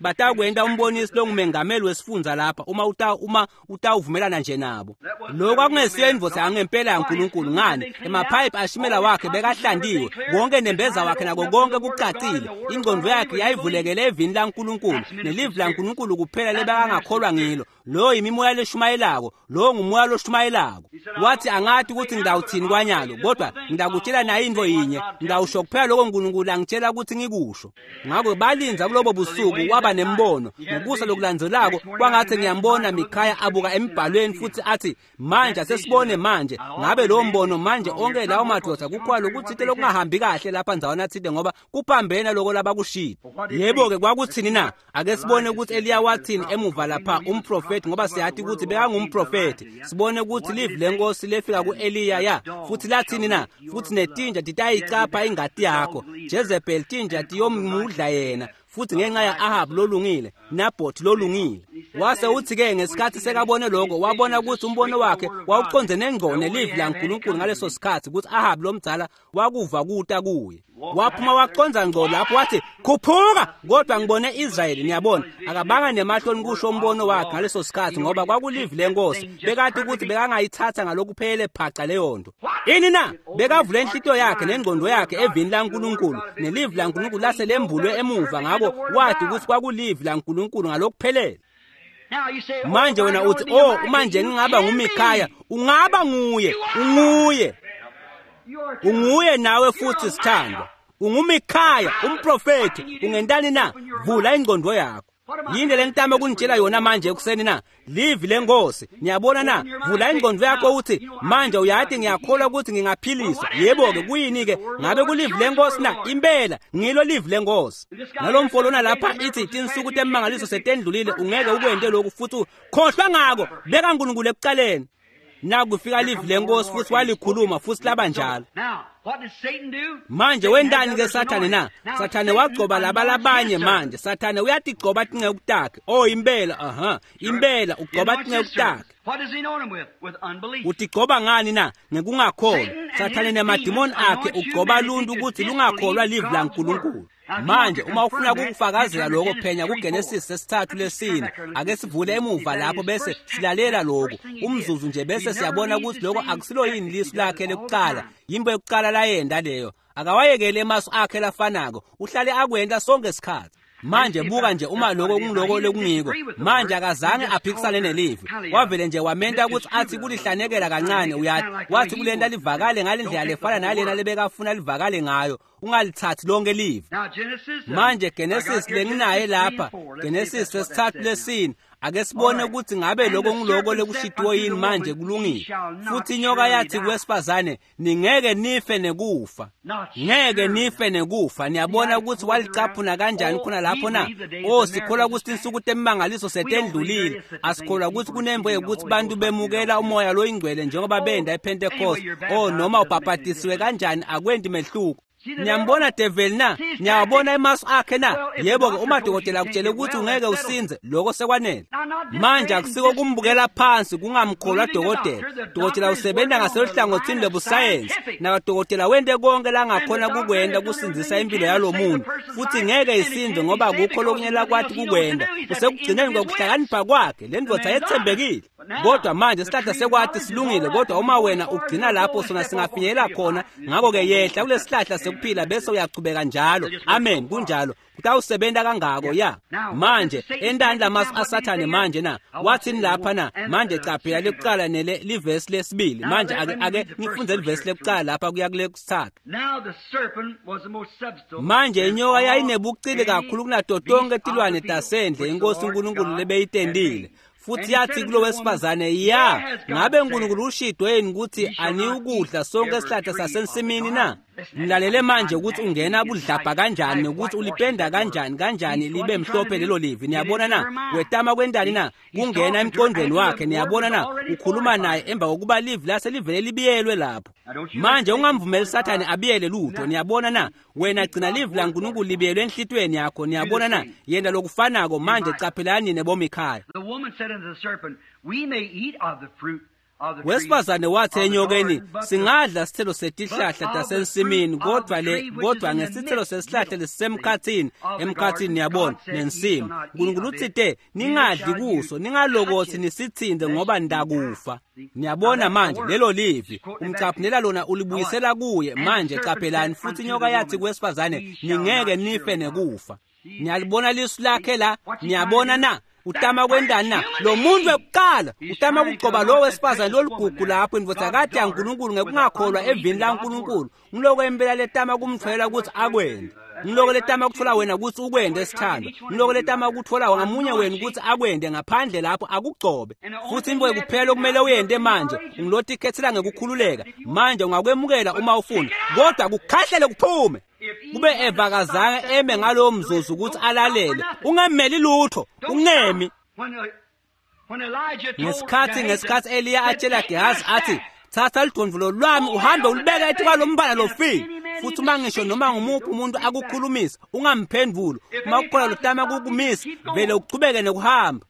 batakwenta umbonisi longumengameli wesifundza lapha, uma utawuvumelana nje nabo. Lokho kwakungesiyo indvodza yangempela yaNkulunkulu. Ngani? Emaphayiphi ashimela wakhe bekahlantiwe, konke nembeza wakhe nako konke kucacile. Ingqondo yakhe yayivulekele evini laNkulunkulu, nelivi laNkulunkulu kuphela lebekangakholwa ngilo. Lo yimimoya leshumayelako, lo ngumoya loshumayelako. Wathi angathi ukuthi ngidawuthini kwanyalo, kodwa ngidakutshela nayo into yinye, ngidawusho kuphela lokho uNkulunkulu angitshela ukuthi ngikusho. Ngakho balinza kulobo busuku, waba nembono. Ngokusa lokulandzelako kwangathi ngiyambona Mikhaya abuka emibhalweni futhi athi manje asesibone manje, ngabe lo mbono manje onke lawo madoda kukhona lokuthite lokungahambi kahle lapha ndzawana thite, ngoba kuphambene lokho labakushilo. Yebo-ke kwakuthini na? Ake sibone ukuthi Eliya wathini emuva lapha, umprofeti, ngoba siyathi ukuthi bekangumprofeti. Sibone ukuthi livi lenkosi lefika ku-Eliya ya futhi lathini na? Futhi netinja titayicapha ingati yakho, Jezebel tinja tiyomudla yena, futhi ngenxa ya-Ahab lolungile, Naboth lolungile. Wase uthi-ke ngesikhathi sekabone lokho, wabona ukuthi umbono wakhe wawuconze nengqo nelivi laNkulunkulu ngaleso sikhathi, ukuthi Ahab lomdzala wakuva kuta kuye. Waphuma waconza ngqo lapho wathi khuphuka, kodwa ngibone Israyeli. Niyabona, akabanga nemahloni kusho umbono wakhe ngaleso sikhathi, ngoba kwakulivi lenkosi. Bekade ukuthi bekangayithatha ngalokuphelele phaca leyo nto. Ini na? Bekavule inhlitiyo yakhe nengqondo yakhe evini laNkulunkulu, nelivi laNkulunkulu lase lembulwe emuva, ngakho wathi ukuthi kwakulivi laNkulunkulu ngalokuphelele. Manje wena uthi oh, uma nje ngingaba nguMikhaya. Ungaba nguye, unguye. Unguye nawe futhi sithandwa. UnguMikhaya umprofeti. Ungentani na? Vula ingqondo yakho. Yini le ngitama ukunitshela yona manje ekuseni na? Livi lenkosi. Niyabona na? Vula ingqondo yakho uthi manje uyathi ngiyakholwa ukuthi ngingaphiliswa. Yebo-ke kuyini-ke? Ngabe kulivi lenkosi na? Impela ngilo livi lenkosi. Nalomfo lona lapha ithi tinsuku temangaliso setendlulile, ungeke ukwente lokhu futhi khohlwa ngako. Beka uNkulunkulu ekuqaleni. Nakufika livi lenkosi futhi walikhuluma futhi laba njalo. Manje wendani ke Sathane na? Sathane wagcoba laba labanye manje. Sathane uyatigcoba tinceku takhe. Oh impela, aha, impela ugcoba tinceku takhe. Utigcoba ngani na? Ngekungakholwa. Sathane nemadimoni akhe ugcoba luntu ukuthi lungakholwa livi laNkulunkulu. Manje uma ufuna ukufakazela lokho, phenya kuGenesis sesithathu lesine. Ake sivule emuva lapho bese silalela lokho umzuzu nje, bese siyabona ukuthi lokho akusilo yini lisu lakhe lekuqala. Yimbo yokuqala layenda leyo. Akawayekele emasu akhe lafanako, uhlale akwenta sonke isikhathi. Manje buka nje uma lokho kungiloko lekungiko. Manje akazange aphikisane nelivi, wavele nje wamenta ukuthi athi kulihlanekela kancane. Uyathi wathi kulenta livakale ngalendlela lefana nalena lebekafuna livakale ngayo, ungalithathi lonke livi. Manje Genesis lenginaye lapha, Genesis 3:4, ake sibone ukuthi ngabe lokho ngiloko lekushitiwe yini. Manje kulungile. Futhi inyoka yathi kuwesifazane, ningeke nife nekufa, ngeke nife nekufa. Niyabona ukuthi walicaphuna kanjani khona lapho na? Oh, sikholwa ukuthi insuku temimangaliso setendlulile. Asikholwa ukuthi kunembo yokuthi bantu bemukela umoya loyingcwele njengoba benda ePentecost. Oh, noma ubhabhatisiwe kanjani akwenti mehluko. Niyambona develi na? Niyawabona emasu akhe na? Yebo-ke, uma dokotela akutshele ukuthi ungeke usinze, lokho sekwanele. Manje akusiko kumbukela phansi kungamkholwa dokotela. Dokotela usebenza ngaseluhlangothini lobusayensi, nakadokotela wente konke langakhona kukwenta kusindzisa impilo yalo muntu, futhi ngeke isinze ngoba akukho lokunye lakwathi kukwenta. Kusekugcineni kokuhlakanipha kwakhe, le ndvodza yetsembekile. Kodwa manje isihlahla sekwathi silungile, kodwa uma wena ugcina lapho sona singafinyelela khona. Ngakho-ke yehla kulesihlahla sekuphila bese uyachubeka njalo. Amen, kunjalo. Kutawusebenta kangako ya. Manje entani lamasu asathane manje na? Wathini lapha na? Manje caphela lekuqala nele livesi lesibili. Manje ake ngifunze livesi lekuqala lapha kuya kule kusithathu. Manje inyoka yayinebucili kakhulu kunato tonke tilwane tasendle inkosi uNkulunkulu lebeyitendile. Futhi yathi kulo wesifazane, ya ngabe uNkulunkulu ushidwe yini ukuthi aniwukudla sonke isihlahla sasensimini na? Mlalele manje ukuthi ungena budlabha kanjani nokuthi ulipenda kanjani kanjani libe mhlophe lelo livi. Niyabona na? Wetama kwentani na? Kungena emqondweni wakhe. Niyabona na? Ukhuluma naye emva kokuba livi lase livele libiyelwe lapho. Manje ungamvumeli Sathane abiyele lutho. Niyabona na? Wena gcina livi laNkulunkulu libiyelwe enhlitiyweni yakho. Niyabona na? Yenta lokufanako. Manje caphelani nebomikhaya. Wesifazane wathi enyokeni, singadla sithelo setihlahla tasensimini, kodwa le kodwa ngesithelo sesihlahla lesisemkhathini, emkhathini niyabona nensimu, uNkulunkulu uthite ningadli kuso, ningalokothi nisithinte ngoba ndakufa. Niyabona manje lelo livi umcaphunela lona ulibuyisela kuye. Manje caphelani. Futhi inyoka yathi kuwesifazane, ningeke nife nekufa. Niyalibona lisu lakhe la? Niyabona na? Utama kwentani na? Lo muntu wekuqala utama kugcoba lo wesifazane loligugu lapho indvodzakati yaNkulunkulu ngekungakholwa evini laNkulunkulu. Ngiloko impela letama kumtfolela ukuthi akwente. Ngiloko letama kutfola wena ukuthi ukwente esithandwa. Ngiloko letama kutfola ngamunye wenu ukuthi akwente ngaphandle lapho akugcobe. Futhi into kuphela okumele uyente manje ungilotikhethela ngekukhululeka. Manje ungakwemukela uma ufuna, kodwa kukhahlele kuphume. Kube Eva kazange eme ngalowo mzuzu ukuthi alalele, ungameli lutho, ungemi. Ngesikhathi Eliya atshela Gehazi athi, thatha lidondvulo lwami uhambe ulibeke etikwalombala lofile. Futhi uma ngisho noma ngumuphi umuntu akukhulumisa, ungamphendvuli. Uma kukhona lotama kukumisa, vele uchubeke nekuhamba.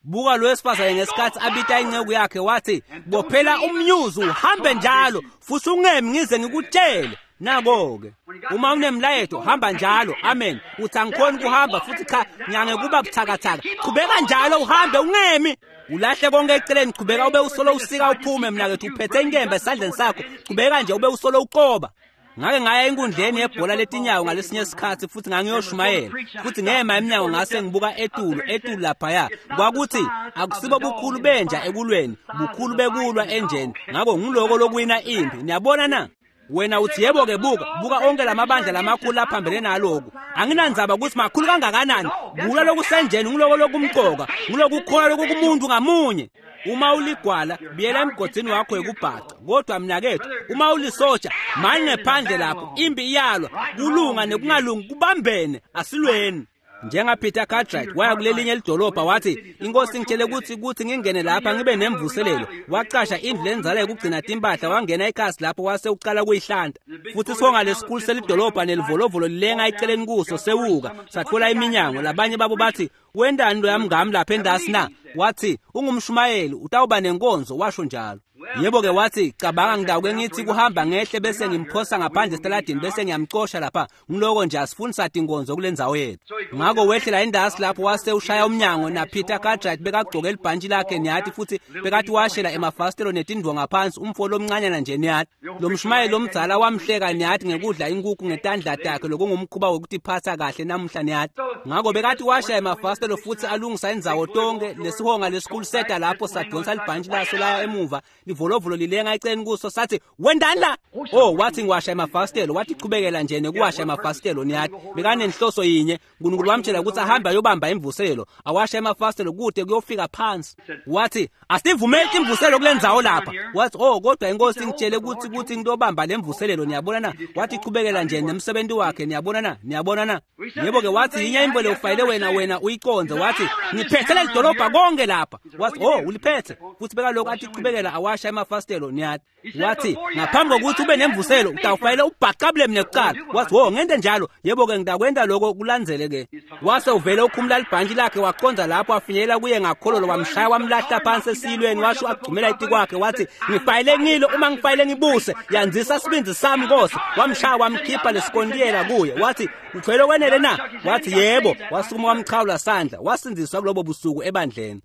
Buka lo wesifazane ngesikhathi abita inceku yakhe wathi, bophela umnyuzi uhambe njalo futhi ungemi ngize ngikutshele. Nako-ke uma unemlayeto hamba njalo. Amen. Uthi angikhoni kuhamba futhi cha ngiyange kuba buthakathaka, qhubeka njalo uhambe ungemi. Ulahle konke eceleni, qhubeka ube usolo usika uphume. Mnakethu uphethe inkemba esandleni sakho, qhubeka nje ube usolo uqoba. Ngake ngaya enkundleni yebhola letinyawo ngalesinye isikhathi futhi ngangiyoshumayela, futhi ngema eminyango ngase ngibuka etulu laphaya. Kwakuthi akusibo bukhulu benja ekulweni, bukhulu bekulwa enjeni. Ngakho ngiloko lokuwina impi. Niyabona na? Wena uthi yebo-ke, buka onke lamabandla lamakhulu aphambene naloku. Anginandzaba ukuthi makhulu kangakanani, kulwa lokusenjeni ngiloko lokumqoka, ngilokukholwa lokukumuntu ngamunye. Uma uligwala, biyela emgodini wakho yekubhaca. Kodwa mnakethu, uma ulisotsha, mani ngephandle lapho, impi iyalwa, kulunga nekungalungi kubambene, asilweni. NjengaPeter Cartwright waya kulelinye lidolobha wathi, inkosi ngitshele ukuthi ngingene lapha ngibe nemvuselelo. Waqasha indlu lenzala yokugcina timpahla, wangena ekhasi lapho wase uqala kuyihlanta. Futhi songa lesikhulu selidolobha nelivolovolo lilenga eceleni kuso sewuka, sathola iminyango. Labanye babo bathi, wendani lo yamngami lapha endasi na? Wathi, ungumshumayeli, utawuba nenkonzo, washo njalo. Yebo-ke wathi, cabanga ngidawuke ngithi kuhamba ngehle bese ngimphosa ngaphandle esitaladini bese ngiyamcosha lapha. Ngiloko nje asifuni sathi inkonzo kule ndzawo yethu. Ngakho wehlela indasi lapho wase ushaya umnyango na Peter Cartwright bekagcoke libhantshi lakhe niyathi futhi bekathi washela emafasitelo netindvo ngaphansi umfo lomncanyana nje niyathi. Lo mshumayeli lomdzala wamhleka niyathi ngekudla inkukhu ngetandla takhe lokungumkhuba wokutiphatha kahle namuhla niyathi. Ngakho bekathi washaya emafasitelo futhi alungisa indzawo tonke lesihonga lesikhulu seta lapho sadonsa libhantshi laso laya emuva livolovolo lilenga eceleni kuso sathi wendani la. Oh wathi ngiwasha emafasitelo. Wathi chubekela nje nekuwasha emafasitelo niyathi. Bekanenhloso yinye, uNkulunkulu wamtshela ukuthi ahambe ayobamba imvuselo, awasha emafasitelo kude kuyofika phansi. Wathi asivumeli imvuselo kule ndzawo lapha. Wathi oh kodwa inkosi ingitshele ukuthi ngitobamba lemvuselelo niyabona na. Wathi chubekela nje nemsebenzi wakhe niyabona na, niyabona na. Yebo ke wathi yinye imvelo ufayile wena uyiconze. Wathi ngiphethe lelidolobha konke lapha. Wathi oh uliphethe. Futhi bekalokhu athi chubekela awasha emafasitelo niyathi. Wathi ngaphambi kokuthi ube nemvuselo utawufayile ubhaqabule mina kuqala. Wathi oh ngente njalo. Yebo ke ngidakwenda lokho kulandzele ke. Wase uvele ukhumula libhantshi lakhe waqonza lapho afinyelela kuye ngakhololo wamshaya wamlahla phansi esilweni washo agcumela itikwakhe wathi ngifayile ngilo uma ngifayile ngibuse yanzisa sibindzi sami Nkosi. Wamshaya wamkhipha lesikontiyela kuye. Wathi uthwele kwenele na? Wathi yebo. Wasukuma wamchawula sandla wasindziswa kulobo busuku ebandleni.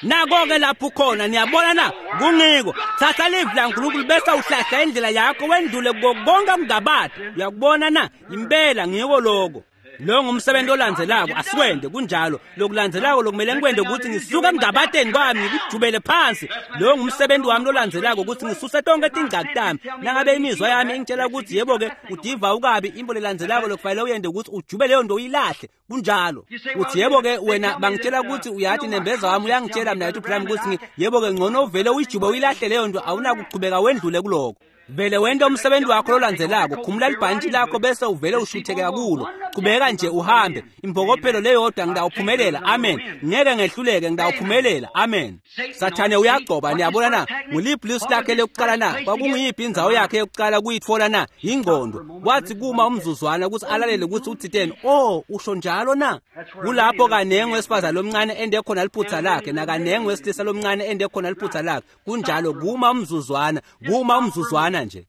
Nako-ke lapho ukhona niyabona na, kungiko thatha livi laNkulunkulu bese uhlahla indlela yakho wendlule kuko konke kungabadi. Uyakubona na? Impela ngiko lokho. Lo ngumsebenzi olandzelako asikwende kunjalo. Lokulandzelako lokumele ngikwende ukuthi ngisuke emngabateni kwami ngikujubele phansi. Lo ngumsebenzi wami lolandzelako ukuthi ngisuse tonke tingcaki tami. Nangabe imizwa yami ingitshela ukuthi yebo-ke udiva ukabi, imbo lelandzelako lokufanele uyende ukuthi ujube leyo nto uyilahle. Kunjalo. Uthi yebo-ke wena bangitshela ukuthi uyathi nembeza wami uyangitshela mina ethi Branham ukuthi yebo-ke ngcono uvele uyijube uyilahle leyo nto, awunakuchubeka wendlule kuloko. Vele wente umsebenzi wakho lolandzelako, khumula libhantshi lakho bese uvele ushuthekeka kulo. Chubeka nje uhambe. Impokophelo leyodwa ngidawuphumelela. Amen. Ngeke ngehluleke, ngidawuphumelela. Amen. Sathane uyagcoba niyabona na. Nguliphi lisu lakhe lokuqala na? Kwakunguyiphi indzawo yakhe yokuqala kuyitfola na? Ingqondo. Wathi kuma umzuzwana ukuthi alalele ukuthi uthiteni. Oh, usho njalo na? Kulapho kanengi wesifazane lomncane ende khona liphutha lakhe nakanengi wesilisa lomncane ende khona liphutha lakhe. Kunjalo kuma umzuzwana, kuma umzuzwana nje.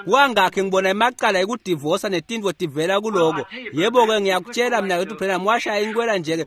Kwangakhe ngibona emacala ekudivosa netindvo tivela kuloko. Yebo-ke ngiyakutshela mina ukuthi Branham washaya inkwela nje-ke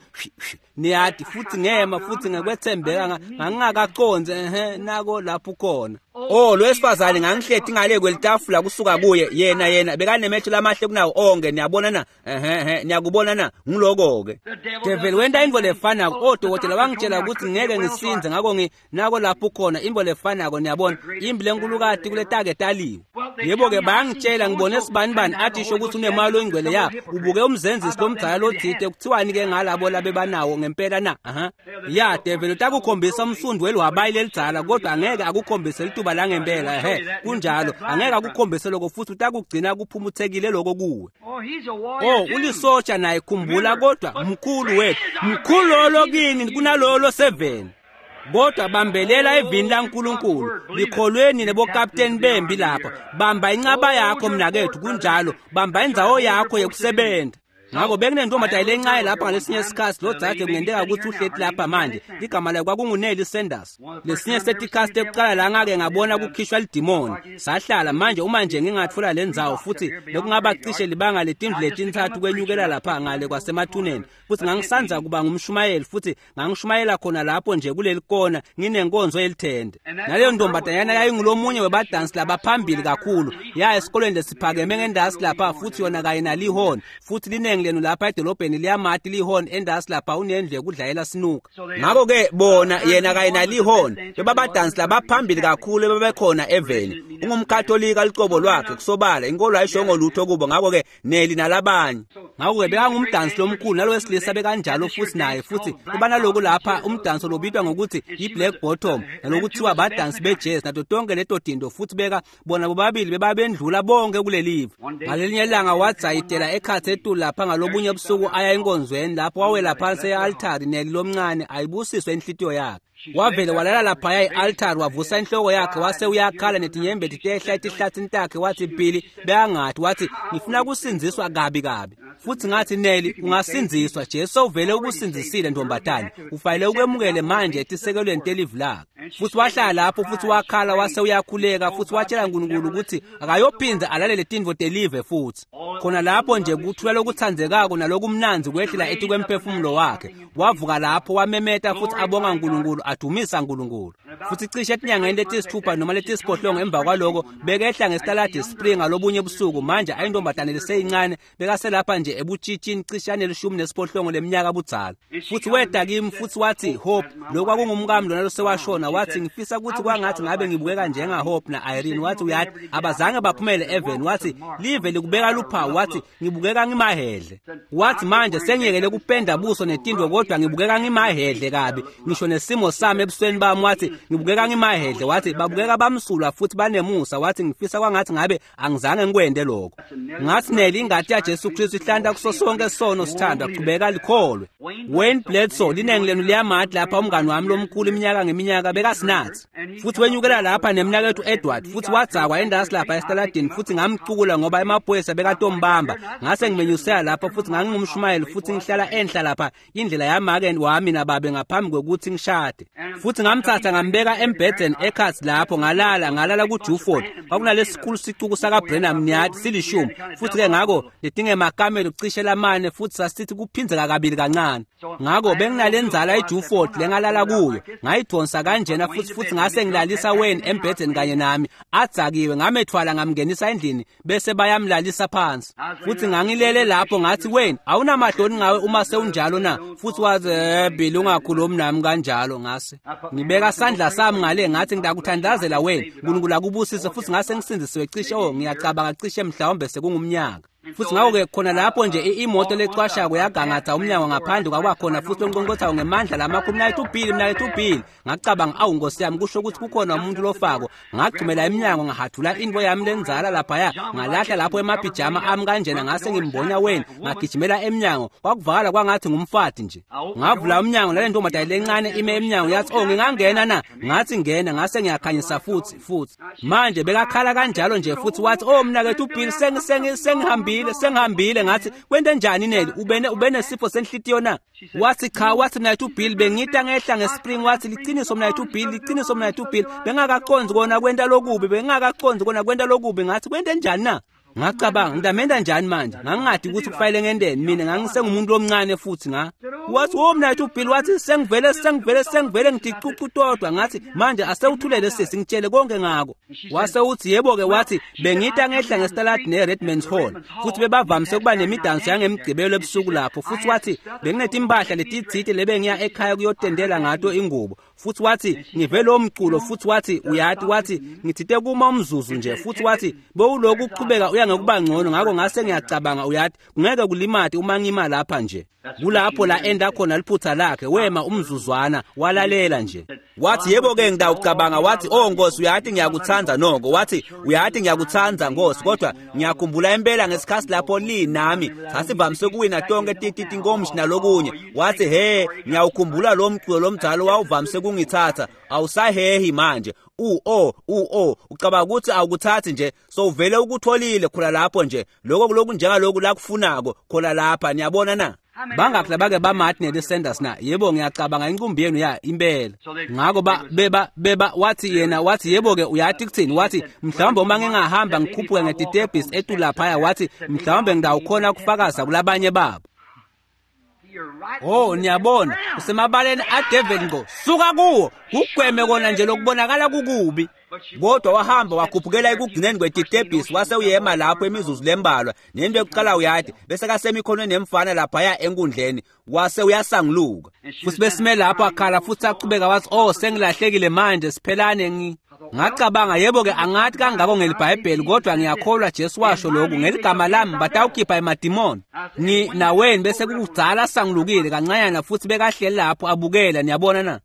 niyati futhi ngema futhi ngekwethembeka ngangingakaconzi ehe nako lapho khona. Oh lo wesifazane ngangihleti ngale kwelitafula kusuka kuye yena bekanemehlo lamahle kunawo onke niyabona na ehe niyakubona na ngiloko-ke. Devil wenta intfo lefanako. Odokotela wangitshela ukuthi ngeke ngisinze ngakho nako lapho khona intfo lefanako niyabona imbi lenkulukati kuletake taliwe. Yebo-ke bayangitshela ngibone sibanibani athi isho ukuthi unemali oyingcwele ya ubuke umzenzisi lomdzala lothite kuthiwani-ke ngalabo labebanawo ngempela na. Aha ya devil utakukhombisa umsundu welwabayi lelidzala kodwa angeke akukhombise lituba langempela. Ehe kunjalo angeke akukhombise lokho futhi utakugcina kuphumuthekile lokho kuwe. Oh ulisotsha naye khumbula kodwa mkhulu wethu mkhulu lolo kini kunalolo 7. Kodwa bambelela evini laNkulunkulu likholweni nebokapteni bembi lapha. Bamba incaba yakho mnakethu kunjalo, bamba indzawo yakho yokusebenza. Ngakho bekunentombazane lencane lapha ngalesinye isikhathi lo dzadze kungenteka ukuthi uhleti lapha manje. Ligama layo kwakunguNelly Sanders. Lesinye setikhathi ekuqala la ngake ngabona kukhishwa lidimoni. Sahlala manje uma nje ngingatfola le ndzawo futhi bekungaba cishe libanga letindlu letintsatfu kwenyukela lapha ngale kwasemathuneni. Futhi ngangisanza kuba ngumshumayeli futhi ngangishumayela khona lapho nje kuleli kona nginenkonzo yelithende. Naleyo ntombazanyana yayingulomunye webadansi labaphambili kakhulu. Ya esikolweni lesiphakeme ngendasi lapha futhi yona kanye nalihon futhi linengi lenu lapha edolobheni liyamati lihon endasi lapha unendlu yokudlayela sinuka. Ngakho-ke bona yena kanye nalihon bebabadansi labaphambili kakhulu ebebekhona eveni. Ungumkatolika licobo lwakhe kusobala inkolo ayishongo lutho kubo ngakho-ke Neli nalabanye. Ngakho-ke bekangumdansi lomkhulu nalo wesilisa bekanjalo futhi naye futhi kubanaloku lapha umdanso lobitwa ngokuthi i-black bottom nalokuthiwa badansi be-jazz nato tonke leto tinto futhi beka bona bobabili bebabendlula bonke kulelive. Ngalelinye ilanga wadzayitela ekhatsi etulu lapha ngalobunye busuku aya enkonzweni lapho wawela phansi e-altari Neli lomncane ayibusiswe inhlitiyo yakhe. Wavele walala laphaya e-altari wavusa inhloko yakhe wase uyakhala netinyembeti tehla etihlatsini takhe wathi Billy bekangathi wathi ngifuna kusindziswa kabi kabi. Futhi ngathi, Nelly, ungasindziswa. Jesu uvele ukusindzisile ntombatane, ufanele ukwemukele manje etisekelweni telivi lakhe. Futhi wahlala lapho futhi wakhala wase uyakhuleka futhi watshela uNkulunkulu ukuthi akayophindze alalele tintfo telive futhi. Khona lapho nje kuthula lokutsandzekako nalokumnandzi kwehlela etikwemphefumulo wakhe. Wavuka lapho wamemeta futhi abonga uNkulunkulu, adumisa uNkulunkulu. Futhi cishe etinyangeni letisithupha noma letisiphohlongo emva kwaloko bekehla ngesitaladi Spring ngalobunye busuku. Manje ayintombatane leseyincane, bekaselapha nje ebutshitshini cishane 18 leminyaka budzala. Futhi weda kimi futhi wathi, Hope, lokhu kwakungumkami lona losewashona. Wathi, ngifisa ukuthi kwangathi ngabe ngibukeka njenga Hope na Irene. Wathi, uyathi abazange baphumele even. Wathi, live likubeka luphawu. Wathi, ngibukeka ngimahedle. Wathi, manje sengiyekele kupenda buso netindo, kodwa ngibukeka ngimahedle kabi, ngisho nesimo sami ebusweni bami. Wathi, ngibukeka ngimahedle. Wathi, babukeka bamsulwa futhi banemusa. Wathi, ngifisa kwangathi ngabe angizange ngikwende lokho. Ngathi, Nelly, ingati yaJesu Kristu ihlanta kuso sonke sono, sithandwa, qhubeka likholwe. Wayne Bledsoe, linengi lenu liyamati lapha, umngani wami lomkhulu iminyaka ngeminyaka, bekasinathi. Futhi wenyukela lapha nemnakethu Edward, futhi wadzakwa endasi lapha esitaladini, futhi ngamcukula ngoba emaphoyisa bekatombamba. Ngase ngimenyusela lapha futhi ngangingumshumayeli futhi ngihlala enhla lapha indlela yamake wami nababe ngaphambi kwekuthi ngishade. Futhi ngamthatha ngambeka embhedeni ekhatsi lapho, ngalala kuJuford. Kwakunalesikhulu sicuku sakaBrenham niyathi silishumi. Futhi-ke ngakho letingemakamelo cishe lamane, futhi sasithi kuphindzeka kabili kancane. Ngakho benginalenzala iJuford lengalala kuyo, ngayidonsa kanjena futhi ngase ngilalisa Wayne embhedeni kanye nami, adzakiwe. Ngamethwala ngamngenisa endlini bese bayamlalisa phansi. Futhi ngangilele lapho ngathi, Wayne, awunamahloni ngawe uma sewunjalo na? Futhi wathi, Bill, ungakhulumi nami kanjalo. Ngase ngibeka sandla sami ngale, ngathi, ngidakuthandazela Wayne, uNkulunkulu akubusise. Futhi ngase ngisindisiwe cishe, ngiyacabanga cishe mhlawumbe sekungumnyaka. Futhi ngakho-ke khona lapho nje imoto lecwashako yagangatha umnyango ngaphandle, kwabakhona futhi lonqonqothayo ngemandla lamakhulu, mnakethu Bill, mnakethu Bill. Ngacabanga, awu nkosi yami, kusho ukuthi kukhona umuntu lofako. Ngagxumela emnyango, ngahathula into yami lenzala laphaya, ngalahla lapho emapijama ami kanjena, ngase ngimbonya Wayne, ngagijimela emnyango. Kwakuvakala kwangathi ngumfati nje. Ngavula umnyango, nale ntombazane lencane ime emnyango. Yathi, oh, ngingangena na? Ngathi, ngena. Ngase ngiyakhanyisa futhi. Manje bekakhala kanjalo nje futhi wathi, oh mnakethu Bill, sengihambile. Ngathi, kwente njani Nelly, ubenesifo senhlitiyo na? Wathi, cha. Wathi, mnakethu Bill, bengita ngehla ngeSpring. Wathi, liqiniso mnakethu Bill, liqiniso mnakethu Bill, bengakaconzi kona kwenta lokubi, Ngathi, kwente njani na? Ngacabanga, ngidamenda njani manje? Ngangingadi ukuthi kufanele ngendeni mina, ngangisengumuntu omncane futhi nga. Wathi, oh mnakethu Bill, wathi, sengivele ngithi cucu. Ngathi, manje asewuthulele sisi, ngitshele konke ngako. Wase uthi, yebo-ke. Wathi, bengita ngehla ngesitaladi ne-Redman's Hall, futhi bebavamise ukuba nemidanso yangemgqibelo ebusuku lapho. Futhi wathi, benginetimpahla letitsite lebengiya ekhaya kuyotendela ngato ingubo. Futhi wathi, ngive lo mculo. Futhi wathi, uyathi, wathi, ngithite kuma umzuzu nje. Futhi wathi, bewuloku uqhubeka uya ngokuba ngcono, ngakho ngase ngiyacabanga, uyathi, kungeke kulimate uma ngima lapha nje. Kulapho la enda khona liphutha lakhe, wema umzuzwana walalela nje. Wathi, yebo-ke, ngidawucabanga. Wathi, oh Nkosi, uyathi ngiyakuthanda noko. Wathi, uyathi ngiyakuthanda Nkosi, kodwa ngiyakhumbula impela ngesikhathi lapho li nami sasivamise kuwina tonke tinkomshi nalokunye. Wathi, he, ngiyawukhumbula lo mculo lomdala wawuvamise kungithatha, awusahehi manje. Ucabanga ukuthi awukuthathi nje, so uvele ukutholile khona lapho nje, lokho lokhu njengaloku lakufunako khona lapha, niyabona na? Bangakhi labake bamati Nelly Sanders na? Yebo, ngiyacabanga inkumbi yenu ya impela. Ngakho beba wathi yena, wathi, yebo-ke, uyathi kuthini? Wathi, mhlawumbe uma ngingahamba ngikhuphuke ngetitebhisi etulaphaya, wathi, mhlawumbe ngidawukhona kufakaza kulabanye babo. Oh, niyabona, usemabaleni aDevil ngqo. Suka kuwo, kugweme kona nje lokubonakala kukubi. Kodwa wahamba wakhuphukela ekugcineni kwetitebhisi, wase uyema lapho imizuzu lembalwa. Nento yokuqala uyathi, bese kasemikhonweni nemfana laphaya enkundleni, wase uyasanguluka. Futhi besime lapho akhala futhi aqhubeka, wathi, oh, sengilahlekile manje, siphelane. Ngacabanga, yebo-ke, angathi kangako ngeliBhayibheli, kodwa ngiyakholwa Jesu washo lokhu, ngeligama lami batawukhipha emadimoni. Naweni bese kukudzala sangulukile kancanyana, futhi bekahleli lapho abukela, niyabona na?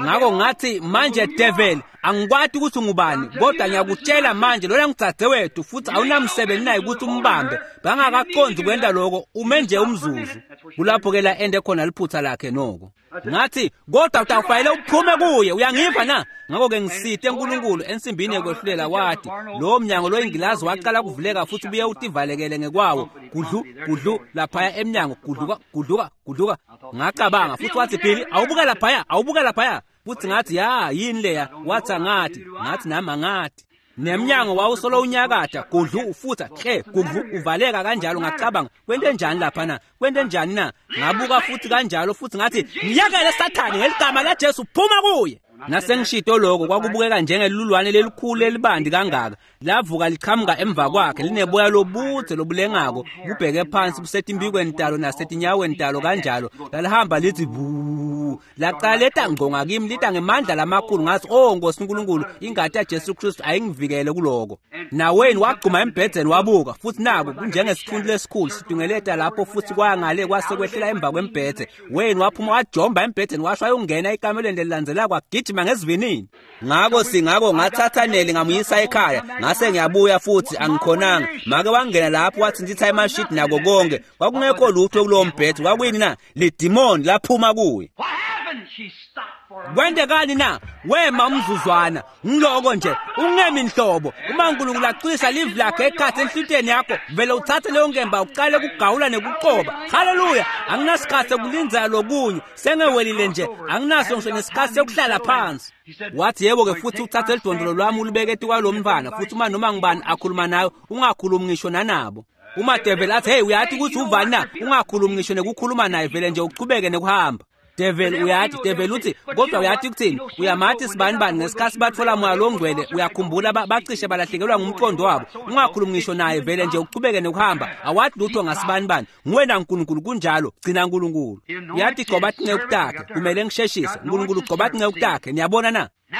Ngakho ngathi, manje devil, Angikwati ukuthi ungubani, kodwa ngiyakutshela manje lona ngudzadzewethu futhi awunamsebenzi naye ukuthi umbambe. Bangakaqondi kwenta lokho, ume nje umzuzu. Kulapho-ke la ende khona liphutha lakhe noko. Ngathi, kodwa utawufanele uphume kuye, uyangiva na? Ngakho-ke ngisite uNkulunkulu ensimbini yokwehlulela wathi, lowo mnyango loyingilazi waqala kuvuleka futhi ubuye utivalekele ngekwawo. Gudlu, gudlu, laphaya emnyango, gudluka, gudluka, gudluka. Ngacabanga futhi wathi, Billy, awubuka laphaya, awubuka laphaya. Futhi ngathi, ya, yini leya? Wathi angathi, ngathi nami angathi. Nemnyango wawusolo unyakatha, gudlu ufutha, hle, gudlu uvaleka kanjalo. Ngacabanga, kwente njani lapha na? Kwente njani na? Ngabuka futhi kanjalo futhi ngathi, ngiyekele Sathane ngeligama laJesu, phuma kuye. Nasengishito lokho kwakubukeka njengelulwane lelikhulu elibandi kangaka. Lavuka liqhamuka emva kwakhe lineboya lobudze lobulengako, kubheke phansi busetimbikweni talo nasetinyaweni talo kanjalo. Lalihamba lithi bu. Laqala leta ngqo ngakimi lita ngemandla lamakhulu. Ngathi, oh Nkosi uNkulunkulu, ingati yaJesu Kristu ayingivikele kuloko. Naweni wagcuma embhedzeni wabuka futhi naku kunjengesithunzi lesikhulu sidungeleta lapho futhi kwangale kwase kwehlela emva kwembhedze. Wayne waphuma wajomba embhedzeni washo ayongena ekamelweni lelilandzelako wagijima ngesivinini. Ngakho singako ngathatha Neli ngamuyisa ekhaya, ngase ngiyabuya futhi angikhonanga. Make wangena lapho wathi ngithatha emashidi nako konke. Kwakungekho lutho kulowo mbhedze. Kwakuyini na? Lidimoni laphuma kuye. What happened? She stopped for a Kwendekani na? Wema umzuzwana. Ngiloko nje, ungemi nhlobo. Uma uNkulunkulu aqinisa livi lakhe ekhathi enhlitiyweni yakho, vele uthathe leyo nkemba uqale ukugawula nekuqoba. Haleluya! Anginasikhathi sekulindzela lokunye. Sengewelile nje, anginaso ngisho nesikhathi sekuhlala phansi. Wathi yebo-ke futhi uthathe lidondolo lwami ulibeke etikwa mntwana futhi uma noma ngubani akhuluma nawe ungakhulumi ngisho nanabo. Uma devil athi, hey, uyathi ukuthi uvani na? Ungakhulumi ngisho nekukhuluma naye, vele nje uchubeke nekuhamba. Devil uyathi, devil uthi, kodwa uyathi kuthini? Uyamathi sibani bani ngesikhathi bathola moya longcwele, uyakhumbula bacishe balahlekelwa ngumqondo wabo. Ungakhulumi ngisho naye, vele nje uchubeke nekuhamba. Awathi lutho ngasibani bani. Nguwena uNkulunkulu kunjalo, gcina uNkulunkulu. Uyathi gcoba tinceku takhe, kumele ngisheshise. uNkulunkulu gcoba tinceku takhe, niyabona na? Now,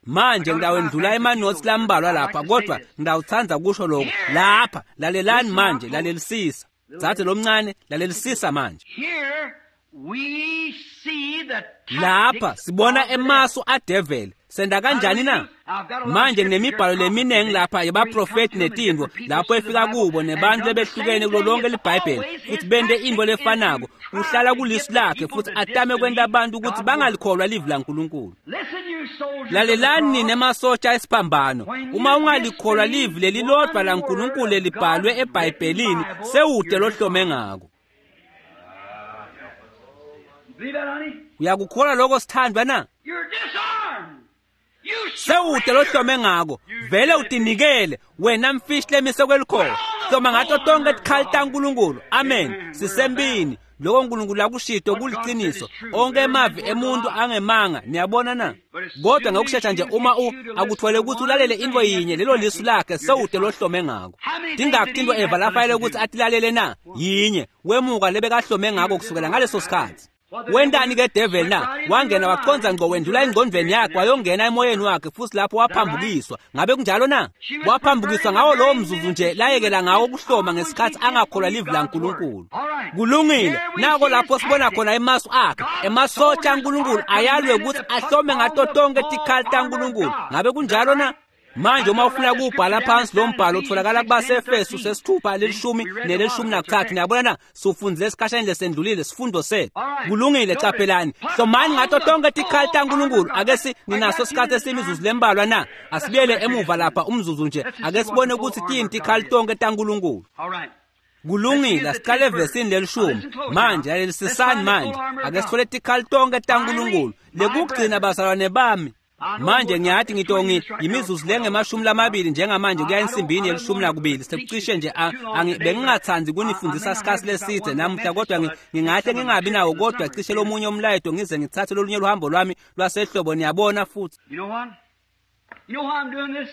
Manje ngidawendlula emanotes lambalwa lapha, kodwa ngidawutsandza kusho lokho. Lapha, lalelani manje, lalelisisa. Dzadze lomncane, lalelisisa manje. here we see the Lapha tactics sibona of the emasu adevil. Senda kanjani na? Manje nginemibhalo leminingi lapha yabaprofeti netintfo lapho efika kubo nebantu lebehlukene kulo lonke liBhayibheli futhi bente intfo lefanako. Uhlala kulisu lakhe futhi atame kwenta abantu ukuthi bangalikholwa livi laNkulunkulu. Listen, you soldiers of the Lalelani cross. nina emasotsha esiphambano. Uma ungalikholwa livi lelilodwa laNkulunkulu lelibhalwe eBhayibhelini, sewude lohlome ngako. Believe that, honey? Uyakukholwa lokho sithandwa na? You're disarmed. You Sewude lohlome ngako. Vele utinikele wena mfishi lemise kwelikhono. Hloma ngato tonke tikhali taNkulunkulu. Amen. Sisempini. Lokho uNkulunkulu akushito kuliciniso. Onke emavi emuntu angemanga. Niyabona na? Kodwa ngokushesha nje uma akuthole ukuthi ulalele into yinye lelo lisu lakhe sewude lohlome ngako. Tingakhi into Eva lafanele ukuthi atilalele na? Yinye. Wemuka lebekahlome ngako kusukela ngaleso sikhathi. Wentani ke devil na? Wangena waqonza ngqo wendlula engqondweni yakhe wayongena emoyeni wakhe futhi lapho waphambukiswa. Ngabe kunjalo na? Waphambukiswa ngawo lowo mzuzu nje layekela ngawo ukuhloma ngesikhathi angakholwa livi laNkulunkulu. Kulungile, nako lapho sibona khona emasu akhe. Emasotsha aNkulunkulu ayalwe ukuthi ahlome ngato tonke tikhali taNkulunkulu. Ngabe kunjalo na? Manje uma ufuna ukubhala phansi lo mbhalo utholakala kubaseEfesu sesithupha lelishumi neleshumi nakuthathu. Niyabona na? Sifundzile esikhashaneni lesendlulile sifundo sethu. Kulungile, caphelani. Hlomani ngato tonke tikhali taNkulunkulu. Ake si ninaso isikhathi esimizuzu lembalwa na? Asibuyele emuva lapha umzuzu nje. Ake sibone ukuthi tiyini tikhali tonke taNkulunkulu. All right. Kulungile, asiqale evesini lelishumi. Manje lalelisisani manje. Ake sithole tikhali tonke taNkulunkulu. Lekugcina bazalwane bami. Manje ngiyathi ngitongi imizuzu lengemashumi lamabili njengamanje kuya ensimbini yelishumi nakubili sekucishe nje bengingathandi kunifundisa isikhathi leside namuhla, kodwa ngingahle ngingabi nawo kodwa cishe lomunye umlayeto ngize ngithathe lolunye luhambo lwami lwasehlobo. Niyabona futhi. You know what? You know why I'm doing this?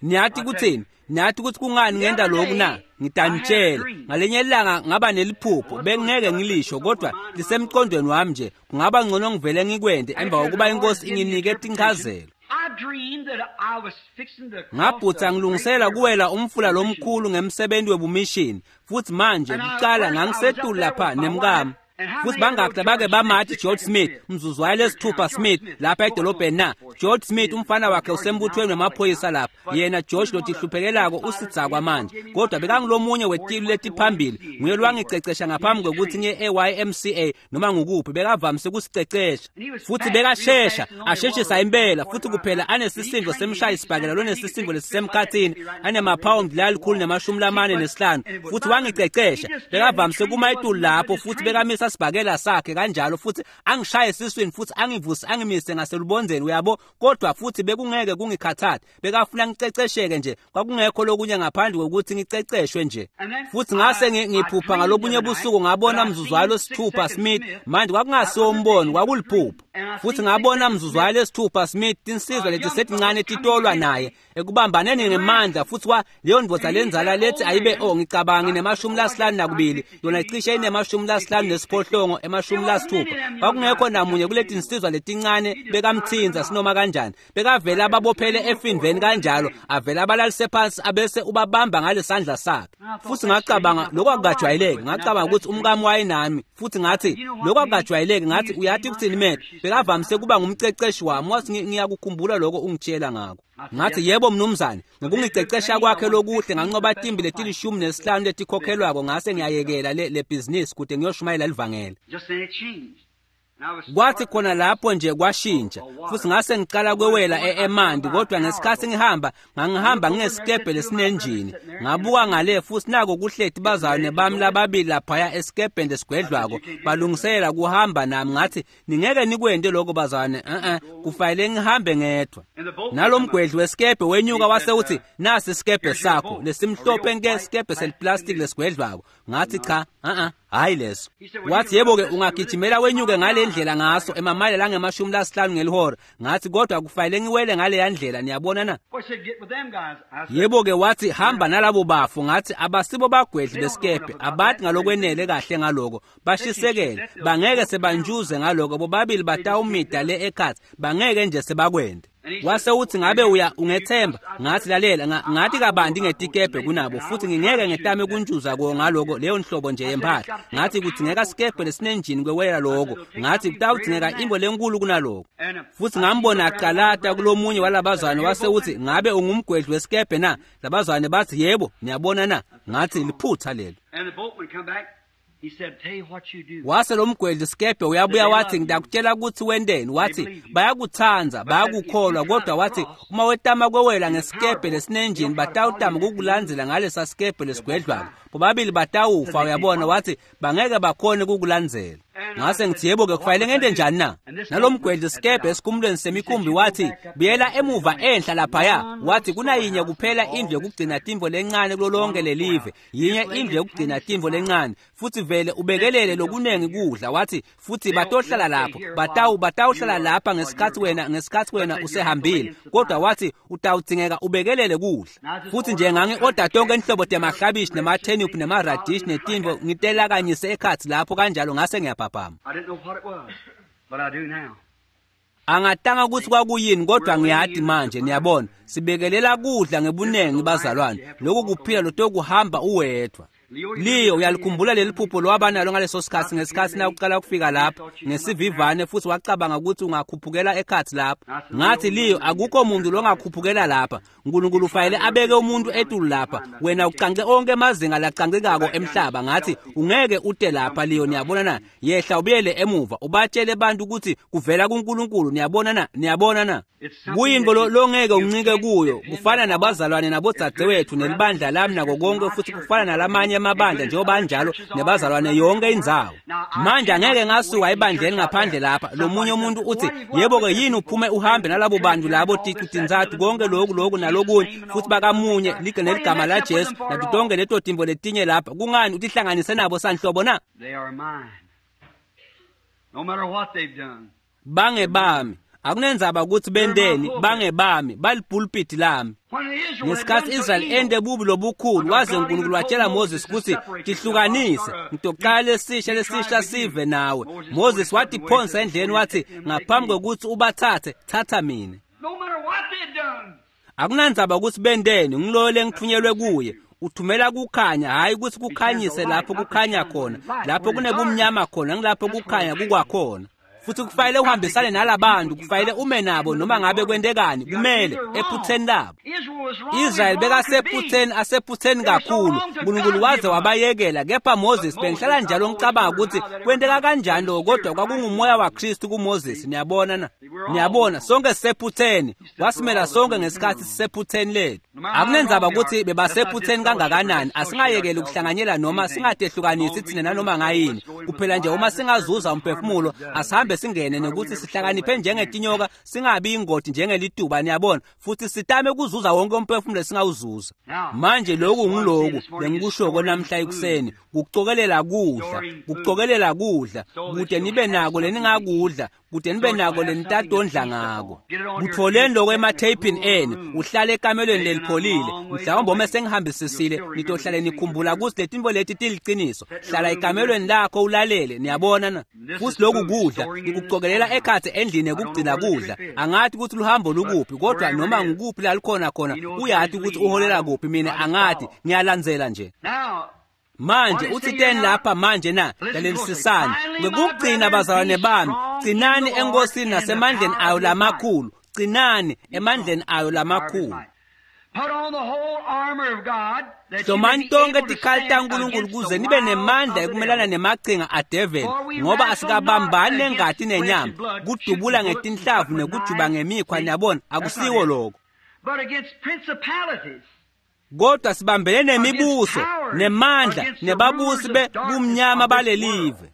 Niyathi kuthini? Niyathi ukuthi kungani ngenta lokhu na? Ngitanitshela. Ngalenye ilanga ngaba neliphupho, bengingeke ngilisho kodwa lisemqondweni wami nje. Kungaba ngcono ngivele ngikwente emva kokuba inkosi inginike tinchazelo. I dreamed that I was fixing to cross Ngabhutsa the ngilungisela great kuwela umfula lomkhulu ngemsebenzi webumishini. Futhi manje And I- kuqala first I was ngangisetulu up there lapha with my nemkami. wife, Futhi bangaki bake bamathi George Smith, mzuzwayo lesithupha Smith lapha edolobheni na? George Smith umfana wakhe usembuthweni wamaphoyisa lapha. Yena George lotihluphekelako usidzakwa manje, kodwa bekangulomunye wetilu letiphambili. Nguye lwangicecesha ngaphambi kwekuthi ngiye e-YMCA noma ngukuphi. Bekavamise kusicecesha futhi bekashesha asheshisa impela, futhi kuphela anesisindo semshayisibhakela lonesisindo lesisemkhathini, anemaphawundi la 145, futhi wangicecesha. Bekavamise kuma etulu lapho futhi bekamisa sibhakela sakhe kanjalo, futhi angishaye esiswini futhi angivuse angimise ngaselubonzeni, uyabo. Kodwa futhi bekungeke kungikhathathe, bekafuna ngicecesheke nje, kwakungekho lokunye ngaphandle kokuthi ngiceceshwe nje. Futhi ngase ngiphupha ngalobunye busuku, ngabona mzuzwayo lesithupha Smith. Manje kwakungasiwo umbono, kwakuliphupho. Futhi ngabona mzuzwayo lesithupha Smith, tinsizwa letisencane titolwa naye ekubambaneni ngemandla, futhi wa leyo ndvodza lenzala lethi ayibe ngicabanga ine-52, yona icishe ine-58, 60. Kwakungekho namunye kuleti nsizwa letincane bekamthinza sinoma kanjani. Bekavela ababophele efindveni kanjalo, avela abalalise phansi abese ubabamba ngalesandla sakhe. Futhi ngacabanga lokho akukajwayeleki. Ngacabanga ukuthi umkami wayenami, futhi ngathi lokho akukajwayeleki. Ngathi uyathi ukuthini Matt, bekavamise kuba ngumceceshi wami. Wathi ngiyakukhumbula lokho ungitshela ngakho. Ngathi yebo mnumzane, ngokungicecesha kwakhe lokuhle nganqoba timbi leti-15 letikhokhelwako, ngase ngiyayekela le business kude ngiyoshumayela livangeli. Kwathi khona lapho nje kwashintsha, futhi ngase ngicala kwewela eMandi. Kodwa ngesikhathi ngihamba, ngangihamba ngesikebhe lesinenjini. Ngabuka ngale futhi nako kuhleti bazalwane bami lababili laphaya esikebheni lesigwedlwako, balungiselela kuhamba nami. Ngathi ningeke nikwente lokho bazalwane, kufanele ngihambe ngedwa. Nalomgwedli wesikebhe wenyuka wase uthi nasi isikebhe sakho lesimhlophe nke, isikebhe seliplastic lesigwedlwako. Ngathi cha, hayi leso. Wathi yebo-ke ungagijimela wenyuke ngale ndlela ngaso emamayela angama-50 ngelihora. Ngathi kodwa kufanele ngiwele ngaleya ndlela, niyabona na? Yebo-ke wathi hamba nalabo bafo. Ngathi abasibo bagwedli besikebhe, abathi ngalokwenele kahle ngaloko, bashisekele, bangeke sebanjuze ngaloko, bobabili batawumida le ekhathi, bangeke nje sebakwende. Wase uthi ngabe uya ungethemba? Ngathi lalela, ngathi kabanti ngetikebhe kunabo, futhi ngingeke ngetame kuntshuza ko ngaloko leyo nhlobo nje yempahla. Ngathi kudzingeka sikebhe lesinenjini kwewela lokho. Ngathi kutawudzingeka imbo lenkulu kunaloko. Futhi ngambona aqalata kulomunye walabazwane, wase uthi ngabe ungumgwedli wesikebhe na? Labazwane bathi yebo, niyabona na? Ngathi liphutha lelo. Wase lo mgwedli sikebhe uyabuya wathi ngidakutshela ukuthi wendeni. Wathi bayakuthanza, bayakukholwa, kodwa wathi uma wetama kwewela ngesikebhe lesinenjini batawutama kukulandzela ngalesa sikebhe lesigwedlwako, bobabili batawufa, uyabona. Wathi bangeke bakhone kukulandzela. Ngase ngithi yebo-ke kufanele ngente njani na? Nalomgwedli sikebhe esikhumulweni semikhumbi wathi buyela emuva enhla laphaya. Wathi kunayinye kuphela indlu yokugcina timvo lencane kulo lonke lelive, yinye indlu yokugcina timvo lencane, futhi vele ubekelele lokunengi kudla. Wathi futhi batohlala lapho, batawuhlala lapha ngesikhathi wena usehambile, kodwa wathi utawudzingeka ubekelele kudla. Futhi nje ngangi-oda tonke inhlobo temaklabishi nematenip nemaradish netimvo, ngitelakanyise ekhathi lapho kanjalo, ngase ngiyaphaphama. Angatanga ukuthi kwakuyini, kodwa ngiyati manje, niyabona. Sibekelela kudla ngebunengi bazalwane, lokhu kuphila lotokuhamba uwedwa. Liyo uyalikhumbula leli phupho lwabanalo ngaleso sikhathi, ngesikhathi nakuqala kufika lapho ngesivivane, futhi wacabanga ukuthi ungakhuphukela ekhathi lapho. Ngathi Liyo akukho muntu longakhuphukela lapha, uNkulunkulu ufanele abeke umuntu etulu lapha, wena ucance onke amazinga lacancekako emhlaba. Ngathi ungeke ute lapha Liyo, niyabona na? Yehla ubuyele emuva ubatshele abantu ukuthi kuvela kuNkulunkulu, niyabona na? Niyabona na? Kuyinto longeke uncike kuyo, kufana nabazalwane nabodzadzewethu nelibandla lami nako konke, futhi kufana nalamanye amabandla njengoba njalo nebazalwane yonke indzawo. Manje angeke ngasuka ebandleni ngaphandle lapha, lomunye umuntu uthi yebo-ke yini uphume uhambe nalabo bantu labo ticu tintsathu konke lokhu lokhu nalokunye, futhi bakamunye neligama la Jesu nato tonke leto timbo letinye lapha, kungani utihlanganise nabo sanhlobo na? Bangebami, akunenzaba ukuthi bendeni, bangebami, balipulpiti lami. Ngesikhathi Israel ende bubi lobukhulu, waze uNkulunkulu watshela Moses ukuthi tihlukanise, ngitoqala lesisha sive nawe. Moses watiphonsa endleleni, wathi ngaphambi kokuthi ubathathe, thatha mina. Akunandzaba ukuthi bendeni, ngiloyo lengithunyelwe kuye. Uthumela kukhanya, hhayi ukuthi kukhanyise lapho kukhanya khona, lapho kunebumnyama khona, ngilapho kukhanya kukwakhona. Futhi kufanele uhambisane nalabantu, kufanele ume nabo noma ngabe kwentekani, kumele ephutheni labo. Israel bekasephutheni, asephutheni kakhulu. uNkulunkulu waze wabayekela, kepha Moses bengihlala njalo ngicabanga ukuthi kwenteka kanjani lokho, kodwa kwakungumoya waKristu kuMoses. Niyabona na? Niyabona, sonke sisephutheni. Wasimela sonke ngesikhathi sisephutheni lethu. Akunenzaba ukuthi bebasephutheni kangakanani, asingayekeli ukuhlanganyela noma singadehlukanisi thina nanoma ngayini. Kuphela nje uma singazuza umphefumulo, asihambe singene nokuthi sihlakaniphe njengetinyoka, singabi ingodi njengelituba, niyabona, futhi sitame ukuzuza wonke umphefumulo esingawuzuza. Manje lokhu ngiloku bengikushoko namhla ekuseni, kucokelela kudla, kucokelela kudla, kude nibe nako leningakudla, kude nibe nako lenitatondla ngako. Kutholeni lokho ematheyphini enu, uhlale ekamelweni lelipholile. Mhlawumbe uma sengihambisisile nitohlale nikhumbula ukuthi letinto leti tiliqiniso. Hlala ekamelweni lakho ulalele, niyabona na? Futhi lokhu kudla ngikucokelela ekhatsi endlini yokugcina kudla. Angathi ukuthi luhambo lukuphi, kodwa noma ngukuphi la lukhona khona, uyathi ukuthi uholela kuphi, mina angathi, ngiyalandzela nje. Manje uthiteni lapha manje na? Lalelisisani. Ngokugcina bazalwane bami, gcinani enkosini nasemandleni ayo lamakhulu. Gcinani emandleni ayo lamakhulu. Hlomani tonke tikhali taNkulunkulu kuze nibe nemandla ekumelana nemachinga adeveli, ngoba asikabambani nengati nenyama, kudubula ngetinhlavu nekujuba ngemikhwa, niyabona, akusiko lokho. Kodwa sibambene nemibuso, nemandla, nebabusi bebumnyama balelive.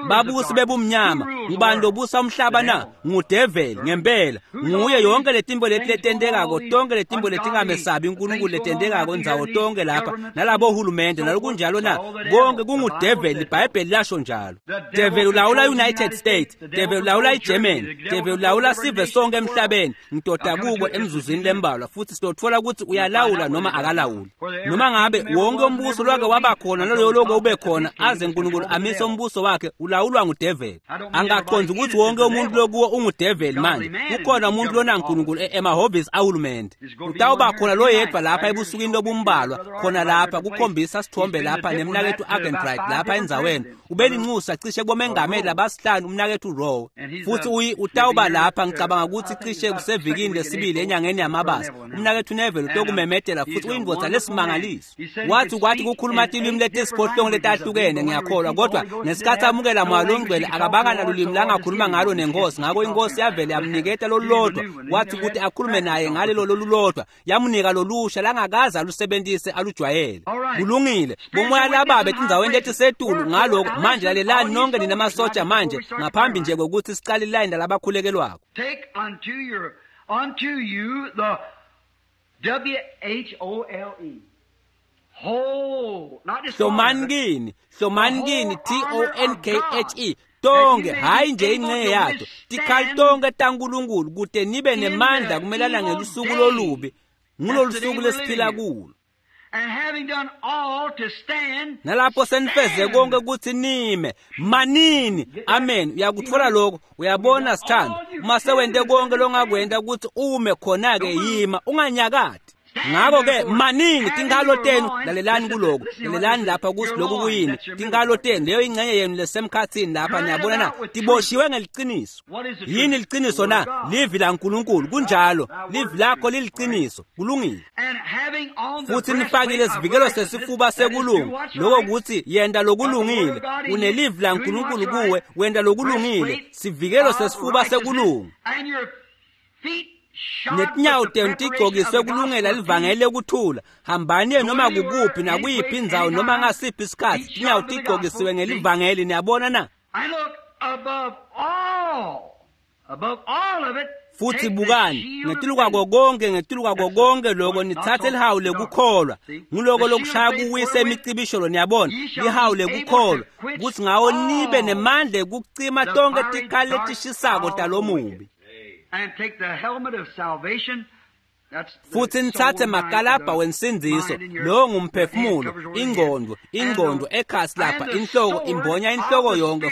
Babusi bebumnyama, ngubani lobusa umhlaba na? Ngudeveli ngempela. Nguye yonke letimbo leti letentekako, tonke letimbo letingamesabi uNkulunkulu letentekako ndzawo tonke lapha, nalabo hulumende nalokunjalo na? Konke kungudeveli, iBhayibheli lasho njalo. Develi ulawula United States, develi ulawula iGermany, develi ulawula sive sonke emhlabeni. Ngidoda kuko emzuzwini lembalwa futhi sitothola ukuthi uyalawula noma akalawuli. Noma ngabe wonke umbuso lwake waba khona naloyo loko ube khona aze uNkulunkulu amise umbuso wakhe, ulawulwa ngudeveli. Angaqondi ukuthi wonke umuntu lokuwo ungudeveli manje. Kukhona umuntu lona uNkulunkulu emahhovisi ahulumende. Utawuba khona loyedwa lapha ebusukwini lobumbalwa, khona lapha kukhombisa sithombe lapha nemnakethu Argenbright lapha endzaweni. Ubelinxusa cishe kubomengameli labasihlanu umnakethu Rowe. Futhi utawuba lapha ngicabanga ukuthi cishe kusevikini lesibili enyangeni yamabasa. Umnakethu Neville utokumemetela futhi uyindvodza lesimangaliso. Wathi kwathi kukhuluma tilwimi letisiphohlongo letahlukene, ngiyakholwa, kodwa ngesikhathi amukela moya longcwele akabanga nalulimi langakhuluma ngalo nenkosi, ngakho inkosi yavele yamniketa lolulodwa, wathi ukuthi akhulume naye ngalelo lolulodwa, yamnika lolusha langakaze alusebenzise alujwayele. Kulungile, bomoya lababe etindzaweni letisetulu ngaloko. Manje lalelani nonke nina masotsha manje, ngaphambi nje kokuthi sicale ilayini lalabakhulekelwako. Take unto you the W-H-O-L-E. Hlomani kini, hlomani kini, T-O-N-K-H-E, tonke, hhayi nje ingxenye yato, tikhali tonke taNkulunkulu kute nibe nemandla kumelana ngelusuku lolubi, ngulolu suku lesiphila kulo. Nalapho senifeze konke ukuthi nime, manini. Amen. Uyakuthola lokho, uyabona sithando, uma sewente konke longakwenta ukuthi ume khona-ke, yima unganyakati. Ngakho-ke manini tinkhalo tenu, lalelani kuloko, lalelani lapha ukuthi lokhu kuyini. Tinkhalo tenu, leyo ingxenye yenu lesemkhathini lapha, niyabona na, tiboshiwe ngeliqiniso. Yini liqiniso na? Livi laNkulunkulu, kunjalo, livi lakho liliqiniso, kulungile. Futhi nifakile isivikelo sesifuba sekulunga, lokho kuthi yenta lokulungile. Unelivi laNkulunkulu kuwe, wenta lokulungile, sivikelo sesifuba sekulunga. Netinyawo tenu tigcokiswe kulungela livangeli lekuthula. Hambani noma kukuphi nakuyiphi indzawo noma ngasiphi isikhathi, tinyawo tigcokisiwe ngelivangeli, niyabona na? Futhi bukani, ngetulu kwako konke, ngetulu kwako konke lokho, nithathe lihawu lekukholwa. Nguloko lokushaya kuwise imicibisholo, niyabona, lihawu lekukholwa, kuthi ngawo nibe nemandla ekucima tonke tikhali letishisako talomubi. Futhi nithathe makalabha wensindiso, lowo ngumphefumulo, ingqondo, ingqondo ekhasi lapha, inhloko imbonya inhloko yonke,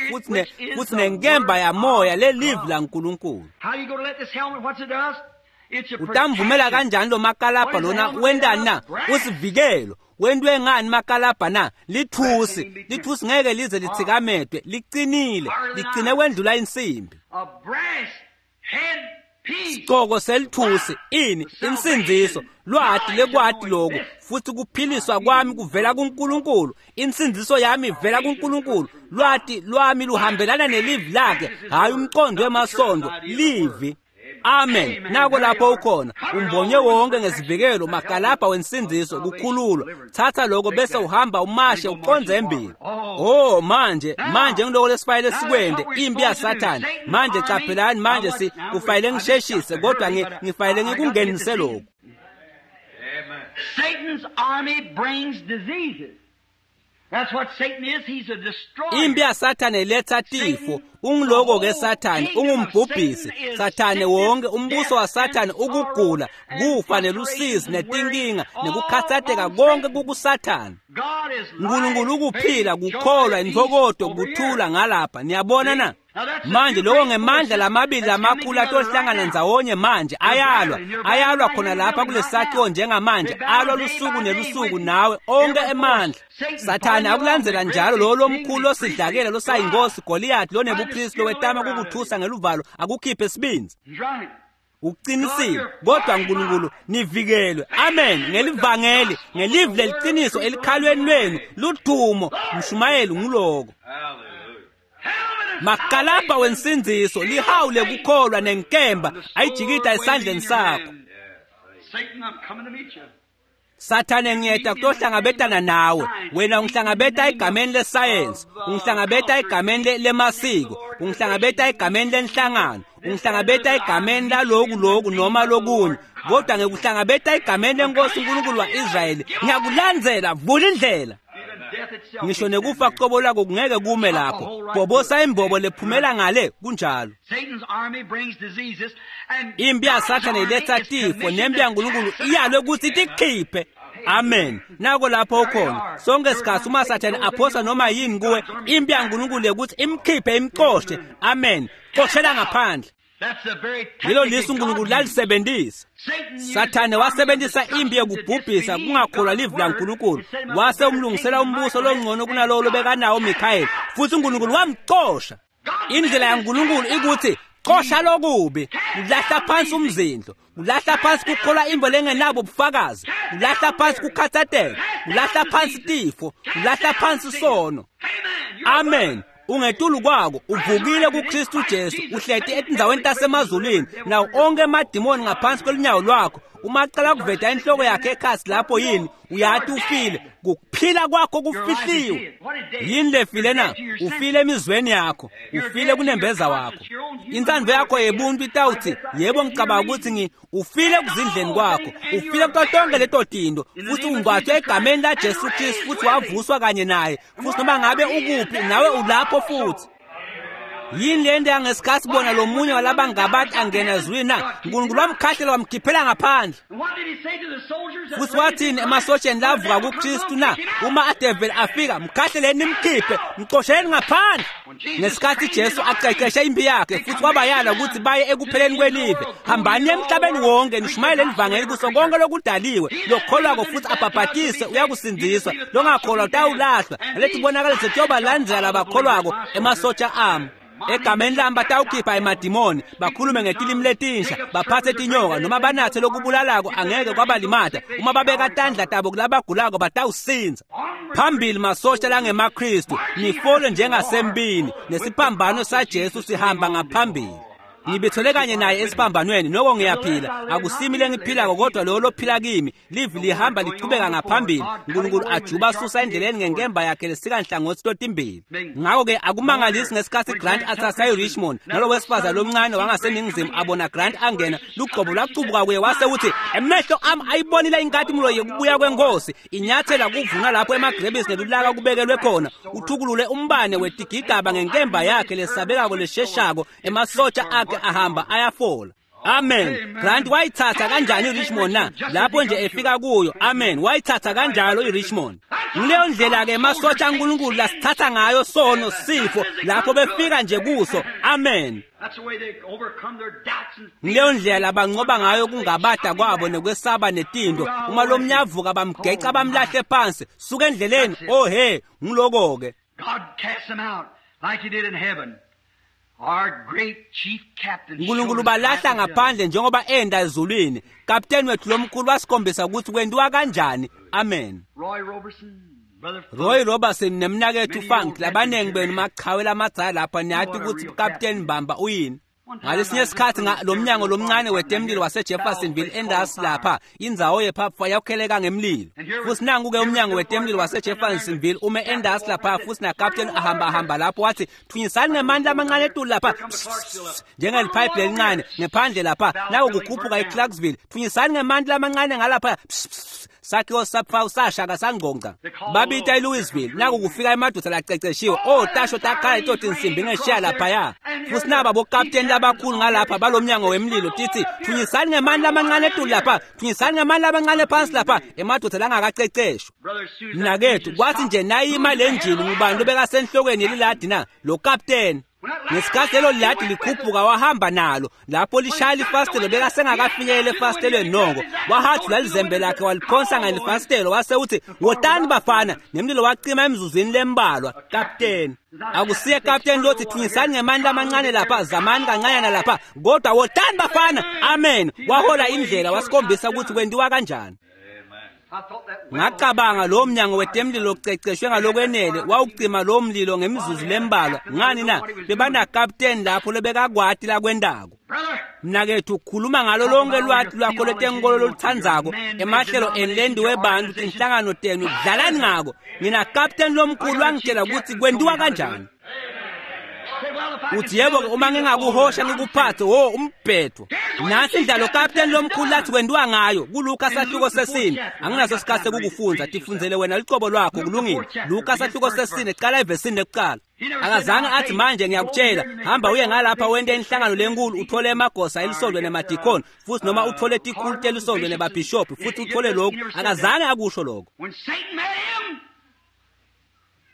futhi nenkemba yamoya lelivi laNkulunkulu. Utamvumela kanjani lo makalabha lona wendani na? Usivikelo. Wentwe ngani makalabha na? Lithusi. Lithusi ngeke lize litsikametwe, liqinile, ligcine kwendlula insimbi. Sigcoko selithusi ini insindziso lwati lekwati lokhu futhi kuphiliswa kwami kuvela kuNkulunkulu. Insindziso yami ivela kuNkulunkulu. Lwati lwami luhambelana nelivi lakhe, hayi umqondo wemasondo, livi. Amen. Nako lapho ukhona umbonye wonke ngesivikelo makalabha wensindziso kukhululwa. Thatha lokho bese uhamba umashe uqonze embili. Oh manje ngiloko lesifayele sikwende impi yaSathane. Manje caphelani, manje kufanele ngisheshise kodwa ngifanele ngikungenise lokho. Satan's army brings diseases. That's what Satan is. He's a destroyer. Impi yaSathane iletha tifo. Ungiloko ke Sathane, ungumbhubhisi. Sathane wonke umbuso waSathane ukugula, kufa nelusizi netinkinga nekukhathatheka konke kukuSathane. uNkulunkulu ukuphila, kukholwa, intokodo, kuthula ngalapha. Niyabona na? Manje lokho ngemandla lamabili lamakhulu atohlangana ndzawonye manje ayalwa khona lapha kulesakhiwo njengamanje, alwa lusuku nelusuku nawe onke emandla. Sathane akulandzela njalo lo lomkhulu losidlakela losayinkosi Goliath lonebupristi lowetama kukuthusa ngeluvalo akukhiphe sibindzi. Uqinisile kodwa uNkulunkulu nivikelwe. Amen. Ngelivangeli, ngelivi leliqiniso elikhalweni lwenu ludumo mshumayeli nguloko. Makalabha wensindziso lihawu lekukholwa nenkemba ayijikida esandleni sakho. Sathane ngiyeta kutohlangabetana nawe. Wena ungihlangabeta egameni lesayensi, ungihlangabeta egameni lemasiko, ungihlangabeta egameni lenhlangano, ungihlangabeta egameni laloku loku noma lokunye, kodwa ngikuhlangabeta egameni lenkosi uNkulunkulu wa-Israyeli. Ngiyakulandzela, vula indlela. Ngisho nekufa qobo lwako kungeke kume lapho. Bhobosa imbobo lephumela ngale kunjalo. Impi yaSathane iletha tifo nempi yaNkulunkulu iyalwe ukuthi itikhiphe. Amen. Nako lapho ukhona. Sonke sikhathi uma Sathane aphosa noma yini kuwe, impi yaNkulunkulu ukuthi imkhiphe imxoshe. Amen. Xoshela ngaphandle. Lelo lisu uNkulunkulu lalisebenzisa. Sathane wasebenzisa impi yokubhubhisa kungakholwa livi laNkulunkulu. Wase umlungisela umbuso longcono kunalowo lobekanawo Mikhayeli, futhi uNkulunkulu wamxosha. Indlela yaNkulunkulu ikuthi xosha lokubi, ulahla phansi umzindlo, ulahla phansi kukholwa imbo lengenabo ubufakazi, ulahla phansi kukhathateka, ulahla phansi tifo, ulahla phansi sono. Amen. Ungetulu kwako uvukile kuKristu Jesu, uhleti etindzaweni tasemazulwini nawo onke emadimoni ngaphansi kwelunyawo lwakho. Uma aqala kuveta inhloko yakhe ekhasi lapho yini uyati ufile, kuphila kwakho kufihliwe. Yini lefile na? Ufile emizweni yakho, ufile kunembeza wakho. Intsandvo yakho yebuntu itawuthi yebo ngicabanga ukuthi ufile kuzindleni kwakho, ufile kuto tonke leto tinto, futhi ungcwatshwe egameni laJesu Kristu futhi wavuswa kanye naye, futhi noma ngabe ukuphi nawe ulapho futhi. Yini lento yangesikhathi bona lo munye walabangabantu angena ezulwini na? uNkulunkulu wamkhahlela wamkhiphela ngaphandle. Futhi wathini emasotsheni lavuka kuKristu na? Uma adeveli afika, mkhahleleni nimkhiphe, mxosheleni ngaphandle. Ngesikhathi Jesu aqeqeshe impi yakhe futhi wabayala ukuthi baye ekupheleni kwelive, hambani emhlabeni wonke nishumayele ivangeli kuso konke lokudaliwe. Lokholwako futhi abhabhatise uyakusindiswa, longakholwa utawulahlwa. Lethi kubonakaliso kuyobalandzela labakholwako emasotsha ami. Egameni lami batawukhipha emadimoni, bakhulume ngetilimi letinsha, baphathe tinyoka noma banathe lokubulalako angeke kwabalimata. Uma babeka tandla tabo kulabagulako batawusinza. Phambili masosha langemaKristu, nifole njengasembini, nesiphambano saJesu sihamba ngaphambili. Ngibethole kanye naye esiphambanweni, noko ngiyaphila. Akusimi lengiphilako kodwa lowo lophila kimi. Livi lihamba lichubeka ngaphambili. uNkulunkulu ajuba asusa endleleni ngenkemba yakhe lesika nhlangothi totimbili. Ngakho-ke akumangalisi ngesikhathi Grant athatha iRichmond nalo wesifazane lomncane wangaseningizimu abona Grant angena, lugcobo lwacubuka kuye wase uthi emehlo ami ayibonile inkatimlo yekubuya kwenkosi. Inyathela kuvuna lapho emagrebisi nelulaka kubekelwe khona. Uthukulule umbane wetigigaba ngenkemba yakhe lesabekako lesheshako. Emasotsha akhe ahamba ayafola. Amen. Grant wayithatha kanjani iRichmond na? Lapho nje efika kuyo. Amen. Wayithatha kanjalo iRichmond. Ngileyo ndlela ke emasotsha aNkulunkulu lasithatha ngayo sono sifo lapho befika nje kuso. Amen. Ngileyo ndlela banqoba ngayo kungabada kwabo nekwesaba netinto. Uma lo mnyavuka bamgeca bamlahle phansi, suka endleleni. Oh he, ngiloko ke. God cast them out like he did in heaven. Our great chief captain. uNkulunkulu balahla ngaphandle njengoba enda ezulwini. Kapteni wethu lomkhulu wasikhombisa ukuthi kwenziwa kanjani. Amen. Roy Robertson, Brother Roy Robertson nemnakethu Funk labanengi benu machawe lamadzala lapha niyathi ukuthi Kapteni Mbamba uyini. Ngalesinye isikhathi lo mnyango lomncane wetemlilo waseJeffersonville endasi lapha indzawo yephapha yakheleka ngemlilo. Futhi nangu-ke umnyango wetemlilo waseJeffersonville ume endasi lapha futhi nakapteni ahamba hamba lapho wathi thunyisani ngemandla amancane etulu lapha njengeliphayiphi lelincane ngephandle lapha naku kukhuphuka iClarksville thunyisani ngemandla amancane ngalapha sakhiwo saphawu sashaka sangqongqa babita eLouisville naku kufika emadoda laceceshiwe otasho takhala itoti insimbi ngeshiya laphaya futhi naba bokapteni labakhulu ngalapha balomnyango wemlilo tithi thunyisani ngemandla amancane etulu lapha thunyisani ngemandla amancane phansi lapha emadoda langakaceceshwa. Mnakethu kwathi nje nayima le njini ngubani lobekasenhlokweni yeliladi na lo kapteni. Ngesikhathi lelo ladi likhuphuka wahamba nalo lapho lishaya lifasitelo bekasengakafinyelele efasitelweni noko wahathula lizembe lakhe waliphonsa ngalifasitelo wase uthi wotani bafana nemlilo wacima emzuzwini lembalwa. Kapteni akusiye kapteni lothi thunyisani ngemandla amancane lapha zamani kancanyana lapha kodwa wotani bafana. Amen. Wahola indlela wasikhombisa ukuthi kwenziwa kanjani. Ngacabanga lo mnyango wetemlilo oceceshwe ngalokwenele wawucima lo mlilo ngemizuzu lembalwa. Ngani na bebanakapteni lapho lobekakwati lakwendako. Mnakethu khuluma ngalo lonke lwati lwakho lwetenkolo loluthandzako emahlelo enu webantu tinhlangano tenu dlalani ngako. Nginakapteni lomkhulu wangitshela ukuthi kwenziwa kanjani. Uthi yebo-ke uma ngingakuhosha ngikuphathe wo umbhedo. Nasi indlela kapteni lomkhulu lathi kwenziwa ngayo kuLuka sahluko sesine. Anginaso isikhathi sekukufunza, tifundzele wena lucobo lwakho kulungile. Luka sahluko sesine qala evesini lekuqala. Akazange athi manje ngiyakutshela hamba uye ngalapha wente inhlangano lenkulu uthole emagosa elisondwe nemadikoni futhi noma uthole tikhulu telisondwe nebabhishobhi futhi uthole lokhu. Akazange akusho lokho. When Satan met him,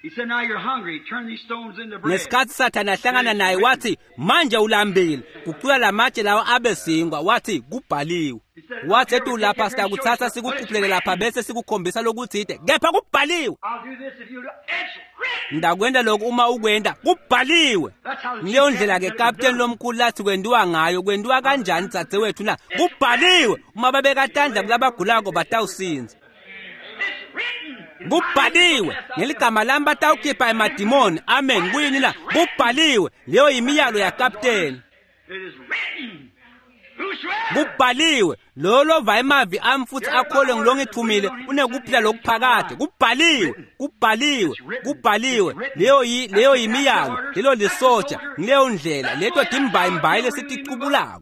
he said, now you're hungry. Turn these stones into bread. Ngesikhathi Sathane ahlangana naye wathi manje ulambile guqula lamatshe lawo abe sinkwa. Wathi kubhaliwe. Wathi etu lapha sitakuthatha sikukhuphulele lapha bese sikukhombisa lokuthide kepha kubhaliwe. I'll do this if you do. It's written. Ndakwenda lokhu uma ukwenda kubhaliwe. That's how the Ngileyo chief ndlela ke captain said it was kapteni done. lomkhulu lathi kwenziwa ngayo. Kwenziwa kanjani dzadzewethu na? Kubhaliwe. Uma babekatandla kulabagulako batawusinza. It's written. Kubhaliwe ngeligama lami batawukhipha emadimoni. Amen. Kuyini na? Kubhaliwe. Leyo yimiyalo yakapteni. It is written. Whosoever Kubhaliwe lo lova emavi ami futhi akholwe ngilongithumile unekuphila lokuphakade. Kubhaliwe, kubhaliwe, kubhaliwe. Leyo yimiyalo, lelo lisotsha, ngileyo ndlela leto timbayimbayi lesiticubulako.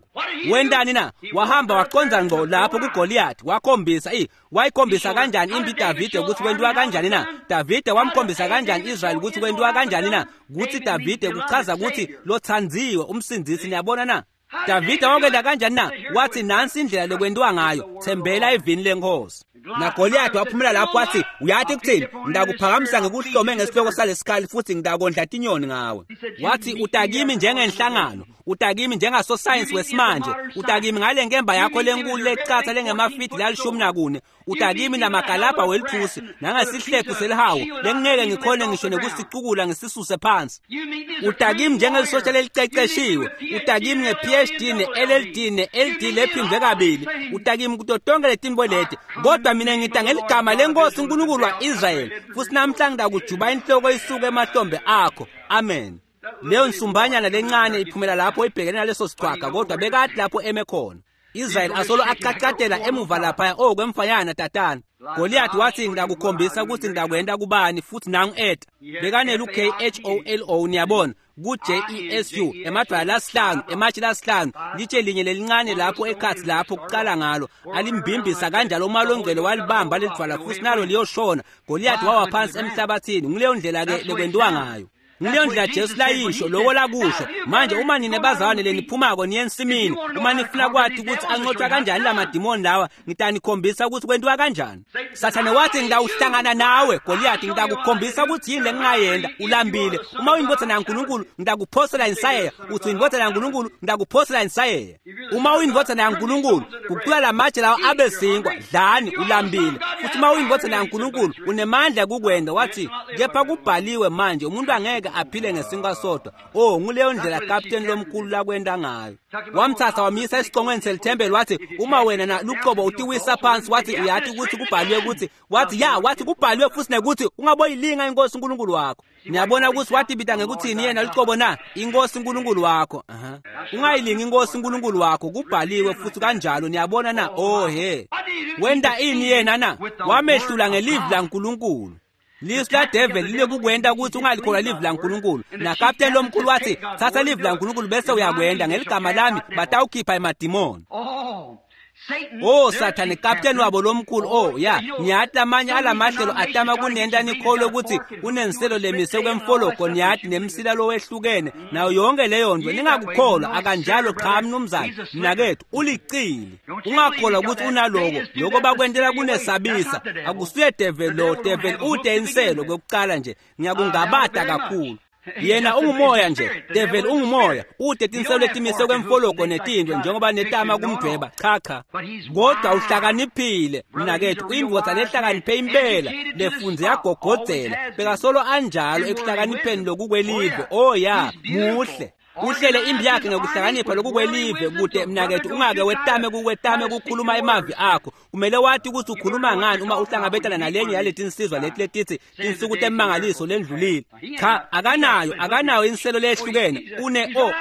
Wentani na? Wahamba waqonza ngqo lapho kuGoliath wakhombisa wayikhombisa kanjani impi Davide ukuthi kwenziwa kanjani na? Davide wamkhombisa kanjani Israel ukuthi kwenziwa kanjani na? Kuthi Davide kuchaza ukuthi lothandziwe umsindzisi. Niyabona na? Davide wakwenda kanjani na? Wathi nansi indlela lokwenziwa ngayo, thembela evini lenkosi. NaGoliath waphumela lapho wathi uyathi kuthini? Ngidakuphakamisa ngikuhlome ngesihloko salesikhali futhi ngidakondla tinyoni ngawe. Wathi utakimi njengenhlangano, utakimi njengasosayensi wesimanje, utakimi ngale nkemba yakho lenkulu lecatha lengemafidi lalishumi nakune, utakimi namagalabha welithusi nangesihlephu selihawu lengingeke ngikhone ngisho nekusicukula ngisisuse phansi. You meet me as a Utakimi true njengelisosha warrior. leliceceshiwe, You meet me with a utakimi PhD, nge-PhD ne-LLD ne-LD lephindwe kabili, utakimi kuto tonke letinto leti. Kodwa mina ngita ngeligama lenkosi uNkulunkulu wa-Israyeli futhi namhla ngitakujuba inhloko isuke emahlombe akho. Amen. Leyo nsumbanyana lencane iphumela lapho ibhekene naleso sichwaga kodwa bekade lapho eme khona. Israel asolo aqaqadela emuva laphaya okwemfanyana tatana. Goliath wathi ngidakukhombisa ukuthi ngidakwenda kubani futhi nangu eta. Bekanelu K H O L O niyabona ku J E S U emadwala lasihlanu ematshe lasihlanu litshe linye lelincane lapho ekhathi lapho kuqala ngalo alimbimbisa kanjalo uma longcwele walibamba lelidwala futhi nalo liyoshona. Goliath wawa phansi emhlabathini. Ngileyo ndlela ke lekwenziwa ngayo. Ngileyo ndlela Jesu layisho loko lakusho. Manje uma nine bazalwane leniphumako niye ensimini, uma nifuna kwati ukuthi anqotshwa kanjani lamadimoni lawa, ngitanikhombisa ukuthi kwentiwa kanjani. Sathane wathi ngitawuhlangana nawe Goliath, ngitakukhombisa ukuthi yini lengingayenda. Ulambile, uma uyindvodzana yaNkulunkulu ngitakuphosela insayeya. Uthi uyindvodzana yaNkulunkulu, ngitakuphosela insayeya. Uma uyindvodzana yaNkulunkulu, gucula lamatshe lawa abe sinkwa, dlani, ulambile. Futhi uma uyindvodzana yaNkulunkulu unemandla kukwenda. Wathi kepha kubhaliwe manje umuntu angeke aphile ngesinkwa sodwa. Oh, nguleyo ndlela kapteni lomkhulu lakwenda ngayo. Wamthatha wamyisa esicongweni selithempeli, wathi uma wena na luqobo utiwisa phansi, wathi uyathi ukuthi kubhaliwe ukuthi, wathi ya, wathi kubhaliwe futhi nekuthi ungaboyilinga inkosi uNkulunkulu wakho. Niyabona ukuthi watibita ngekuthini yena luqobo na? Inkosi uNkulunkulu wakho. Ungayilingi inkosi uNkulunkulu wakho, kubhaliwe futhi kanjalo. Niyabona na? Oh he, wenda ini yena na? Wamehlula ngelivi laNkulunkulu. Lisu la devil lile kukwenda ukuthi ungalikholwa livi laNkulunkulu. Nakapteni lomkhulu wathi thatha livi laNkulunkulu bese uyakwenda, ngeligama lami batawukhipha emadimoni. Oh Sathane, kapteni wabo lomkhulu. Oh ya, niyati lamanye alamahlelo atama kunenta nikholwe ukuthi unenselo lemise kwemfologo, niyati nemsila lowehlukene nayo yonke leyo nto. Ningakukholwa, akanjalo. Cha mnumzane, mnakethu ulicili. Ungakholwa ukuthi unaloko, lokho bakwentela kunesabisa. Akusuye devil lo, devil ude inselo kwekucala nje. Ngiyakungabata kakhulu. Yena ungumoya nje, devil ungumoya, ude tinselo letimise kwemfologo netinto njengoba netama kumdweba. Cha cha, kodwa uhlakaniphile mnakethu, uyindvodza lehlakaniphe impela, lefunze yagogodzela, bekasolo anjalo ekuhlakanipheni lokukwelive. Oh ya, muhle. Uhlele impi yakhe ngekuhlakanipha lokukwelive kude mnakethu ungake wetame kukwetame kukhuluma emavi akho. Kumele wathi ukuthi ukhuluma ngani uma uhlangabetana nalenye yaletinsizwa leti letithi tinsuku temangaliso lendlulile. Cha, akanayo, akanayo inselo lehlukene. Une o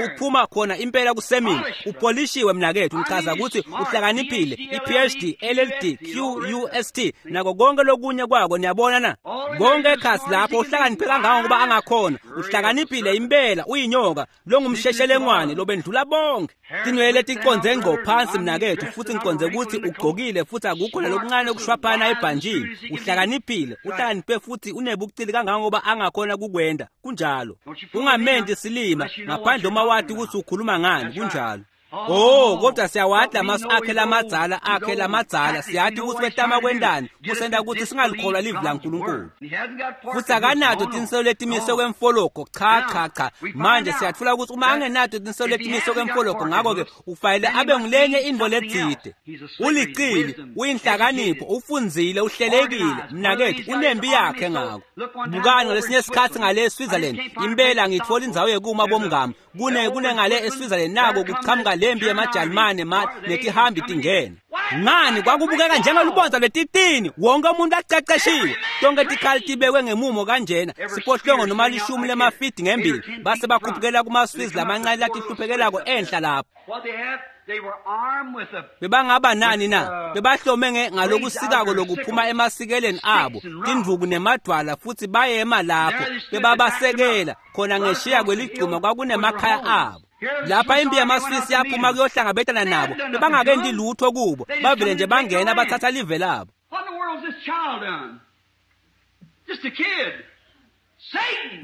uphuma khona impela kusemini, upolishiwe mnakethu. Ngichaza ukuthi uhlakaniphile, i-PhD, LLD, QUST nako konke lokunye kwako. Niyabona na? Konke ekhasi lapho uhlakaniphe kangangokuba angakhona. Uhlakaniphile impela, uyinyoka longumsheshelengwane lobendlula bonke. Tinwele ticonze ngqo phansi mnakethu, futhi ngiconze ukuthi ugqokile futhi akukho nalokuncane okushwaphana ebhanjini. Uhlakaniphile, uhlakaniphe futhi unebucili kangangoba angakhona kukwenda. Kunjalo. Ungamenti silima ngaphandle uma wathi ukuthi ukhuluma ngani. Kunjalo. Oh, kodwa siyawadla amasu akhe lamadzala, akhe lamadzala. Siyathi ukuthi wetama kwendani kusenta ukuthi singalikholwa livi laNkulunkulu. Futhi akanato tinselo letimise kwemfologo. Cha cha cha. Manje siyatfola ukuthi uma angenato tinselo letimise kwemfologo, ngakho-ke ufanele abe ngulenye intfo letsite. Ulicili, uyinhlakanipho, ufundzile, uhlelekile mnakethu, unempi yakhe ngako. Bukani ngalesinye isikhathi ngale eSwitzerland, impela ngitfola indzawo yekuma bomngami. Kune ngale eSwitzerland nako kuchamuka lempi yemajalimane netihambi tingena. Ngani kwakubukeka njengelubonza lwetitini, wonke umuntu aceceshiwe, tonke tikhali tibekwe ngemumo kanjena, siphohlongo noma 10 lemafidi ngembili, base bakhuphukela kumaSwiss lamancane latihluphekelako enhla lapho. Bebangaba nani na? Bebahlome ngalokusikako lokuphuma emasikeleni abo, tindvuku nemadwala, futhi bayema lapho, bebabasekela khona ngeshiya kweligcuma kwakunemakhaya abo. Lapha impi yamaSwiss yaphuma kuyohlangabetana nabo, bebangakenti lutho kubo, bavele nje bangena bathatha live labo.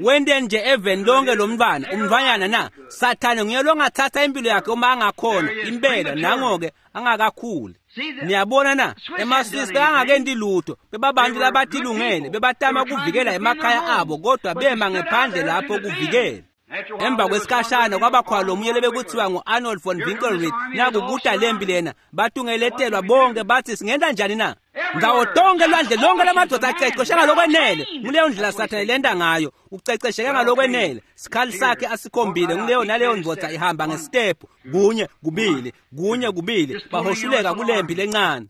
Wente nje eveni lonke lomntwana, umntwanyana na? Sathane nguye longathatha impilo yakhe uma angakhona, impela nangoke angakakhuli. Niyabona na? EmaSwiss bekangakenti lutho, bebabantu labatilungele, bebatama kuvikela emakhaya abo, kodwa bema ngephandle lapho kuvikela. Emva kwesikhashana kwabakhona lomunye lebekuthiwa ngu-Arnold von Winkelried, nakukuta lempi lena, batungeletelwa bonke bathi singenta njani na? Ndzawo tonke lwandle lonke lamadoda acecesheke ngalokwenele. Nguleyo ndlela Sathane lenta ngayo, ucecesheke ngalokwenele. Sikhali sakhe asikhombile, nguleyo naleyo ndvodza ihamba ngesitephu, 1 2 1 2, bahoshuleka kulempi lencane.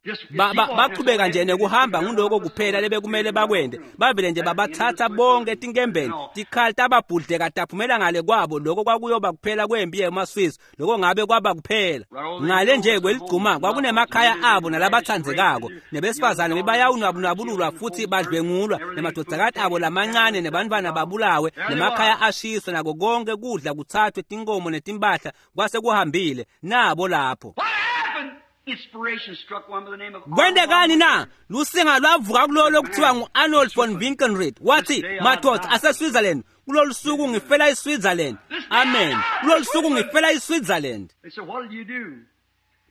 Bachubeka nje nekuhamba, nguloko kuphela lebekumele bakwende. Bavele nje babathatha bonke etinkembeni, tikhali tababhudleka taphumela ngale kwabo. Lokho kwakuyoba kuphela kwempi yemaSwiss, lokho ngabe kwaba kuphela. Ngale nje kweligcuma kwakunemakhaya abo nalabathandzekako, nebesifazane bebayawunwabunwabululwa futhi badlwengulwa, nemadvodzakati abo lamancane nebantfwana babulawe, nemakhaya ashiswe, nako konke kudla kuthathwe, tinkomo netimpahla kwase kuhambile nabo lapho. Kwentekani na? Lusinga lwavuka kulolo lokuthiwa ngu-Arnold von Winkelried, wathi madoda aseSwitzerland, Kulolu suku ngifela iSwitzerland. Amen. Kulolu suku ngifela iSwitzerland.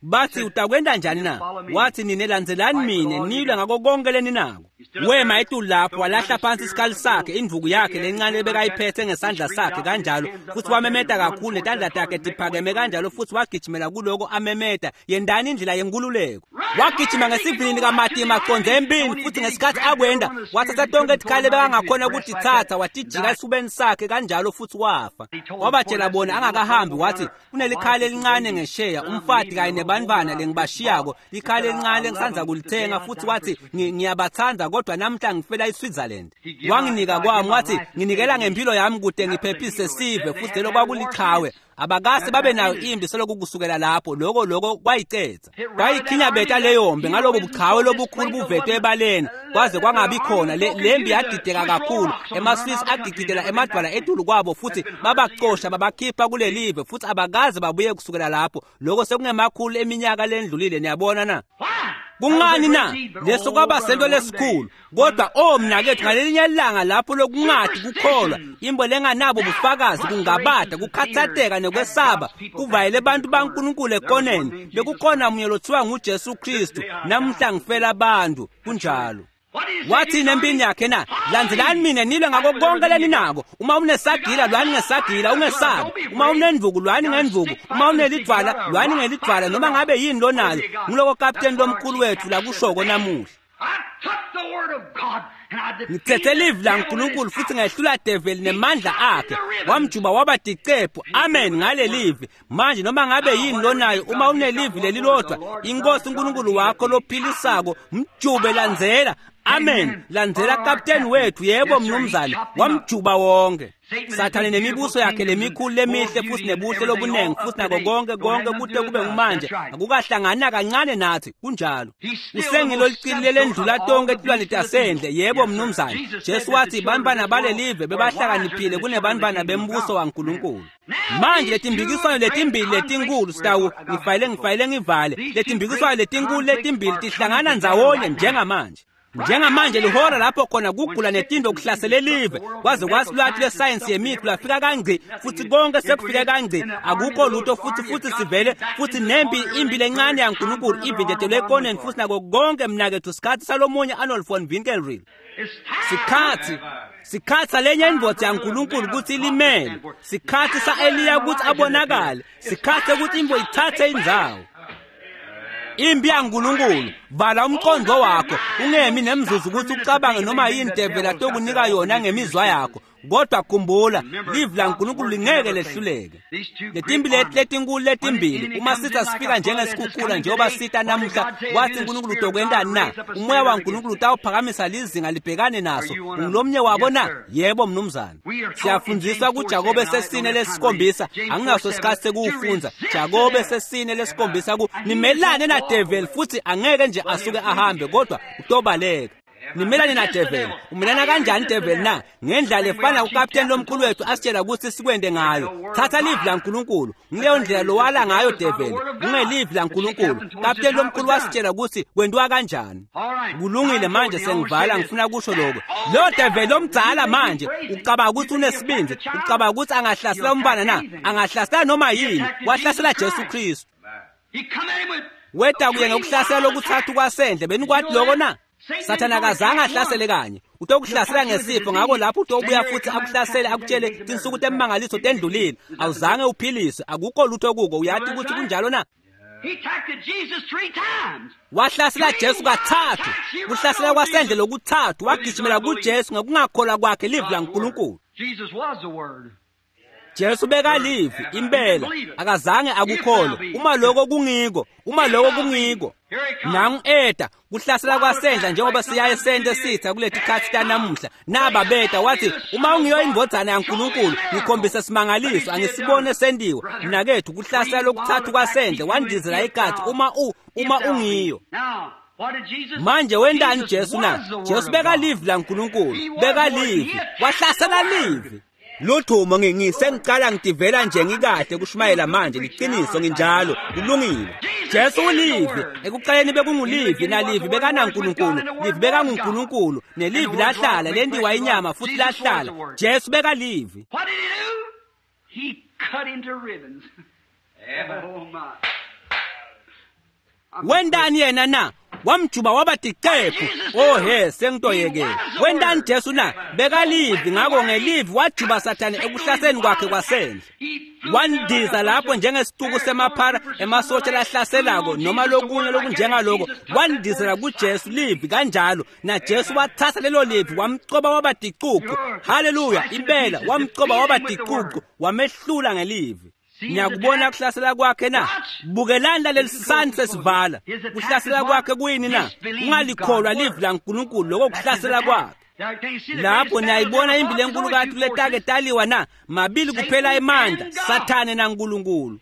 Bathi utakwenda njani na? Wathi nine landzelani mine nilwe ngako konke leninako. Wema etulu lapho walahla phansi isikhali sakhe, indvuku yakhe lencane ebekayiphethe ngesandla sakhe kanjalo, futhi wamemeta kakhulu netandla takhe tiphakeme kanjalo, futhi wagijimela kuloko amemeta, yendani indlela yenkululeko. Wagijima ngesivinini kaMatima aconze empini, futhi ngesikhathi akwenda wathatha tonke tikhali ebekangakhona ukutitsatsa watijika esifubeni sakhe kanjalo futhi wafa. Wabatshela bona angakahambi wathi kunelikhali elincane ngesheya, umfati kanye nebantwana lengibashiyako, likhali elincane lengisandza kulithenga, futhi wathi ngiyabathanda kodwa namhla ngifela iSwitzerland. Wanginika kwami wathi nginikela ngempilo yami kude ngiphephise sive, futhi lelo kwakulichawe. Abakase babe nayo impi seloku kusukela lapho. Lokho kwayicetha kwayikhinyabeta leyo mpi ngalobo buchawe lobukhulu buvetwe ebaleni kwaze kwangabi khona. Lempi yadideka kakhulu, emaSwiss agigidela emadwala etulu kwabo futhi babacosha babakhipha kulelive, futhi abakaze babuye kusukela lapho. Lokho sekungemakhulu eminyaka lendlulile. Niyabona na? Kungani na? Leso kwaba sento lesikhulu. Kodwa oh mnakethu, ngalelinye ilanga lapho lokungathi kukholwa imbo lenganabo bufakazi, kungabada, kukhathatheka nekwesaba kuvayele abantu baNkulunkulu ekoneni, bekukhona munye lothiwa nguJesu Kristu. Namhla ngifela abantu. Kunjalo. Wathi nempini yakhe na, landzelani mina nilwe ngako konke leninako. Uma unesagila lwani ngesagila, ungesabi. Uma unendvuku lwani ngendvuku, uma unelidvwala lwani ngelidvwala, noma ngabe yini lonayo. Nguloko kapteni lomkhulu wethu lakushoko namuhla. Ngithethe livi laNkulunkulu futhi ngehlula develi nemandla akhe, wamjuba waba ticephu. Amen ngale livi. Manje noma ngabe yini lonayo, uma unelivi lelilodwa, inkosi uNkulunkulu wakho lophilisako, mjube, landzela. Amen. Landzela kapteni wethu. Yebo mnumzane, wamjuba wonke Sathane nemibuso yakhe lemikhulu lemihle futhi nebuhle lobunengi futhi nako konke konke kude kube ngumanje akukahlangana kancane nathi. Kunjalo. Usengilo licilile lendlula tonke tilwane tasendle. Yebo mnumzane. Jesu wathi bantwana balelive bebahlakaniphile kunebantwana bembuso waNkulunkulu. Manje letimbikiswano letimbili letinkulu sitawu ngifayile ngivale. Letimbikiswano letinkulu letimbili tihlangana ndzawonye njengamanje. Njengamanje lihora lapho khona kugula netinto kuhlasele live, kwaze kwasilwathi lwesayensi yemithi lwafika kangci, futhi konke sekufike kangci, akukho lutho futhi sivele futhi nempi impi lencane yaNkulunkulu ivinjetelwe ekoneni futhi nako konke mnakethu. Sikhathi salomunye Arnold von Winkelried. Sikhathi salenye indvodza yaNkulunkulu ukuthi ilimele. Sikhathi sa-Eliya ukuthi abonakale. Sikhathi sekuthi imbo ithathe indzawo. Impi yaNkulunkulu, vala umqondo wakho, ungemi nemzuzu ukuthi ucabange noma yini develi atokunika yona ngemizwa yakho. Kodwa khumbula, livi laNkulunkulu lingeke lehluleke. Letimbi letinkulu letimbili, uma sitha sifika njengesikhukhula njengoba sita namuhla, wathi uNkulunkulu utokwentani na? Umoya waNkulunkulu utawuphakamisa lizinga libhekane naso. Ungulomnye wabo na? Yebo mnumzane. Siyafundziswa kuJakobe 4:7, anginaso isikhathi sekuwufundza. Jakobe 4:7 ku nimelane na devil futhi angeke nje asuke ahambe, kodwa utobaleka. Nimelane na devil. Umelana kanjani devil na? Ngendlela efana ukapteni lomkhulu wethu asitshela ukuthi sikwende ngayo. Thatha livi laNkulunkulu. Ngileyo ndlela lowala ngayo devil. Ungelivi laNkulunkulu. Kapteni lomkhulu wasitshela ukuthi kwenziwa kanjani. Kulungile, manje sengivala, ngifuna kusho lokho. Lo devil omdzala manje ucabanga ukuthi unesibindi, ucabanga ukuthi angahlasela umbana na? Angahlasela noma yini. Wahlasela Jesu Kristu. Weda kuye ngokuhlasela lokuthathu kwasendle. Benikwathi lokho na? Sathane akazange ahlasele kanye. Utokuhlasela ngesifo, ngakho lapho utobuya futhi akuhlasele akutshele tinsuku temangaliso tendlulile, awuzange uphiliswe, akukho lutho kuko. Uyathi ukuthi kunjalo na? Wahlasela Jesu kathathu. Kuhlasela kwasendle lokuthathu, wagijimela kuJesu ngokungakholwa kwakhe livi laNkulunkulu. Jesu bekalivi impela, akazange akukholwe. Uma lokho kungiko, uma lokho kungiko. Nangu eta kuhlasela kwasendla njengoba siyaye sente sitha kuleti khathi tanamuhla. Naba beta wathi uma ungiyo indvodzana yaNkulunkulu ngikhombisa simangaliso, angisibone sendiwe. Mnakethu, kuhlasela lokuthathu kwasendle, wandizela igathi uma ungiyo. Manje wendani Jesu na? Jesu bekalivi laNkulunkulu, bekalivi, wahlasela livi. Luthumo ngisengicala ngitivela nje ngikahle kushumayela manje, liqiniso nginjalo, kulungile. Jesu ulivi. Ekuqaleni bekungulivi, nalivi bekanaNkulunkulu, livi bekanguNkulunkulu, nelivi lahlala lentiwa inyama futhi lahlala. Jesu bekalivi. What did he do? He cut into ribbons. Oh my. Wendani yena na? Wamjuba waba tiqephu. Oh he, sengitoyekela. Wendani Jesu na? Bekalivi, ngakho ngelivi wajuba Sathane ekuhlaseni kwakhe kwasendle. Wandiza lapho njengesituku semaphara emasotsha lahlaselako noma lokunye lokunjengaloko. Wandizela kuJesu livi kanjalo, naJesu wathatha lelo livi wamcoba waba ticucu. Haleluya, impela wamcoba waba ticucu, wamehlula ngelivi. Niyakubona kuhlasela kwakhe na? Bukelani laleli sandla sesivala. Kuhlasela kwakhe kuyini na? Ungalikholwa livi laNkulunkulu, lokho kuhlasela kwakhe. Lapho niyayibona impi lenkulu letake taliwa na? Mabili kuphela emandla, Sathane naNkulunkulu.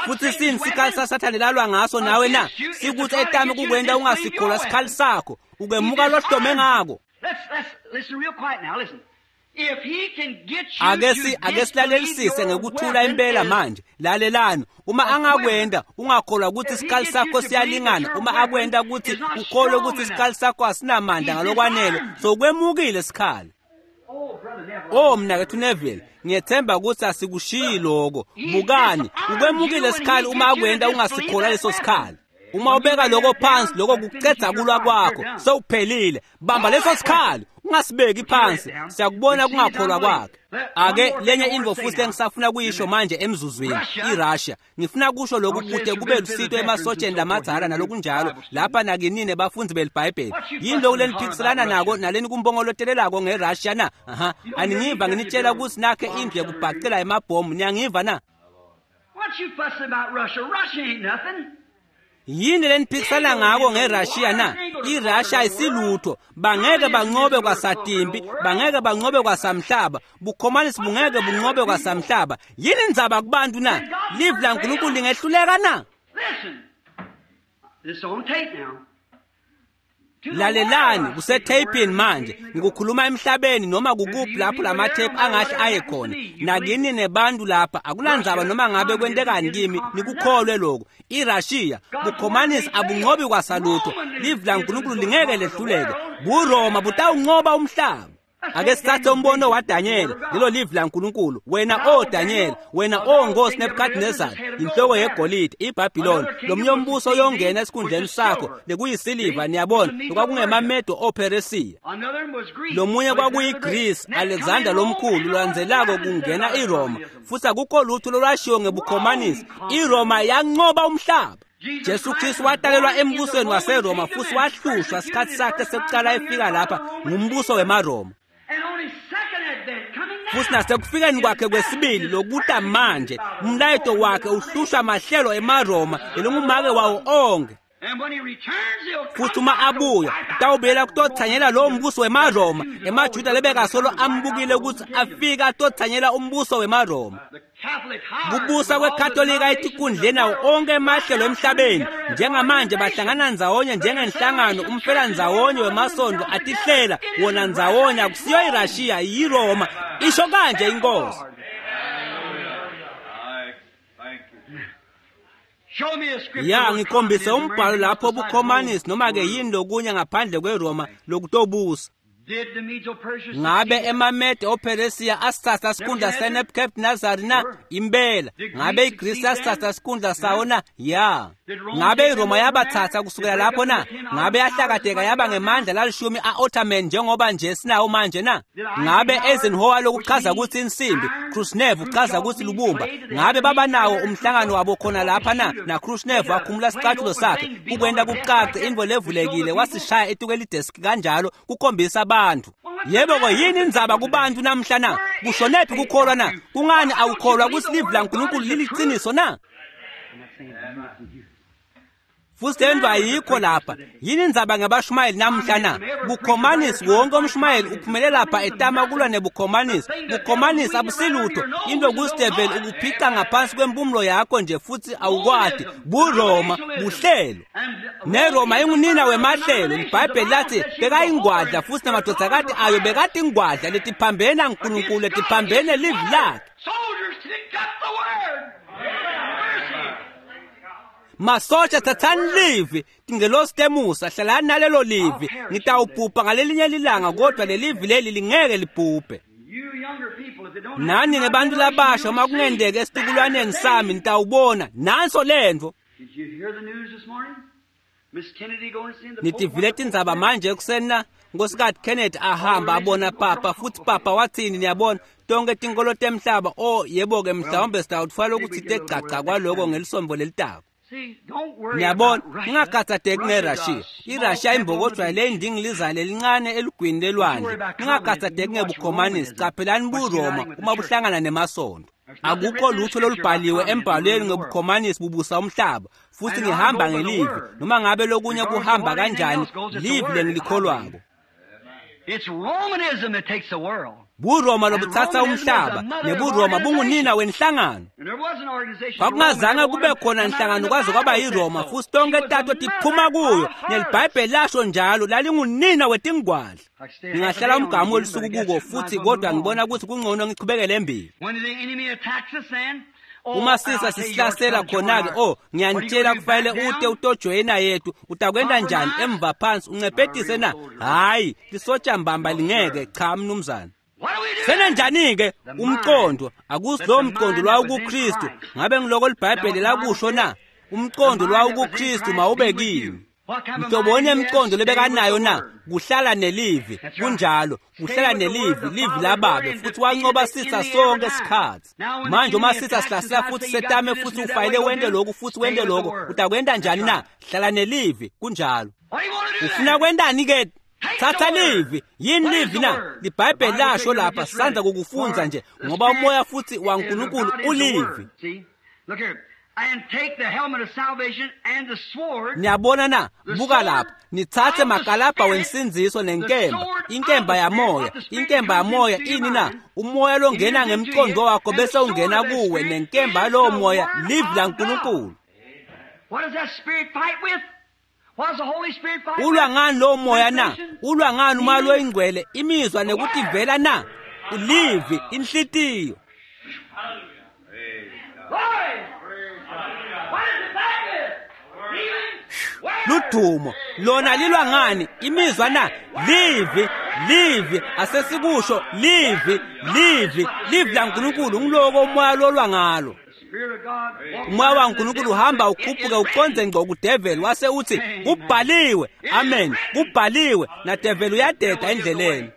Futhi sini sikhali saSathane lalwa ngaso nawe na? Sikuthi etame kukwenta ungasikholwa sikhali sakho, ukemuka lohlome ngako. Let's listen real quiet now. Listen. If he can get you Ake to silalelisise disbelieve your ngekuthula weapon impela is manje. Lalelani, uma angakwenda ungakholwa ukuthi isikhali sakho siyalingana, uma akwenda ukuthi ukholwe ukuthi isikhali sakho asinamandla ngalokwanele, sokwemukile isikhali. Oh, brother Neville. Oh mnakethu Neville, ngiyethemba ukuthi asikushiyi lokho. Bukani, ukwemukile isikhali uma akwenda ungasikholwa leso sikhali. Uma ubeka lokho phansi, lokho kucedza kulwa kwakho, sewuphelile. Bamba leso sikhali, ungasibeki phansi. Siyakubona kungakholwa kwakhe. Ake lenye intfo futhi engisafuna kuyisho manje emzuzwini, iRussia. Ngifuna kusho lokhu kude kube lusito emasotsheni lamadzala nalokunjalo, lapha nakinini bafundzi beliBhayibheli. Yini lokhu leniphikiselana nako naleni kumbongolotelelako ngeRussia na? Aha, aningiva nginitshela ukuthi nakhe indlu yekubhacela emabhomu, niyangiva na? What you fussing about Russia? Russia ain't nothing. Yini leniphikisana ngako ngeRussia na? iRussia ayisilutho, bangeke banqobe kwasatimpi, bangeke banqobe kwasamhlaba, bukhomanisi bungeke bunqobe kwasamhlaba. Yini indzaba kubantu na? Livi laNkulunkulu lingehluleka na? Listen. This is on tape now. To the Lalelani, world, kusetapini manje. Ngikukhuluma emhlabeni noma kukuphi lapho lamathephu angahle aye khona. Nakini nebantu lapha, akulandzaba noma ngabe kwentekani kimi, nikukholwe lokho. iRussia, bukhomanisi abunqobi kwasalutho. Livi laNkulunkulu lingeke lehluleke. BuRoma butawunqoba umhlaba. Ake sithathe umbono waDanyela, lelo livi laNkulunkulu. Wena o Danyela, wena o Nkosi Nebukadnezar, inhloko yegolide, iBhabhiloni, lomnye umbuso uyongena esikhundleni sakho, lekuyisiliva, niyabona, lokwakungemamede oPheresiya. Another one was Greece. Lomunye kwakuyiGreece, Alexander lomkhulu, lwandzelako kungena iRoma, futhi akukho lutho lolwashiwo ngebukhomanisi. iRoma yanqoba umhlaba. Jesu Kristu watalelwa embusweni waseRoma futhi wahlushwa sikhathi sakhe sekuqala efika lapha ngumbuso wemaRoma. And on his second advent coming now. Futhi nasekufikeni kwakhe kwesibili lokuta manje, umlayeto wakhe uhlushwa mahlelo emaRoma lelingumake wawo onke. And when he returns, he'll come Futhi uma abuya utawubuyela kutothanyela lowo mbuso wemaRoma, emaJuda lebekasolo ambukile ukuthi afike atothanyela umbuso wemaRoma. The Catholic hierarchy Kubusa with all the kweKatolika etikhundleni nawo onke emahlelo emhlabeni, njengamanje bahlangana ndzawonye njengenhlangano umfelandzawonye wemasondo atihlela wona ndzawonye. Akusiyo iRussia, yiRoma, isho kanje inkosi. Show me a scripture Ya where ngikhombise communism umbhalo or lapho anything bukhomanisi noma ke besides yini lokunye ngaphandle kweRoma lokutobusa. Did the Medo-Persia Ngabe succeed? emaMede oPheresiya asithatha sikhundla seNebukadnezar na? Impela. Ngabe iGrisi yasithatha sikhundla sawo na? Ya. Ngabe iRoma yabathatha kusukela lapho na? Ngabe yahlakadeka yaba ngemandla lalishumi a-Ottoman njengoba nje sinawo manje na? Ngabe Eisenhower lokuchaza ukuthi insimbi, Khrushchev uchaza ukuthi lubumba. Ngabe baba nawo umhlangano wabo khona lapha na? Na Khrushchev wakhumula isicathulo sakhe ukwenta kucace intfo levulekile wasishaya etukela ideski kanjalo kukhombisa abantu. Yebo ko yini indzaba kubantu namhla na? Kushonephi kukholwa na? Kungani awukholwa ukuthi livi laNkulunkulu liliqiniso na? Futhi le nto ayikho lapha. Yini indzaba ngabashumayeli namhla na? Bukhomanisi, wonke umshumayeli uphumele lapha etama kulwa nebukhomanisi. Bukhomanisi abusilutho, into kusideveli ukuphica ngaphansi kwempumulo yakho nje futhi awukwati. BuRoma buhlelo. NeRoma ingunina wemahlelo. IBhayibheli lathi bekayingwadla futhi namadvodzakati ayo bekati ingwadla letiphambene naNkulunkulu, letiphambene livi lakhe. Soldiers picked up the word. Mercy. Masotsha thathani livi, tingelosi temusa hlalani nalelo livi. Ngitawubhubha ngalelinye lilanga kodwa lelivi leli lingeke libhubhe. Nani nebantu labasha uma kungenteka esitukulwaneni sami nitawubona nanso lentfo. Nitivile tindzaba manje ekuseni na? Nkosikazi Kennedy ahamba abona papa futhi papa wathini? Niyabona tonke tinkolo temhlaba. Oh yebo-ke, mhlawumbe sitawutfwala ukuthi tegcagca kwaloko ngelisombo lelitako. Niyabona, ningakhathazeki ngeRussia. IRussia imbokodwa leyindingiliza lelincane elugwini lelwandle. Ningakhathazeki ngebukhomanisi, caphelani buRoma uma buhlangana nemasonto. Akukho lutho lolubhaliwe embhalweni ngebukhomanisi bubusa umhlaba, futhi ngihamba ngelivi noma ngabe lokunye kuhamba kanjani, livi lengilikholwako. BuRoma lobuthatha umhlaba, nebuRoma bungunina wenhlangano. Kwakungazange kube khona nhlangano kwaze kwaba yiRoma, futhi tonke tato tiphuma kuyo, neliBhayibheli lasho njalo, lalingunina wetingwadla. Ngingahlala umgamu welusuku kuko futhi, kodwa ngibona ukuthi kungcono ngichubekele embili. Uma sisa sisihlasela khona-ke, oh ngiyanitshela kufanele ute utojoyina yethu. Utakwenta njani? Emva phansi uncephetise na? Hhayi, lisotsha mbamba lingeke. Cha mnumzane. Senenjani-ke umqondo? Akusi lowo mqondo lwawukuKristu. Ngabe ngiloko liBhayibheli lakusho na? Umqondo lwawukuKristu mawube kimi. Mhloboni emqondo lebekanayo na? Kuhlala nelivi. Kunjalo, kuhlala nelivi, livi lababe, futhi wancoba sitha sonke isikhathi. Manje uma sitha sihlasela futhi setame futhi ufayile wente lokhu futhi wente lokho, utakwenta njani na? Hlala nelivi. Kunjalo. Ufuna kwentani ke? Thatha livi. Yini livi na? LiBhayibheli lasho lapha, sisandza kukufunza nje, ngoba umoya futhi waNkulunkulu ulivi. Niyabona na? Buka lapha, nithathe makalabha wensindziso nenkemba, inkemba yamoya. Inkemba yamoya ini na? Umoya longena ngemqondo wakho bese ungena kuwe, nenkemba yalowo moya livi laNkulunkulu. Ulwa ngani lowo moya na? Ulwa ngani umoya loyingcwele? Imizwa nekutivela na? Ulivi, inhlitiyo. Ludumo lona lilwa ngani? Imizwa na? Livi, livi, asesikusho livi, livi, livi laNkulunkulu. Ngiloko umoya lolwa ngalo. Umoya waNkulunkulu uhamba ukhuphuke uconze ngco kudeveli, wase uthi kubhaliwe. Amen, kubhaliwe. Nadeveli uyadeda endleleni.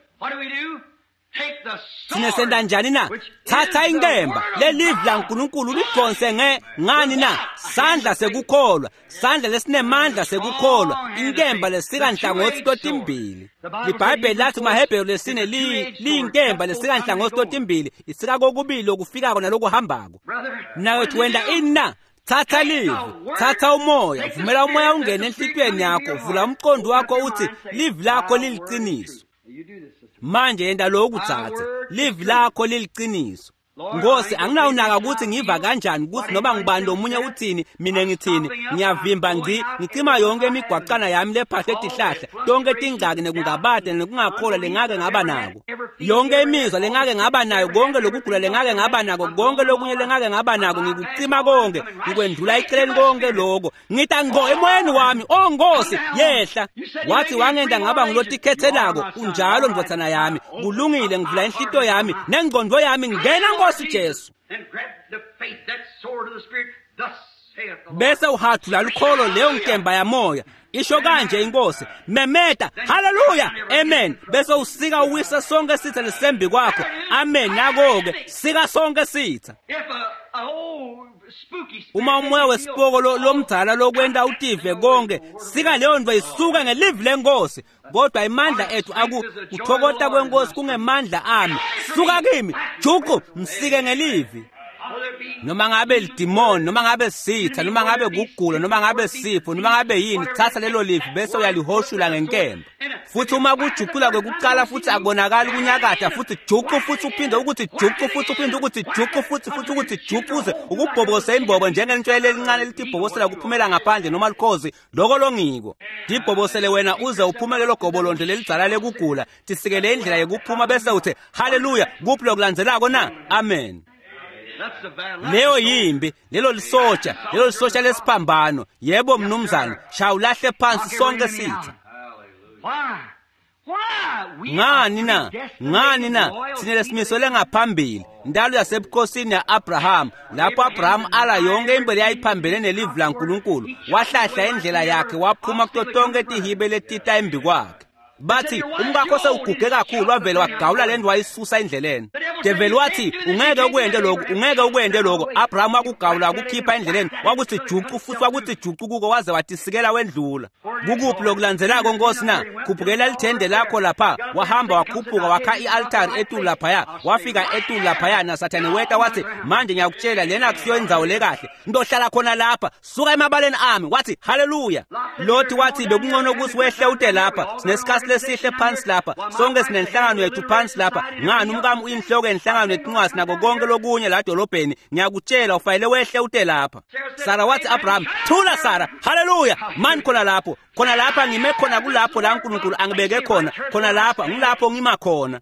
Sine senta njani na? Thatha inkemba lelivi laNkulunkulu lidonse ngani na? Sandla sekukholwa, sandla lesinemandla sekukholwa, inkemba lesika nhlangothi totimbili. LiBhayibheli lathi kumaHebheru lesine liyinkemba lesika nhlangothi totimbili, isika kokubili lokufikako nalokuhambako. Mnakethu wenta ini na? Thatha livi, thatha umoya, vumela umoya ungene enhlitiyweni yakho, vula umqondo wakho uthi livi lakho liliqiniso. Manje yenta lokhu dzadze, livi lakho liliqiniso. Nkosi, anginawunaka ukuthi ngiva kanjani, ukuthi noma ngubani lomunye uthini, mina ngithini. Ngiyavimba ngci, ngicima yonke imigwaqana yami lephahle tihlahla, tonke tingxaki nekungabade nekungakholwa lengake ngaba nako, yonke imizwa lengake ngaba nayo, konke lokugula lengake ngaba nako, konke lokunye lengake ngaba nako, ngikucima konke, ngikwendlula eceleni konke lokho. Ngita ngqo emoyeni wami, oh Nkosi, yehla. Wathi wangenda ngaba ngulotikhethelako. Unjalo ndvodzana yami, kulungile, ngivula inhlitiyo yami nengqondo yami, ngena Nkosi Jesu. Bese uhathula lukholo leyo nkemba yamoya, isho kanje inkosi, memeta haleluya, amen. Bese usika uwisa sonke sitha lesembi kwakho. Amen. Nako-ke sika sonke sitha. Uma umoya wesipoko lomdzala lokwenta utive konke, sika leyo nto isuke ngelivi lenkosi. Kodwa imandla ethu akuthokota kwenkosi kungemandla ami. Suka kimi juqu, msike ngelivi. Noma ngabe lidimoni, noma ngabe sitha, noma ngabe kugula, noma ngabe sifo, noma ngabe yini, thatha lelo livi bese uyalihoshula ngenkemba. Futhi uma kujuqula kwekuqala futhi akubonakali kunyakatha, futhi juqu futhi uphinde ukuthi juqu futhi uphinde ukuthi juqu futhi futhi ukuthi juqu, uze ukubhobose imbobo njengentshwele elincane litibhobosela kuphumela ngaphandle noma lukhozi, loko longiko. Tibhobosele wena uze uphume lelo gobolondlo lelidzala lekugula, tisikele indlela yekuphuma bese uthi haleluya, kuphi lokulandzelako na? Amen. Leyo yimbi, lelo lisotsha, lelo lisotsha lesiphambano. Yebo mnumzane, shaya ulahle phansi sonke sitha. Ngani na? Ngani na? Sine lesimiso lengaphambili. Ndalo yasebukhosini ya-Abraham, lapho Abraham ala yonke imbele yayiphambene nelivi laNkulunkulu, wahlahla indlela yakhe waphuma kuto tonke tihibe letita embi kwakhe. Bathi umkakho sewuguge kakhulu, wavele wagawula le nto wayisusa endleleni. Develi wathi ungeke ukwente lokhu, ungeke ukwente lokho. Abraham wakugawula wakukhipha endleleni, wakuthi juqu futhi wakuthi juqu kuko waze watisikela wendlula. Kukuphi lokulandzelako Nkosi na? Khuphukela lithende lakho lapha. Wahamba wakhuphuka wakha i-altari etulu laphaya, wafika etulu laphaya naSathane weta wathi manje ngiyakutshela lena akusiyo indzawo lekahle, ntohlala khona lapha, suka emabaleni ami. Wathi haleluya. Loti wathi bekungcono ukuthi wehle ute lapha, sinesikhathi lesihle phansi lapha, sonke sinenhlangano yethu phansi lapha. Ngani umkami uyinhloko yenhlangano yetincwasi nako konke lokunye la dolobheni, ngiyakutshela ufanele wehle ute lapha. Sara wathi Abraham, thula Sara, haleluya, mani khona lapho, khona lapha ngime khona, kulapho la uNkulunkulu angibeke khona, khona lapha ngilapho ngima khona.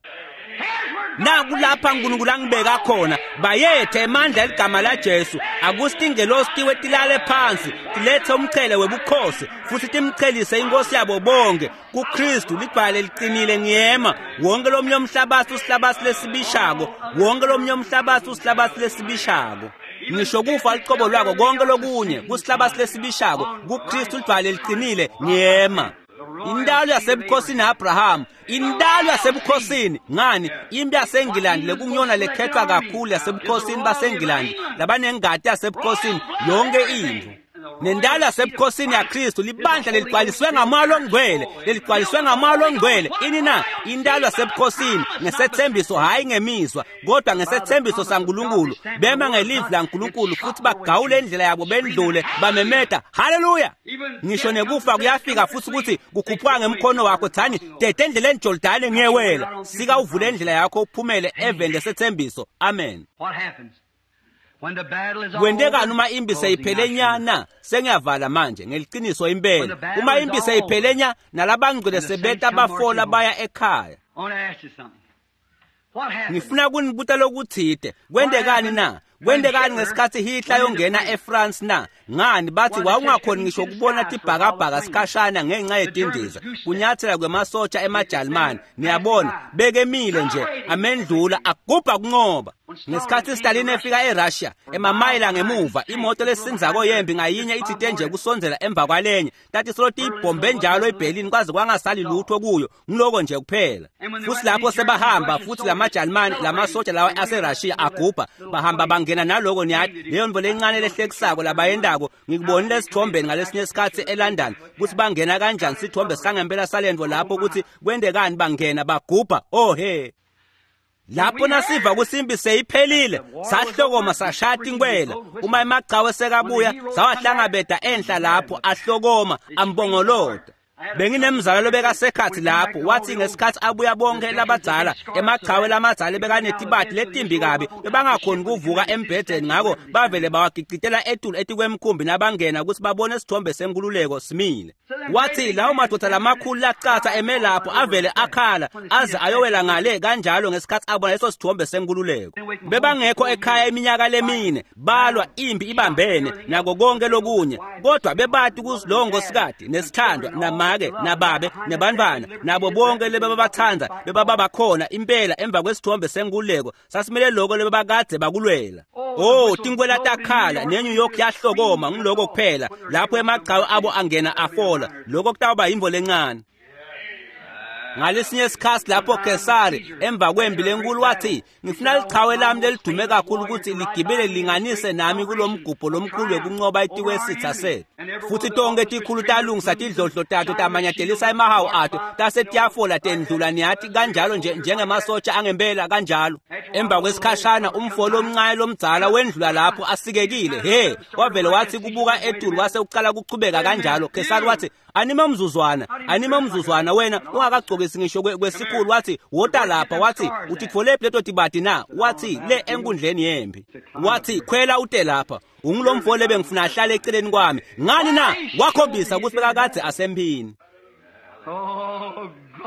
Naku lapha uNkulunkulu angibeka khona. Bayethe emandla eligama laJesu. Akusitingelosi tiwe tilale phansi, tilethe umchele webukhosi futhi timchelise inkosi yabo bonke kuKristu. Lidwala liqinile ngiyema. Wonke lomnye umhlabathi usihlabathi lesibishako, wonke lomnye umhlabathi usihlabathi lesibishako. Ngisho kufa licobo lwako konke lokunye kusihlabathi lesibishako, kuKristu lidwala liqinile ngiyema. Indalo yasebukhosini Abraham, indalo yasebukhosini. Ngani impi yaseNgilandi lekungiyona lekhethwa kakhulu yasebukhosini baseNgilandi, labanengati yasebukhosini yonke intfo. Nendalo yasebukhosini yaKristu, libandla leligcwaliswe ngamoya longcwele, leligcwaliswe ngamoya longcwele. Ini na? Indalo yasebukhosini ngesethembiso, hhayi ngemizwa, kodwa ngesethembiso saNkulunkulu. Bema ngelivi laNkulunkulu futhi bagawule indlela yabo bendlule, bamemeta haleluya. Ngisho nekufa kuyafika futhi ukuthi kukhuphuka ngemkhono wakho, thani dede endleleni Jordani ngiyewela, sika uvule indlela yakho uphumele eveni lesethembiso. Amen. Kwentekani uma impi seyiphele nya na? Sengiyavala manje ngeliqiniso impela. Uma impi seyiphele nya nalabangcwele sebeta bafola baya ekhaya. Ngifuna kunibuta lokuthide. Kwentekani na? Kwentekani ngesikhathi Hitler yongena eFrance na? Ngani bathi wawungakhoni ngisho ukubona tibhakabhaka sikhashana ngenxa yetindiza, kunyathela kwemasotsha emaJalimane. Niyabona bekemile nje amendlula agubha kunqoba. Ngesikhathi Stalin efika eRussia emamayila ngemuva, imoto lesinzako yempi ngayinye ithite nje kusondzela emva kwalenye, tathi solo tiyibhombe njalo eBerlin kwaze kwangasali lutho kuyo, ngiloko nje kuphela. Futhi lapho sebahamba futhi lamaJalimane lamasotsha lawa aseRussia agubha bahamba bangena naloko. Niyathi leyo nto lencane lehlekisako labayendako, ngikubonile esithombeni ngalesinye isikhathi eLondon ukuthi bangena kanjani, sithombe sangempela salento lapho ukuthi kwentekani, bangena bagubha. Oh he, lapho nasiva kusimbi seyiphelile sahlokoma sashaya tinkwela. Uma emagcawe sekabuya sawahlangabeda enhla lapho ahlokoma ambongolota. Benginemzala lobekasekhathi lapho, wathi ngesikhathi abuya bonke labadzala emagcawe lamadzala bekanetibati letimbi kabi, bebangakhoni kuvuka embhedeni, ngako bavele bawagicitela etulu etikwemkhumbi nabangena ukuthi babone isithombe senkululeko simile. Wathi lawo madoda lamakhulu lacatha eme lapho avele akhala aze ayowela ngale kanjalo ngesikhathi abona leso sithombe senkululeko. Bebangekho ekhaya iminyaka lemine, balwa impi ibambene nako konke lokunye, kodwa bebati ukuthi lowo nkosikazi nesithandwa namake nababe nebantwana nabo bonke lebebabathanda bebabakhona impela emva kwesithombe senkululeko. Sasimele lokho lebebakade bakulwela. Oh, tinkwela takhala neNew York yahlokoma ngiloko kuphela lapho emagcawe abo angena afola. Lokho kutawuba yimvo lencane. Ngalesinye isikhathi lapho Kesari emva kwempi lenkulu wathi ngifuna lichawe lami lelidume kakhulu ukuthi ligibele linganise nami kulomgubho lomkhulu wekunqoba itikwesitha sethu. Futhi tonke tikhulu talungisa tidlodlo tato tamanyatelisa emahawu ato tase tiyafola tendlula, niyathi kanjalo nje njengemasotsha angempela kanjalo. Emva kwesikhashana umfolo omncane lomdzala wendlula lapho asikekile. He, wavele wathi kubuka etulu wase uqala kuchubeka kanjalo. Kesari wathi anime umzuzwana, anime umzuzwana wena ungakagcokisi ngisho kwesikhulu. Wathi wota lapha, wathi utitfolephi leto tibati na? Wathi le enkundleni yempi. Wathi khwela ute lapha, ungulomfo lebengifuna ahlale eceleni kwami. Ngani na? Wakhombisa ukuthi bekakade asempini.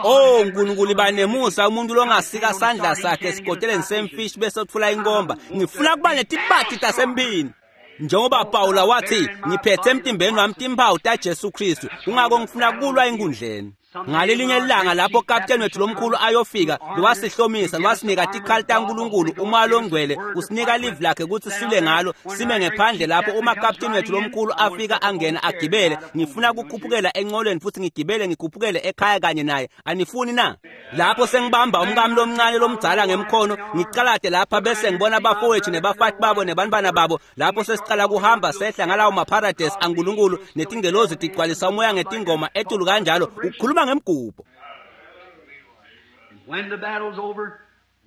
Oh Nkulunkulu banemusa umuntu longasika sandla sakhe esikoteleni semfishi bese utfula inkomba. Ngifuna kuba netibati tasempini. Njengoba Pawula wathi ngiphethe emtimbeni wami timphawu taJesu Kristu, kungako ngifuna kulwa enkundleni. Ngalelinye ilanga lapho kapteni wethu lomkhulu ayofika, lwasihlomisa lwasinika tikhali taNkulunkulu, umoya longcwele usinika livi lakhe ukuthi sile ngalo, sime ngephandle lapho uma kapteni wethu lomkhulu afika angena agibele. Ngifuna kukhuphukela enqolweni futhi ngigibele ngikhuphukele ekhaya kanye naye. Anifuni na? Lapho sengibamba umkami lomncane lomdzala ngemkhono, ngicalade lapha bese ngibona abafowethu nebafati babo nebantwana babo. Lapho sesicala kuhamba sehla ngalawo mapharadesi aNkulunkulu, netingelozi tigcwalisa umoya ngetingoma etulu kanjalo, ukhuluma ngemgubho. When the battle's over,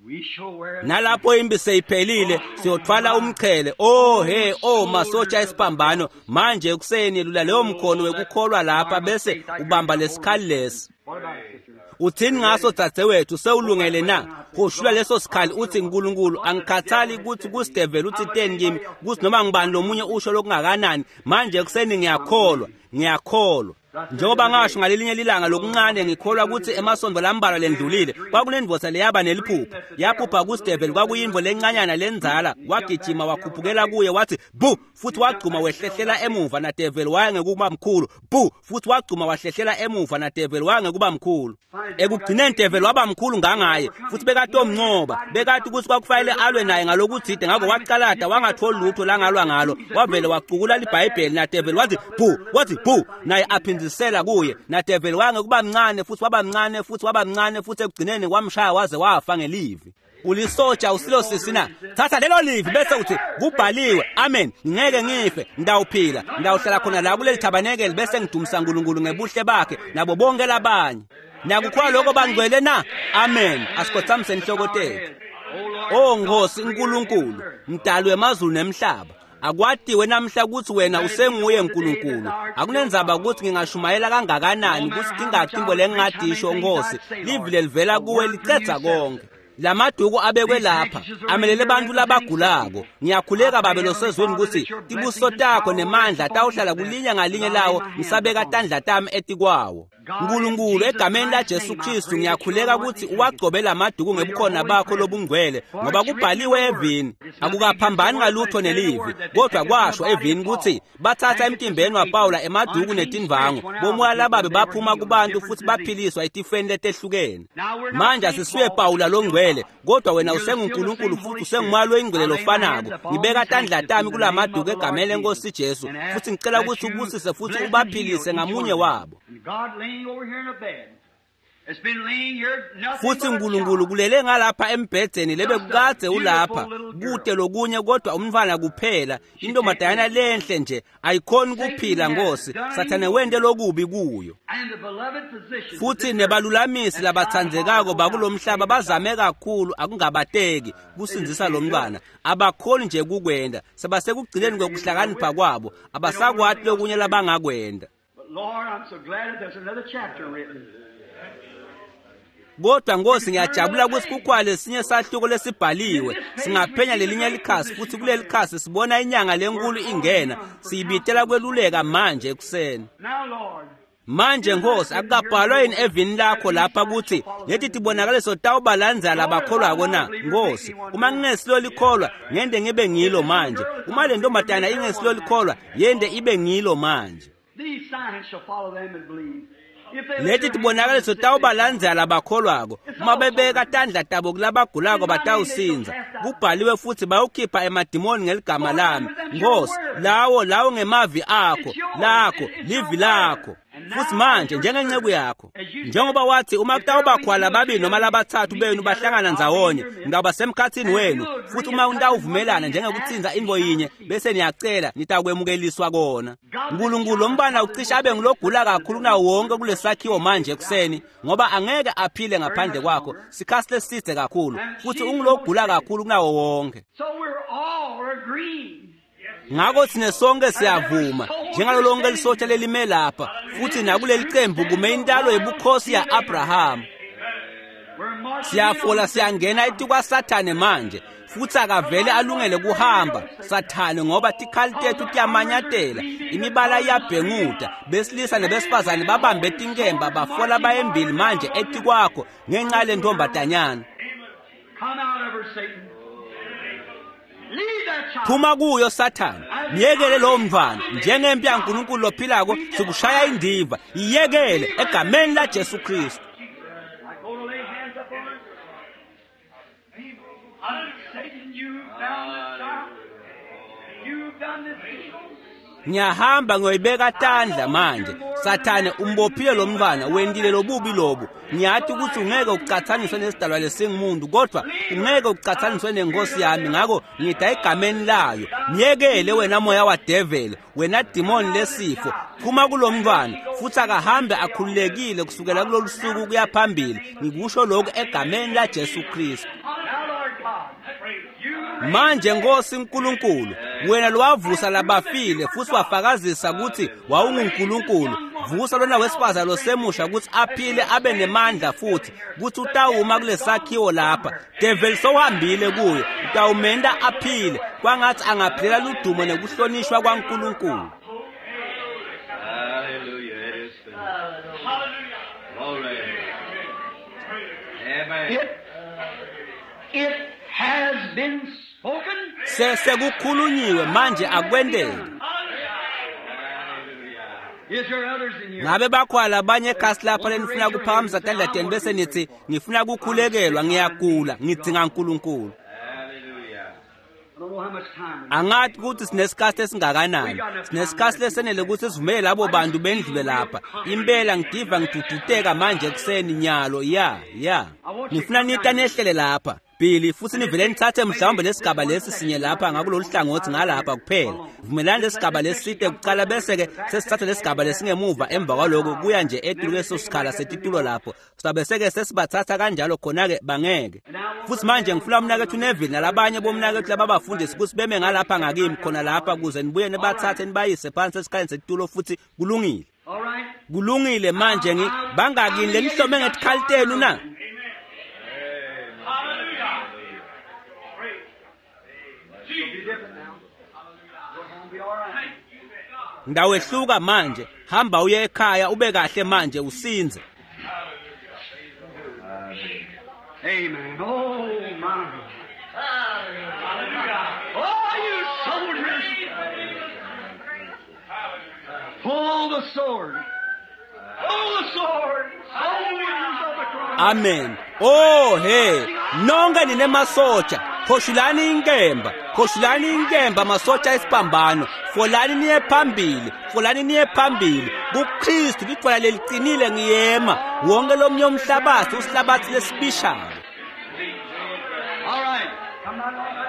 we shall wear Nalapho impi seyiphelile siyothwala umchele. Oh he, oh masotsha esiphambano, manje ekuseni lula leyo mkhono wekukholwa lapha bese ubamba lesikhali lesi. What about it, sister? Uthini ngaso dzadzewethu, sewulungele na? Hoshula leso sikhali uthi Nkulunkulu angikhathali ukuthi kusideveli uthi teni kimi, kuthi noma ngibani lomunye usho lokungakanani. Manje ekuseni ngiyakholwa, ngiyakholwa. Njengoba ngasho ngalelinye lilanga lokuncane, ngikholwa ukuthi emasondo lambalwa lendlulile kwakunendvosa leyaba neliphupho. Yaphupha kusideveli, kwakuyindvo lencanyana lenzala. Wagijima wakhuphukela kuye wathi bu, futhi wagcuma wehlehlela emuva, nadeveli waya ngekuba mkhulu. Bu, futhi wagcuma wahlehlela emuva, nadeveli waya ngekuba mkhulu. Ekugcineni develi waba mkhulu ngangaye, futhi bekatomncoba. Bekati ukuthi kwakufanele alwe naye ngalokuthide, ngakho wacalada wangatholi lutho langalwa ngalo. Wavele wacukula libhayibheli, nadeveli wathi bu, wathi bu, naye aphindzisela kuye. Nadeveli waya ngekuba mncane futhi waba mncane futhi waba mncane, futhi ekugcineni wamshaya waze wafa ngelivi. Ulisotsha usilo sisi na? Thatha lelo livi bese uthi kubhaliwe, amen, ngeke ngife, ngidawuphila, ngidawuhlala khona la kuleli thabanekeli bese ngidumisa uNkulunkulu ngebuhle bakhe nabo bonke labanye. Nakukholwa lokho bangcwele na? Amen. Asikhothamise inhloko tethu. Oh Nkosi uNkulunkulu, mdali wemazulu nemhlaba, akwatiwe namhla ukuthi wena usenguye uNkulunkulu. Akunenzaba ukuthi ngingashumayela kangakanani, ukuthi tingaki lengingadisho Nkosi, livi lelivela kuwe licedza konke. Lamaduku abekwe lapha amelele abantu labagulako. Ngiyakhuleka Babe losezweni ukuthi tibusiso takho nemandla tawuhlala kulinye ngalinye lawo, ngisabeka tandla tami etikwawo. Nkulunkulu, egameni laJesu Kristu ngiyakhuleka ukuthi uwagcobe lamaduku ngebukhona bakho lobungcwele, ngoba kubhaliwe evini. Akukaphambani ngalutho nelivi, kodwa kwasho evini ukuthi bathatha emtimbeni waPawula emaduku netindvangu, bomoya lababe baphuma kubantu futhi baphiliswa etifeni letehlukene. Manje asisuye Pawula longcwele, kodwa wena usenguNkulunkulu futhi usengumoya loyingcwele lofanako. Ngibeka tandla tami kulamaduku egameni lenkosi Jesu, futhi ngicela ukuthi ubusise futhi ubaphilise ngamunye wabo. And God laying over here in a bed. It's been laying here nothing Futhi but a uNkulunkulu child. kulele ngalapha embhedeni lebe kukadze ulapha kude lokunye kodwa umntwana kuphela, intombazanyana lenhle nje ayikhoni kuphila Nkosi. Sathane wente lokubi kuyo. And the beloved physicians Futhi nebalulamisi labatsandzekako bakulomhlaba bazame kakhulu akungabateki kusindzisa lo mntwana, abakhoni nje kukwenda. Sebasekugcineni kwekuhlakanipha kwabo, abasakwati lokunye labangakwenda. But Lord, I'm so glad that there's another chapter written. Kodwa Nkosi ngiyajabula ukuthi kukhona lesinye sahluko lesibhaliwe. Singaphenya lelinye likhasi, futhi kuleli khasi sibona inyanga lenkulu ingena, siyibitela kweluleka manje ekuseni. Now, Lord, Manje Nkosi, akukabhalwa yini evini lakho lapha ukuthi leti tibonakaliso tawubalandzela labakholwako na? Nkosi, uma ngingesilo likholwa, ngende ngibe ngilo manje. Uma le ntombazana ingesilo likholwa, yende ibe ngilo manje. these signs shall follow them that believe. If they lift Leti their hands on the tibonakaliso sick, they tawubalandzela labakholwako. Uma bebeka tandla tabo kulabagulako batawusindza. Kubhaliwe futhi bayawukhipha emadimoni ngeligama lami. Nkosi, lawo ngemavi akho, lakho, livi lakho. Futhi manje njengenceku yakho, njengoba wathi uma kutawubakhwa lababili noma labathathu benu bahlangana ndzawonye, ngitawuba semkhathini wenu. Futhi uma nitawuvumelana njengekutsinza intfo yinye bese niyacela, nitakwemukeliswa kona. Nkulunkulu, lo mbana ucishe abe ngulogula kakhulu kunawo wonke kulesakhiwo manje ekuseni, ngoba angeke aphile ngaphandle kwakho sikhathi leside kakhulu, futhi ungulogula kakhulu kunawo wonke. So we're all agreeing. Ngakho thina sonke siyavuma njengalo lonke lisotsha lelime lapha, futhi nakuleli qembu kume intalo yobukhosi ya-Abraham. We're Siyafola siyangena etikwaSathane manje, futhi akavele alungele kuhamba Sathane, ngoba tikhali tethu tiyamanyatela, imibala iyabhenguda, besilisa nebesifazane babambe tinkemba bafola bayembili manje etikwakho ngenxa lentombazanyana. Phuma kuyo Sathane, myekele lowo mntwana. Njengempi yaNkulunkulu lophilako sikushaya indiva, iyekele egameni la Jesu Kristu. Ngiyahamba ngiyoyibeka tandla manje. Sathane umbophile lo mntwana, wendile lobubi lobu. Ngiyathi ukuthi ungeke ucathaniswe nesidalwa lesingumuntu, kodwa ungeke ucathaniswe nenkosi yami, ngakho ngida egameni layo. Myekele wena moya wadevele, wena demon lesifo, phuma kulo mntwana futhi akahambe akhululekile kusukela kulolu suku kuya phambili. Ngikusho lokhu egameni la Jesu Kristu. Manje Nkosi uNkulunkulu, wena lowavusa labafile futhi wafakazisa ukuthi wawunguNkulunkulu, vusa lona wesifazane losemusha ukuthi aphile abe nemandla futhi ukuthi utawuma kulesakhiwo lapha. Devil sowuhambile kuyo, utawumenda aphile kwangathi angaphilela ludumo nekuhlonishwa kwaNkulunkulu. Hallelujah. It is finished. Glory. Amen. It has been spoken. Sesekukhulunyiwe manje akwendeke. Is there others in here? Ngabe bakhona labanye ekhasi lapha lenifuna kuphakamisa tandla tenu bese nithi ngifuna kukhulekelwa, ngiyagula, ngidzinga uNkulunkulu. Hallelujah. I don't know how much time. Angathi ukuthi sinesikhathi esingakanani, sinesikhathi lesenele ukuthi sivumele labo bantu bendlule lapha. Impela ngidiva ngiduduteka manje ekuseni nyalo. Ya ya, ngifuna nita nehlele lapha Billy, futhi nivele nithathe mhlawumbe lesigaba lesi sinye lapha ngakulolu hlangothi ngalapha kuphela. Vumelani lesigaba leside kuqala, bese-ke sesithatha lesigaba lesingemuva emva kwaloko kuya nje etulu leso sikhala setitulo lapho. Sabe seke sesibathatha kanjalo khona-ke bangeke. Futhi manje ngifuna umnakethu Neville nalabanye bomnakethu lababafundisi ukuthi beme ngalapha ngakimi khona lapha kuze nibuye nibathathe nibayise phansi esikhaleni setitulo futhi kulungile. All right. Kulungile manje bangakini lenihlome ngetikhali tenu na? Be different now. Go home, be all right. Ndawehluka manje, hamba uye ekhaya ube kahle manje usinze. Amen. Oh my. Oh, you soldiers. Pull the sword. Pull the sword. Soldiers of the cross. Amen. Oh hey, nonke nine masotsha, khoshulani inkemba, khoshulani inkemba masotsha esiphambano, folani niye phambili, folani niye phambili. KuKristu lidwala leliqinile ngiyema, wonke lomnye umhlabathi usihlabathi lesibishayo. All right. Come on, on, on.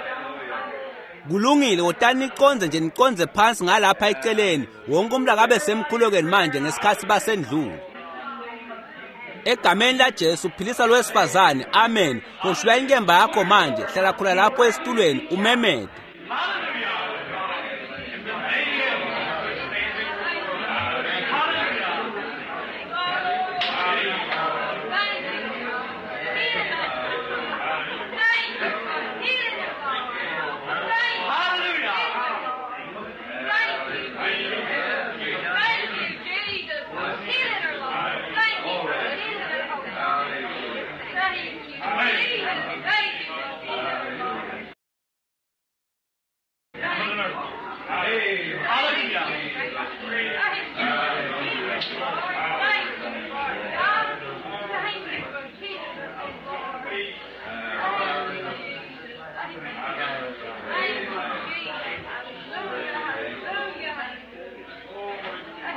Kulungile, wotani niconze nje niconze phansi ngalapha eceleni. Wonke umuntu akabe semkhulekweni manje ngesikhathi basendlule. Egameni la Jesu philisa lo wesifazane. Amen. Khoshula inkemba yakho manje, hlala khona lapho esitulweni umemede.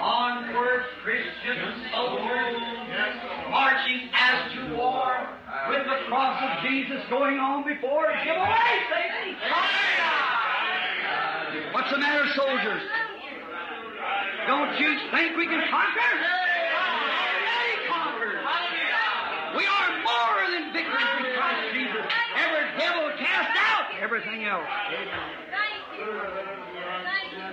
Onward, Christian soldiers, marching as to war, with the cross of Jesus going on before. Give away, Satan! What's the matter, soldiers? Don't you think we can conquer? Already conquered. We are more than victors in Christ Jesus. Every devil cast out, everything else. Thank you. Thank you. Thank you.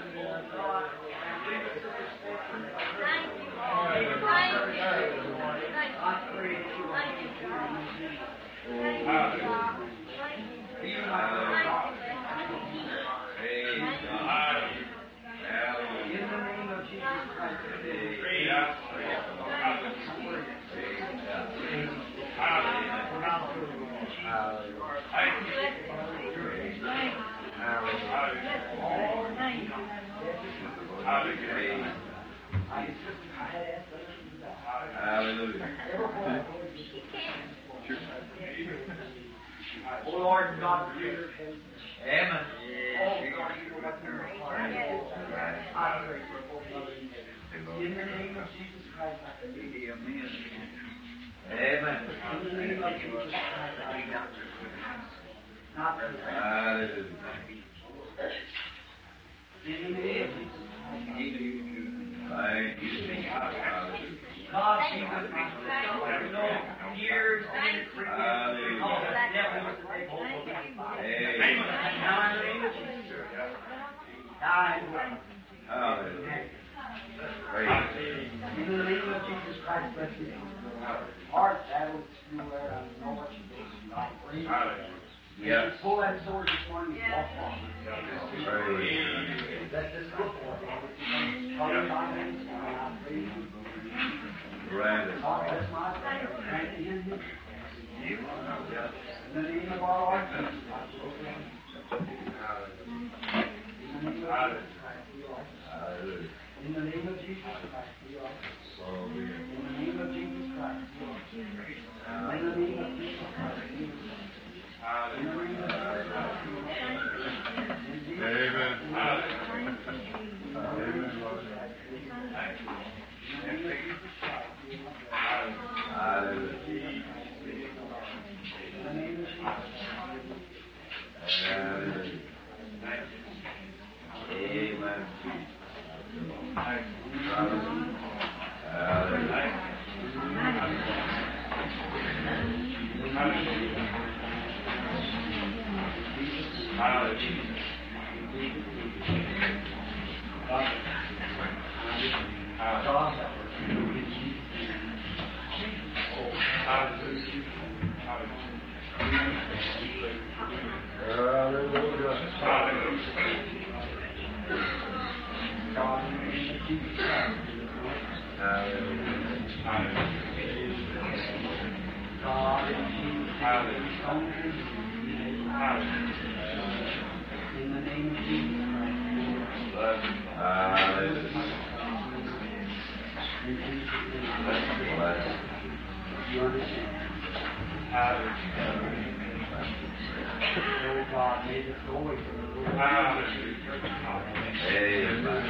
Thank you. Thank you. Thank you. In the name of Jesus Christ. Hallelujah. Oh Lord God, creator of heaven. Amen. Oh God, you know what's in her heart. I pray for both of them. In the name of Jesus Christ, I pray. Amen. Amen. In the name of Jesus Christ, I pray. Not for Hallelujah. In the name of Jesus Christ. Thank you. Hallelujah. God be with my sister. You know, years and because the devil was to take hold of that body. Amen. Now in the name of Jesus. Die. Hallelujah. Praise In the name of Jesus Christ, bless you. Heart battles through where I know what you do. I pray. Yes. Pull that sword this morning and walk on. Praise. Let this go forth, Lord. Father, by him, I pray you. Grant it. God bless my prayer. Grant him his In the name of our Lord Jesus Christ. In the name of Jesus Christ, we are. Hallelujah. In the name of Jesus Christ, we are. So be it. In the name of Jesus Christ, we are. In the name of Jesus Christ, we are. In the name of Jesus Christ, we are. In Jesus' Amen. Amen, Lord. In the name of Jesus Christ, we are. Hallelujah. In the name of Jesus. Hallelujah. Amen. Hallelujah. God help us. In Jesus' name. God, in the name of Jesus Christ. God, in Jesus' name. In the name of Jesus Christ. Hallelujah. In Jesus' name. Bless. You understand. Oh God, may this go away from the Lord. Amen. In the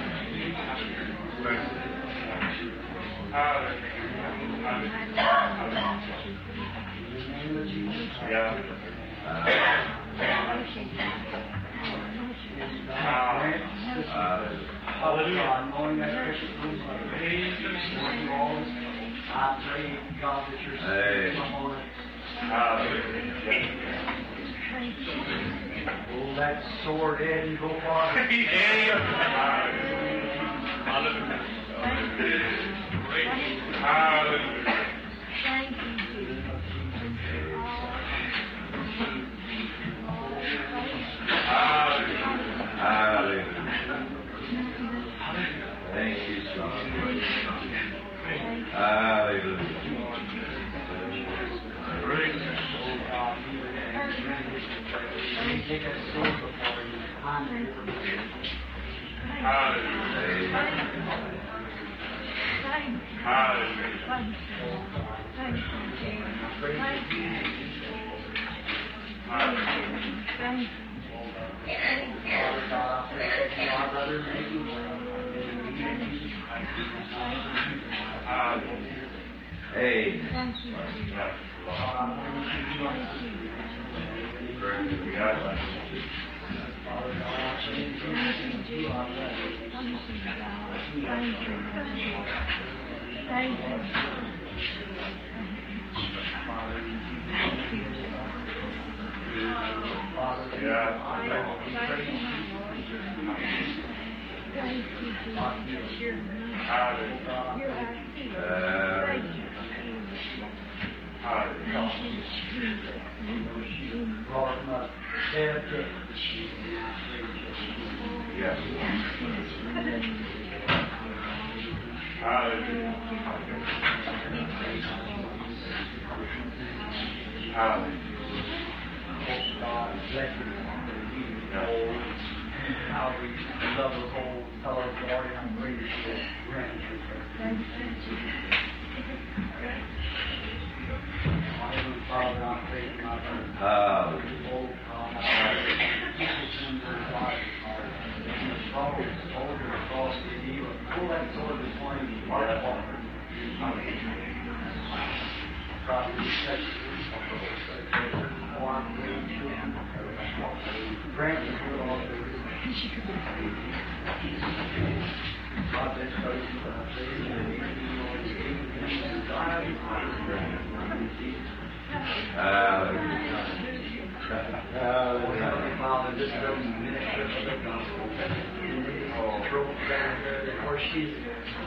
name of Jesus Christ. And God grant this Hallelujah. Knowing that precious little mother. Lord, you always, I pray, God, that your spirit come on us. Oh, that sword head and go farther. Hallelujah. Thank you, Jesus. Hallelujah. Oh, God, be with him. May he take a sword before you. I'm Father God, I pray that you, our brother, may be well. In the name of Jesus Christ. Amen. Father God, I pray in Jesus' name, you are brother. Father, in Jesus' name. Father, I pray in Jesus' name. Hallelujah. Stare of death. Yes. Hallelujah. Hallelujah. God bless you. How we love the whole fellow Lord, and I'm grateful for grant you. Father, I pray for my brother. Hallelujah. Oh, God, I pray for my life, Lord. And the soldier across the knee, pull that sword this morning, Mark Walker. Grant us your Lord. God bless you. I pray in the name of the Lord Jesus. Hallelujah. Oh, Heavenly Father, this little minister of the gospel, in this throat down there, where she's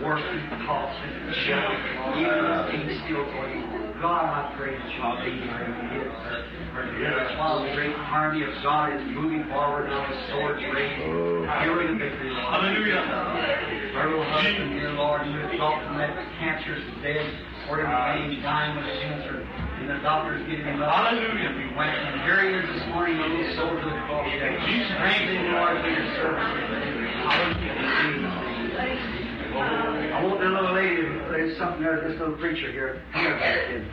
working, coughing, shouting, even this thing still going on. God, I pray that you'll be her and give her her deliverance while the great army of God is moving forward now with swords raised, during the victory, Lord. Hallelujah. Her little husband, dear Lord, who had thought from that cancerous dead, or in pain, dying with cancer, and the doctors giving him up. Hallelujah. We went, and here he is this morning, a little soldier of the cross. Strengthen, Lord, for your service. Hallelujah. In Jesus' name. I want the little lady, there's something there, this little preacher here. Come here, kid.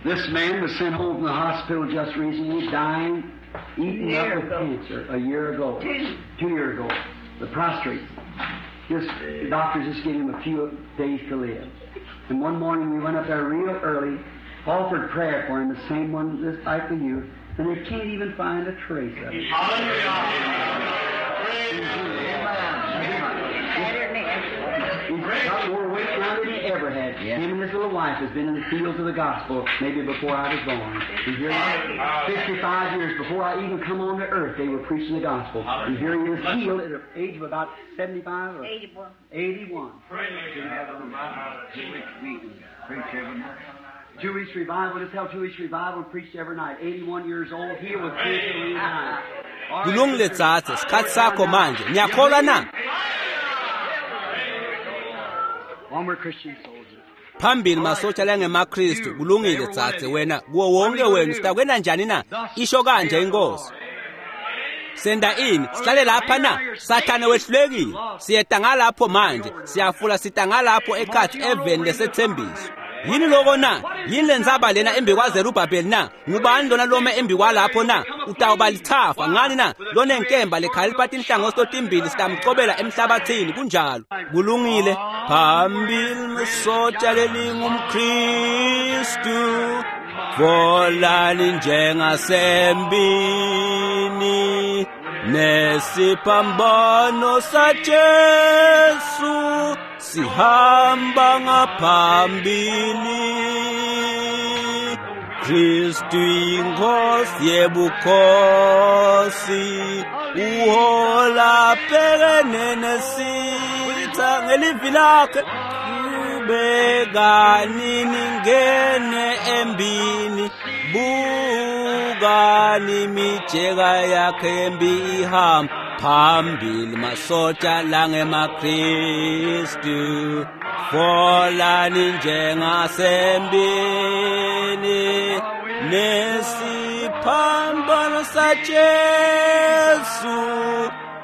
This man was sent home from the hospital just recently, dying, eaten up with cancer a year ago. 2 years ago. The prostrate. Just, the doctors just gave him a few days to live. And one morning we went up there real early, offered prayer for him, the same one just like the you, and they can't even find a trace of it. He's got more weight now than he ever had. Him and his little wife has been in the fields of the gospel maybe before I was born. And here he is, 55 years before I even come on to earth, they were preaching the gospel. And here he is healed at the age of about 75 or 81. 81. 2 weeks revival, just held 2 weeks revival and preached every night. 81 years old, he was preaching every night. All right, Kulungile tsatse, sikhathi sakho manje. Niyakholwa na? One Christian soldier. Phambili masotsha langemaKristu, kulungile tsatse wena kuwo wonke wenu sitakwena njani na? Isho kanje inkosi. Senda ini? Sihlale lapha na? Sathane wehlulekile. Siyeta ngalapho manje, siyafula sita ngalapho ekhathi eveni lesethembiso. Yini loko na? Yini lenzaba lena embi kwaZerubhabheli na? Ngubani lona lome embi kwalapho na? Utawuba lithafa ngani na? Lonenkemba lekhalipha tinhlangothi totimbili sitamcobela emhlabathini kunjalo. Kulungile. Phambili masotsha lelingumKristu. Volani njengasembini nesiphambano saJesu sihamba ngaphambili. Kristu inkosi yebukhosi uhola bhekene nesitha ngelivi lakhe. Qhubekani ningene embini, bukani imijeka yakhe embi ihamba phambili masotsha langemaKristu. Folani njengasembini nesiphambano saJesu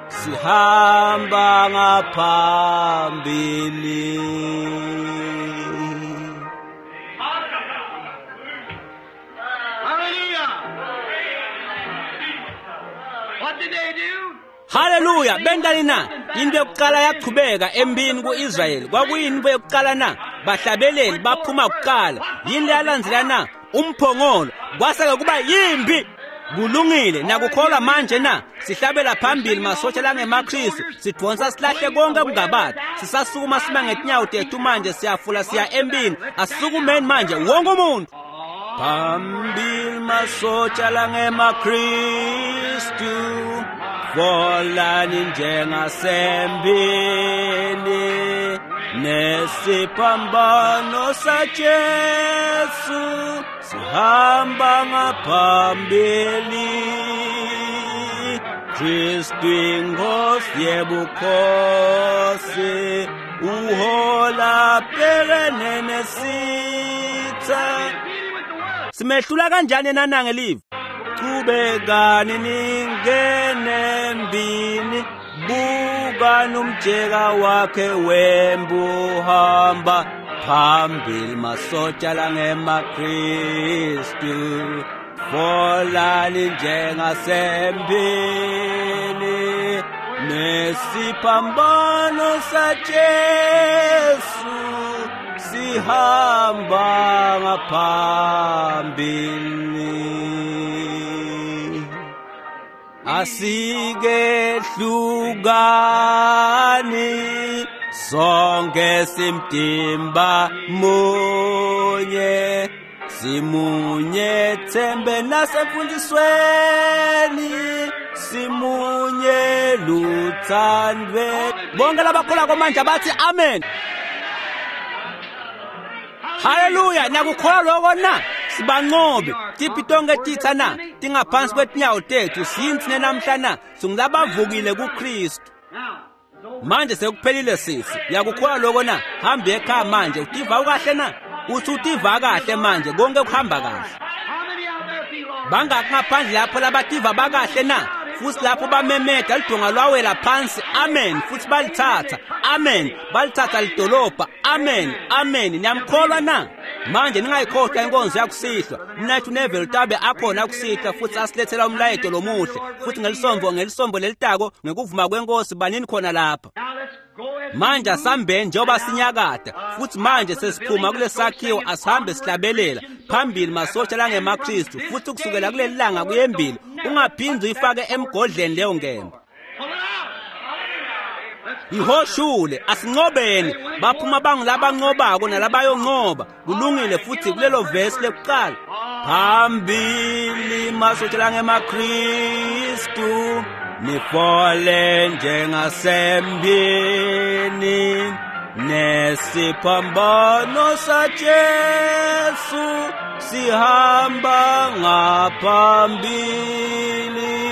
sihamba ngaphambili. Hallelujah! What did they do? Haleluya, bentani na? Into yokuqala yaqhubeka empini ku-Israyeli. Kwakuyini into yokuqala na? Bahlabeleli baphuma kuqala. Yini leyalandzela na? Umphongolo. Kwaseke kuba yimbi. Kulungile, nakukholwa manje na? Sihlabela phambili masotsha langemaKristu, sidonsa silahle konke kungabadi. Sisasukuma sima ngetinyawo tethu manje, siyafula siya empini. Asisukumeni manje wonke umuntu. Phambili masotsha langemaKristu, volani njengasembini nesiphambano saJesu Sihamba ngaphambili. Kristu inkosi yebukhosi uhola bhekene nesitha. Simehlula kanjani nanange live? Chubekani ningene embini, bukani umjeka wakhe wembuhamba phambili masotsha langemaKristu. Folani njengasembini nesiphambano saJesu sihamba ngaphambili. Asikehlukani sonke simtimba munye, simunye thembe nasemfundisweni, simunye luthandwe. Bonke labakholako manje bathi amen. Haleluya, nakukholwa lokho na? Sibanqobe tiphi tonke titha na? Tingaphansi kwetinyawo tethu. Siyini namhla na? Singulabavukile kuKristu. Manje sekuphelile sisi. Yakukholwa lokho na? Hambe ekhaya manje. Utiva ukahle na? Uthi utiva kahle manje, konke kuhamba kahle. Bangaki ngaphandle lapho labativa bakahle na? Futhi lapho bamemeda lidonga lwawela phansi, amen, futhi balithatha, amen, balithatha lidolobha, amen, amen. Niyamkholwa na? Manje ningayikhohlwa inkonzo yakusihlwa. Mnathu Neville tabe akhona kusihlwa futhi asilethela umlayeto lomuhle. Futhi ngelisombo lelitako ngekuvuma kwenkosi banini khona lapha. Manje asambeni njengoba sinyakada, futhi manje sesiphuma kulesakhiwo, asihambe sihlabelela phambili masotsha langemaKristu. Futhi kusukela kuleli langa kuyembili ungaphindi uyifake emgodleni leyo nkemba. Ihoshule, asinqobeni. Baphuma bangulabanqobako nalabayonqoba. Kulungile. Futhi kulelo vesi lekuqala, phambili masotsha langemaKristu, nifole njengasembini nesiphambano saJesu sihamba ngaphambili.